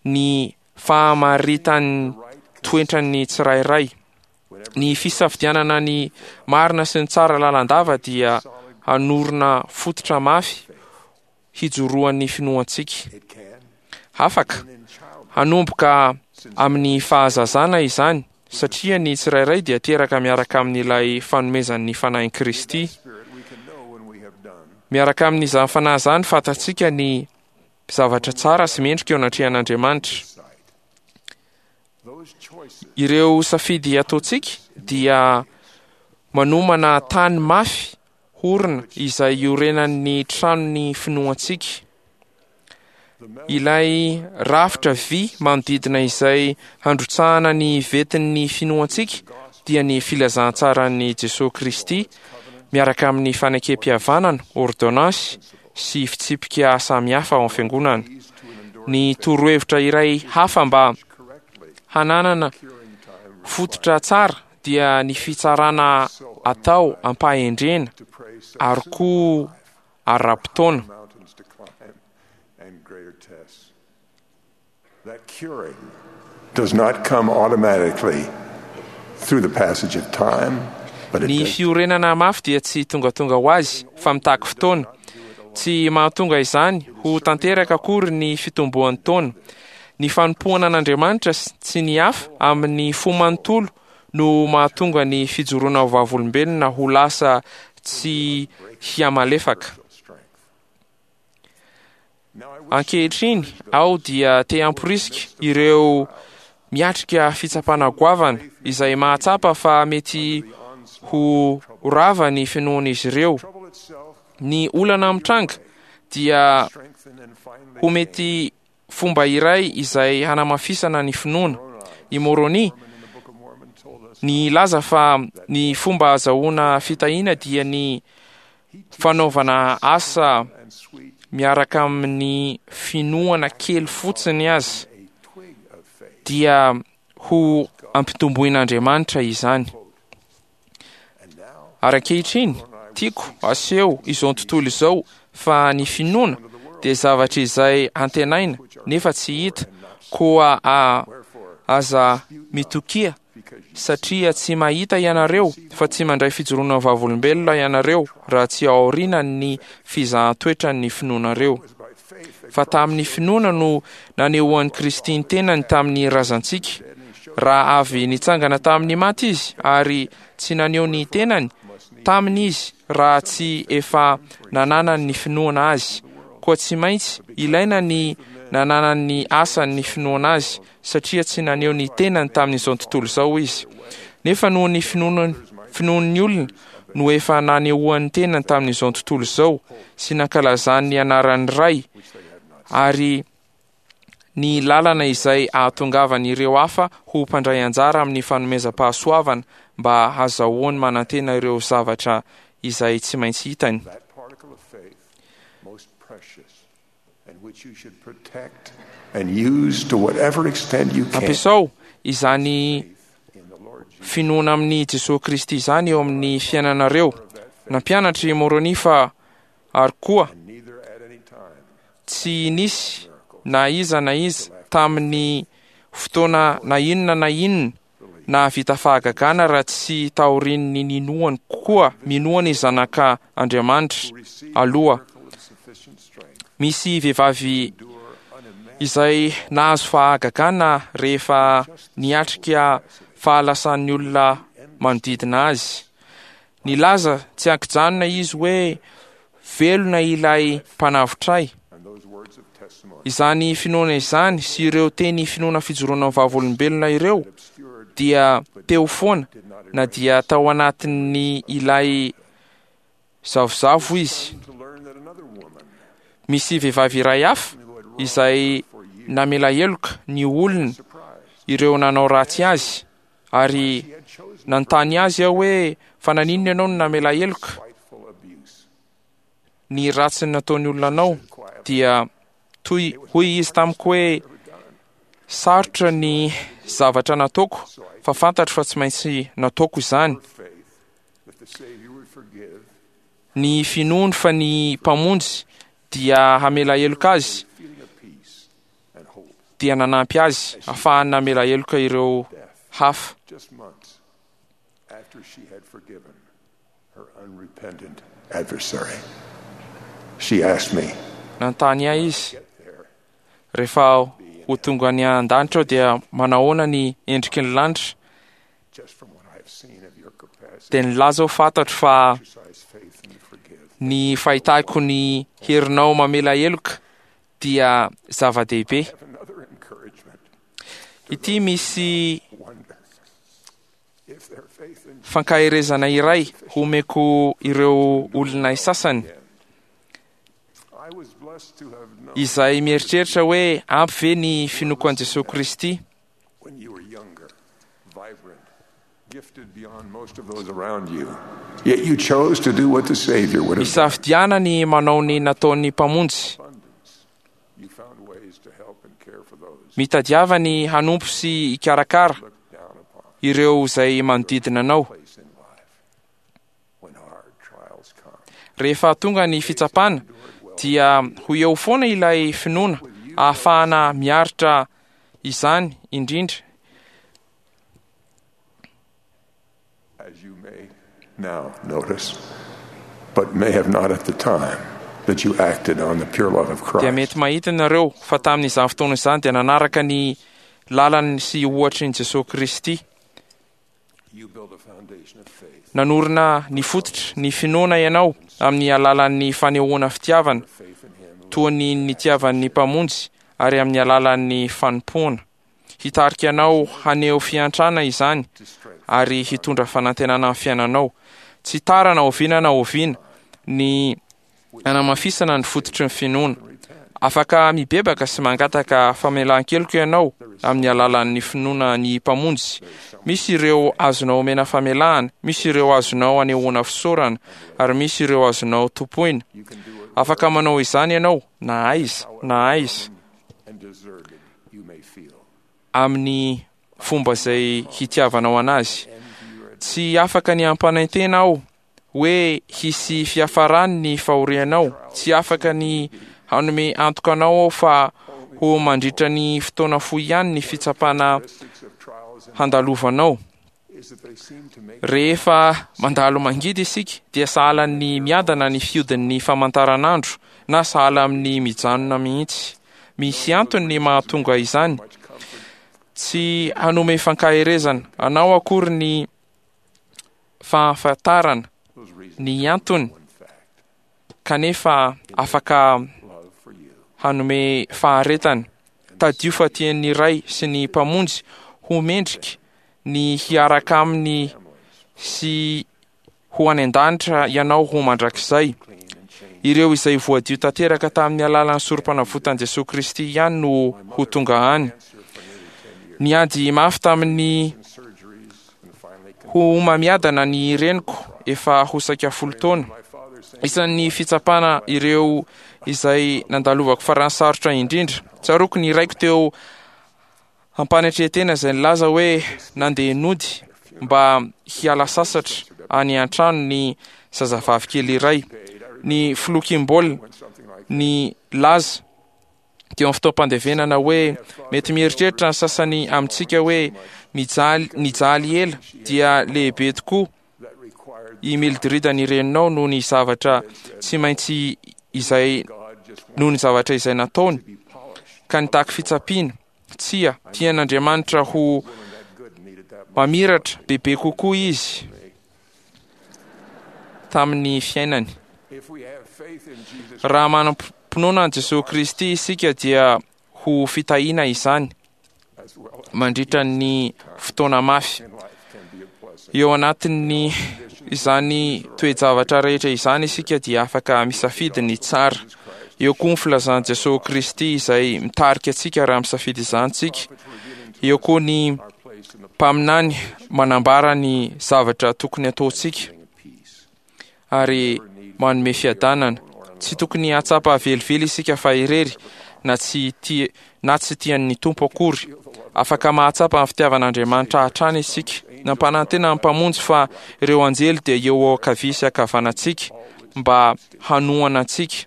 [SPEAKER 14] ny fahamaritan'ny toetran'ny tsirairay. Ny fisafidianana ny marina sy ny tsara lalandava dia hanorina fototra mafy hijoroan'ny finoantsika. Afaka hanomboka amin'ny fahazazana izany satria ny tsirairay dia teraka miaraka amin'ilay fanomezan'ny Fanahin'i Kristy. Miaraka amin'izany fanahy izany, fantatsika ny zavatra tsara sy mendrika eo anatrehan'Andriamanitra. Ireo safidy ataontsika dia manomana tany mafy horina izay iorenan'ny tranon'ny finoantsika. Ilay rafitra vy manodidina izay handrotsahana ny vetin'ny finoantsika dia ny filazantsaran'i Jesoa Kristy miaraka amin'ny fanekem-pihavanana, ôrdônansy sy fitsipika samihafa ao amin'ny fiangonana. Ny torohevitra iray hafa mba hananana fototra tsara dia ny fitsarana atao am-pahendrena ary koa ara-potoana.
[SPEAKER 11] Does not come automatically through the passage of time, but it
[SPEAKER 14] Ny
[SPEAKER 11] does
[SPEAKER 14] fiorenana mafy dia tsy tongatonga ho azy fa mitaky fotoana. Tsy mahatonga izany ho tanteraka akory ny fitomboan'ny taona. Ny fanompoana an'Andriamanitra sy ny hafa amin'ny fo manontolo no mahatonga ny fijoroana ho vavolombelona ho lasa tsy hihamalefaka. Ankehitriny aho dia te hamporisika ireo miatrika fitsapana goavana izay mahatsapa fa mety ho rava ny finoan'izy ireo. Ny olana mitranga dia ho mety fomba iray izay hanamafisana ny finoana. I Moroni nilaza fa ny fomba ahazoana fitahiana dia ny fanaovana asa miaraka amin'ny finoana kely fotsiny aza dia ho ampitomboin'Andriamanitra izany. Ary ankehitriny, tiako aseho izao tontolo izao fa ny finoana dia zavatra izay antenaina nefa tsy hita, koa a aza mitokia satria tsy mahita ianareo fa tsy mandray fijoroana vavolombelona ianareo raha tsy aoriana ny fizahan-toetran'ny finoanareo. Fa tamin'ny finoana no nanehoan'i Kristy ny tenany tamin'ny razantsika, raha avy nitsangana tamin'ny maty izy ary tsy naneho ny tenany taminy izy raha tsy efa nananany ny finoana azy. Koa tsy maintsy ilaina ny nananany asan'ny finoana azy satria tsy naneho ny tenany tamin'izao tontolo izao izy. Nefa noho ny finoana finoan'ny olona no efa nanehoan'ny tenany tamin'izao tontolo izao sy nankalazany ny anaran'ny Ray ary ny lalana izay ahatongavan'ireo hafa ho mpandray anjara amin'ny fanomezam-pahasoavana mba hazahoany manantena ireo zavatra izay tsy maintsy hitany.
[SPEAKER 11] that particle of faith most precious and which you should protect and use to whatever extent you can.
[SPEAKER 14] Ampiasao izany finoana amin'i Jesoa Kristy izany eo amin'ny fiainanareo. Nampianatra i Moroni fa ary koa tsy nisy na iza na iza tamin'ny fotoana na inona na inona nahavita fahagagana raha tsy taorian'ny ninoany koa minoany zanaka Andriamanitra aloha. Misy vehivavy izay nahazo fahagagana rehefa niatrika fahalasan'ny olona manodidina azy. Nilaza tsy ankijanona izy hoe velona ilay mpanavotra ahy. Izany finoana izany sy ireo teny finoana fijoroana vavolombelona ireo dia teo foana na dia tao anatin'ny ilay zavozavo izy. Misy vehivavy iray hafa izay namela heloka ny olona ireo nanao ratsy azy ary nanontany azy aho hoe fa naninona ianao no namela heloka ny ratsy nataon'ny olona anao, dia toy hoy izy tamiko hoe sarotra ny zavatra nataoko fa fantatro fa tsy maintsy nataoko izany. Ny finoany fa ny mpamonjy dia hamela heloka azy dia nanampy azy ahafahany namela heloka ireo hafa.
[SPEAKER 11] Just months after she had forgiven her unrepentant adversary, she asked me,
[SPEAKER 14] Nanontany ahy izy rehefa ho tonga any an-danitra aho dia manahoana ny endriky ny lanitra,
[SPEAKER 11] just from what I have seen of your capacity
[SPEAKER 14] dia nilaza aho fantatro fa
[SPEAKER 11] to exercise faith and to forgive,
[SPEAKER 14] Ny fahitako ny herinao mamela heloka dia zava-dehibe. Ity misy fankaherezana iray homeko ireo olona sasany izay mieritreritra hoe ampy ve ny finoako an'i Jesosy Kristy. Misafidiana ny manao ny nataon'ny Mpamonjy. Mitadiava ny hanompo sy hikarakara ireo izay manodidina anao. Rehefa tonga ny fitsapana dia ho eo foana ilay finoana ahafahana miaritra izany indrindra.
[SPEAKER 11] As you may now notice, but may have not at the time that you acted on the pure love of
[SPEAKER 14] Dia
[SPEAKER 11] Christ.
[SPEAKER 14] mety mahita nareo fa tamin'izany fotoana izany dia nanaraka ny lalany sy ohatry ny Jesosy Kristy.
[SPEAKER 11] You build a foundation of faith.
[SPEAKER 14] Nanorina ny fototra ny finoana ianao amin'ny alalan'ny fanehoana fitiavana toa ny nitiavan'ny Mpamonjy ary amin'ny alalan'ny fanompoana. Hitarika anao haneho fiantrana izany ary hitondra fanantenana amin'ny fiainanao. Tsy tara na oviana na oviana ny anamafisana ny fototry ny finoana. Afaka mibebaka sy mangataka famelan-keloka ianao amin'ny alalan'ny finoana ny Mpamonjy. Misy ireo azonao omena famelahana, misy ireo azonao anehoana fisaorana, ary misy ireo azonao tompoina. Afaka manao izany ianao na aiza na aiza
[SPEAKER 11] And deserted you may feel.
[SPEAKER 14] amin'ny fomba izay hitiavanao anazy. Tsy afaka ny hampanantena aho hoe hisy fiafarany ny fahorianao. Tsy afaka ny hanome antoka anao aho fa ho mandritra ny fotoana fohy ihany ny fitsapana handalovanao. Rehefa mandalo mangidy isika dia sahala ny miadana ny fiodin'ny famantaranandro na sahala amin'ny mijanona mihitsy. Misy antony ny mahatonga izany. Tsy hanome fankaherezana anao akory ny fahafantarana ny antony, kanefa afaka hanome faharetana. Tadio fa tian'ny Ray sy ny Mpamonjy ho mendrika ny hiaraka aminy sy ho any an-danitra ianao ho mandrakizay. Ireo izay voadio tanteraka tamin'ny alalan'ny sorom-panavotan'i Jesosy Kristy ihany no ho tonga any. Niady mafy tamin'ny ho homamiadana ny reniko efa ho saika folo taona. Isan'ny fitsapana ireo izay nandalovako farany sarotra indrindra. Tsaroako ny raiko teo ampanetren-tena izay nilaza hoe nandeha nody mba hiala sasatra any an-trano ny zazavavy kely iray. Ny filoha Kimball ny laza teo amin'ny fotoam-pandevenana hoe mety mieritreritra ny sasany amintsika hoe mijaly nijaly ela dia lehibe tokoa i Mildred ny reninao noho ny zavatra tsy maintsy izay noho ny zavatra izay nataony ka nitaky fitsapiana. Tsia, tian'Andriamanitra ho mamiratra bebe kokoa izy tamin'ny fiainany. Raha manam-pinoana an'i Jesosy Kristy isika dia ho fitahiana izany mandritra ny fotoana mafy. Eo anatin'ny izany toe-javatra rehetra izany isika dia afaka misafidy ny tsara. Eo koa ny filazan'i Jesosy Kristy izay mitarika antsika raha misafidy izany tsika. Eo koa ny mpaminany manambara ny zavatra tokony ataontsika ary manome fiadanana. Tsy tokony hahatsapa velively isika fa irery na tsy tia na tsy tian'ny Tompo akory. Afaka mahatsapa ny fitiavan'Andriamanitra hatrany isika. Nampanantena ny Mpamonjy fa ireo anjely dia eo ankavia sy ankavanantsika mba hanohana antsika.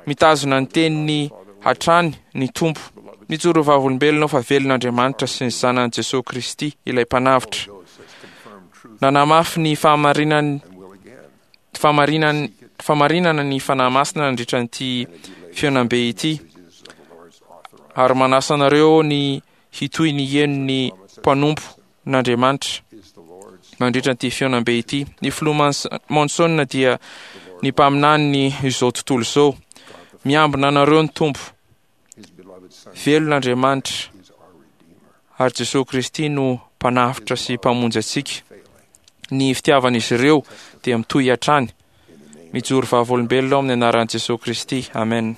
[SPEAKER 14] Mitazona ny teniny hatrany ny Tompo. Mijoro vavolombelona fa velona Andriamanitra sy ny Zanany Jesosy Kristy ilay Mpanavotra. Nanamafy ny fahamarinany fahamarinany fahamarinana ny Fanahy Masina nandritra ity fihaonambe ity, ary manasa anareo ny hitohy ny heno ny mpanompo n'Andriamanitra mandritra ity fihaonambe ity. Ny filoha Monson dia Ny mpaminaniny izao tontolo izao. Miambina anareo ny Tompo. Velona Andriamanitra ary Jesosy Kristy no mpanavotra sy mpamonjy antsika. Ny fitiavan'izy ireo dia mitohy hatrany. Mijoro vavolombelona ao amin'ny anaran'i Jesosy Kristy. Amen.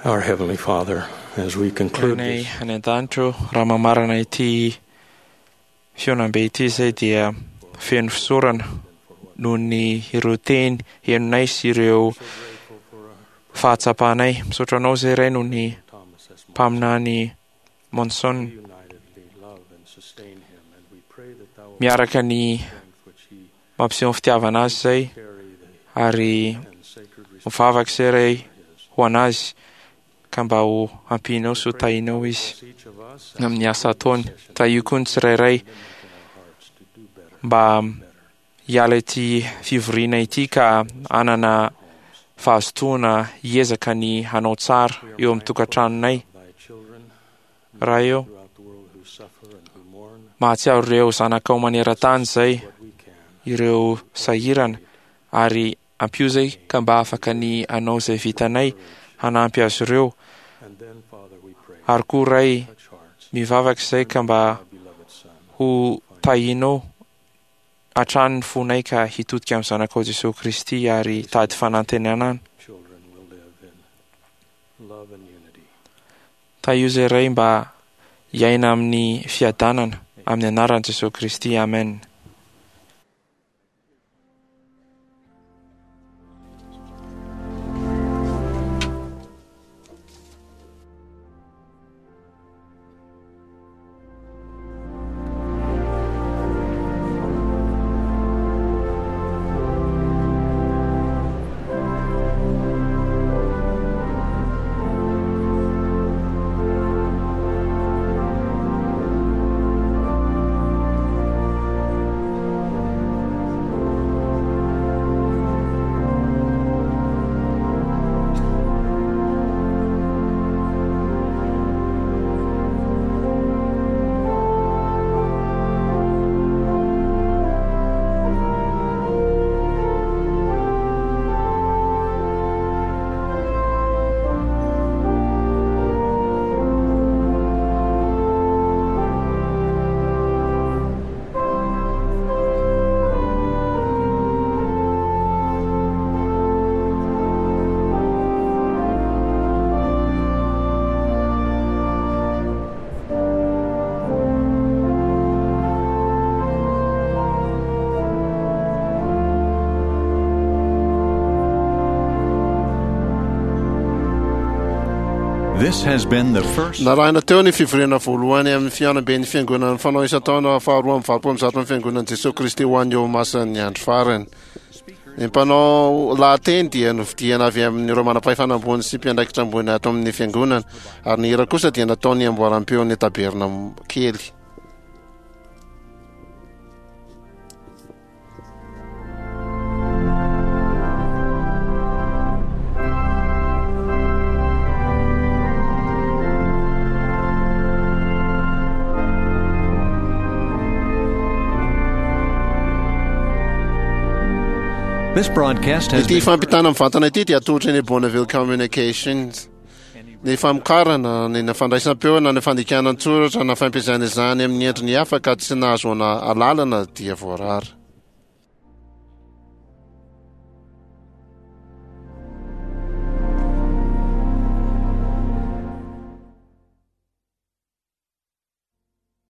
[SPEAKER 6] Our Heavenly Father, as we conclude
[SPEAKER 14] Rainay
[SPEAKER 6] this
[SPEAKER 14] any an-danitra ô, raha mamarana ity fihaonambe ity izay dia feno fisaorana noho ny ireo teny henonay sy ireo fahatsapanay. Misaotra anao izay Ray noho ny mpaminany Monson miaraka ny mampiseho ny fitiavana azy izay ary mivavaka izay Ray ho an'azy ka mba ho ampianao sy ho tahinao izy amin'ny asa ataony. Tahio koa ny tsirairay mba hiala ity fivoriana ity ka hanana fahazotoana hiezaka ny hanao tsara eo amin'ny tokantranonay. Ray eo, mahatsiaro ireo zanakao maneran-tany izay, ireo sahirana, ary ampio izay ka mba afaka ny hanao izay vitanay hanampy azy ireo. Ary koa Ray, mivavaka izay ka mba ho tahinao hatrany ny fonay ka hitodika amin'ny Zanakao Jesosy Kristy ary hitady fanantenana. Tahio izay Ray mba hiaina amin'ny fiadanana amin'ny anaran'i Jesosy Kristy. Amen.
[SPEAKER 1] This has been the first
[SPEAKER 2] Narahina teo ny fivoriana voalohany amin'ny fihaonamben'ny fiangonana fanao isan-taona faharoa amby valopolo amby zato amin'ny fiangonan'i Jesosy Kristy ho an'ny olomasin'ny andro farany. Ny mpanao lahateny dia nofidiana avy amin'ireo manam-pahefana ambony sy mpiandraikitra ambony ato amin'ny fiangonana, ary ny hira kosa dia nataony amboaram-peon'ny taberna kely.
[SPEAKER 1] This broadcast has
[SPEAKER 2] Ity
[SPEAKER 1] been
[SPEAKER 2] fampitana mivantana ity dia atolotra ny Bonneville Communications. Ny famokarana, ny fandraisam-peo na ny fandikana an-tsoratra na fampiasana izany amin'ny endriny hafa ka tsy nahazoana alalana dia voarara.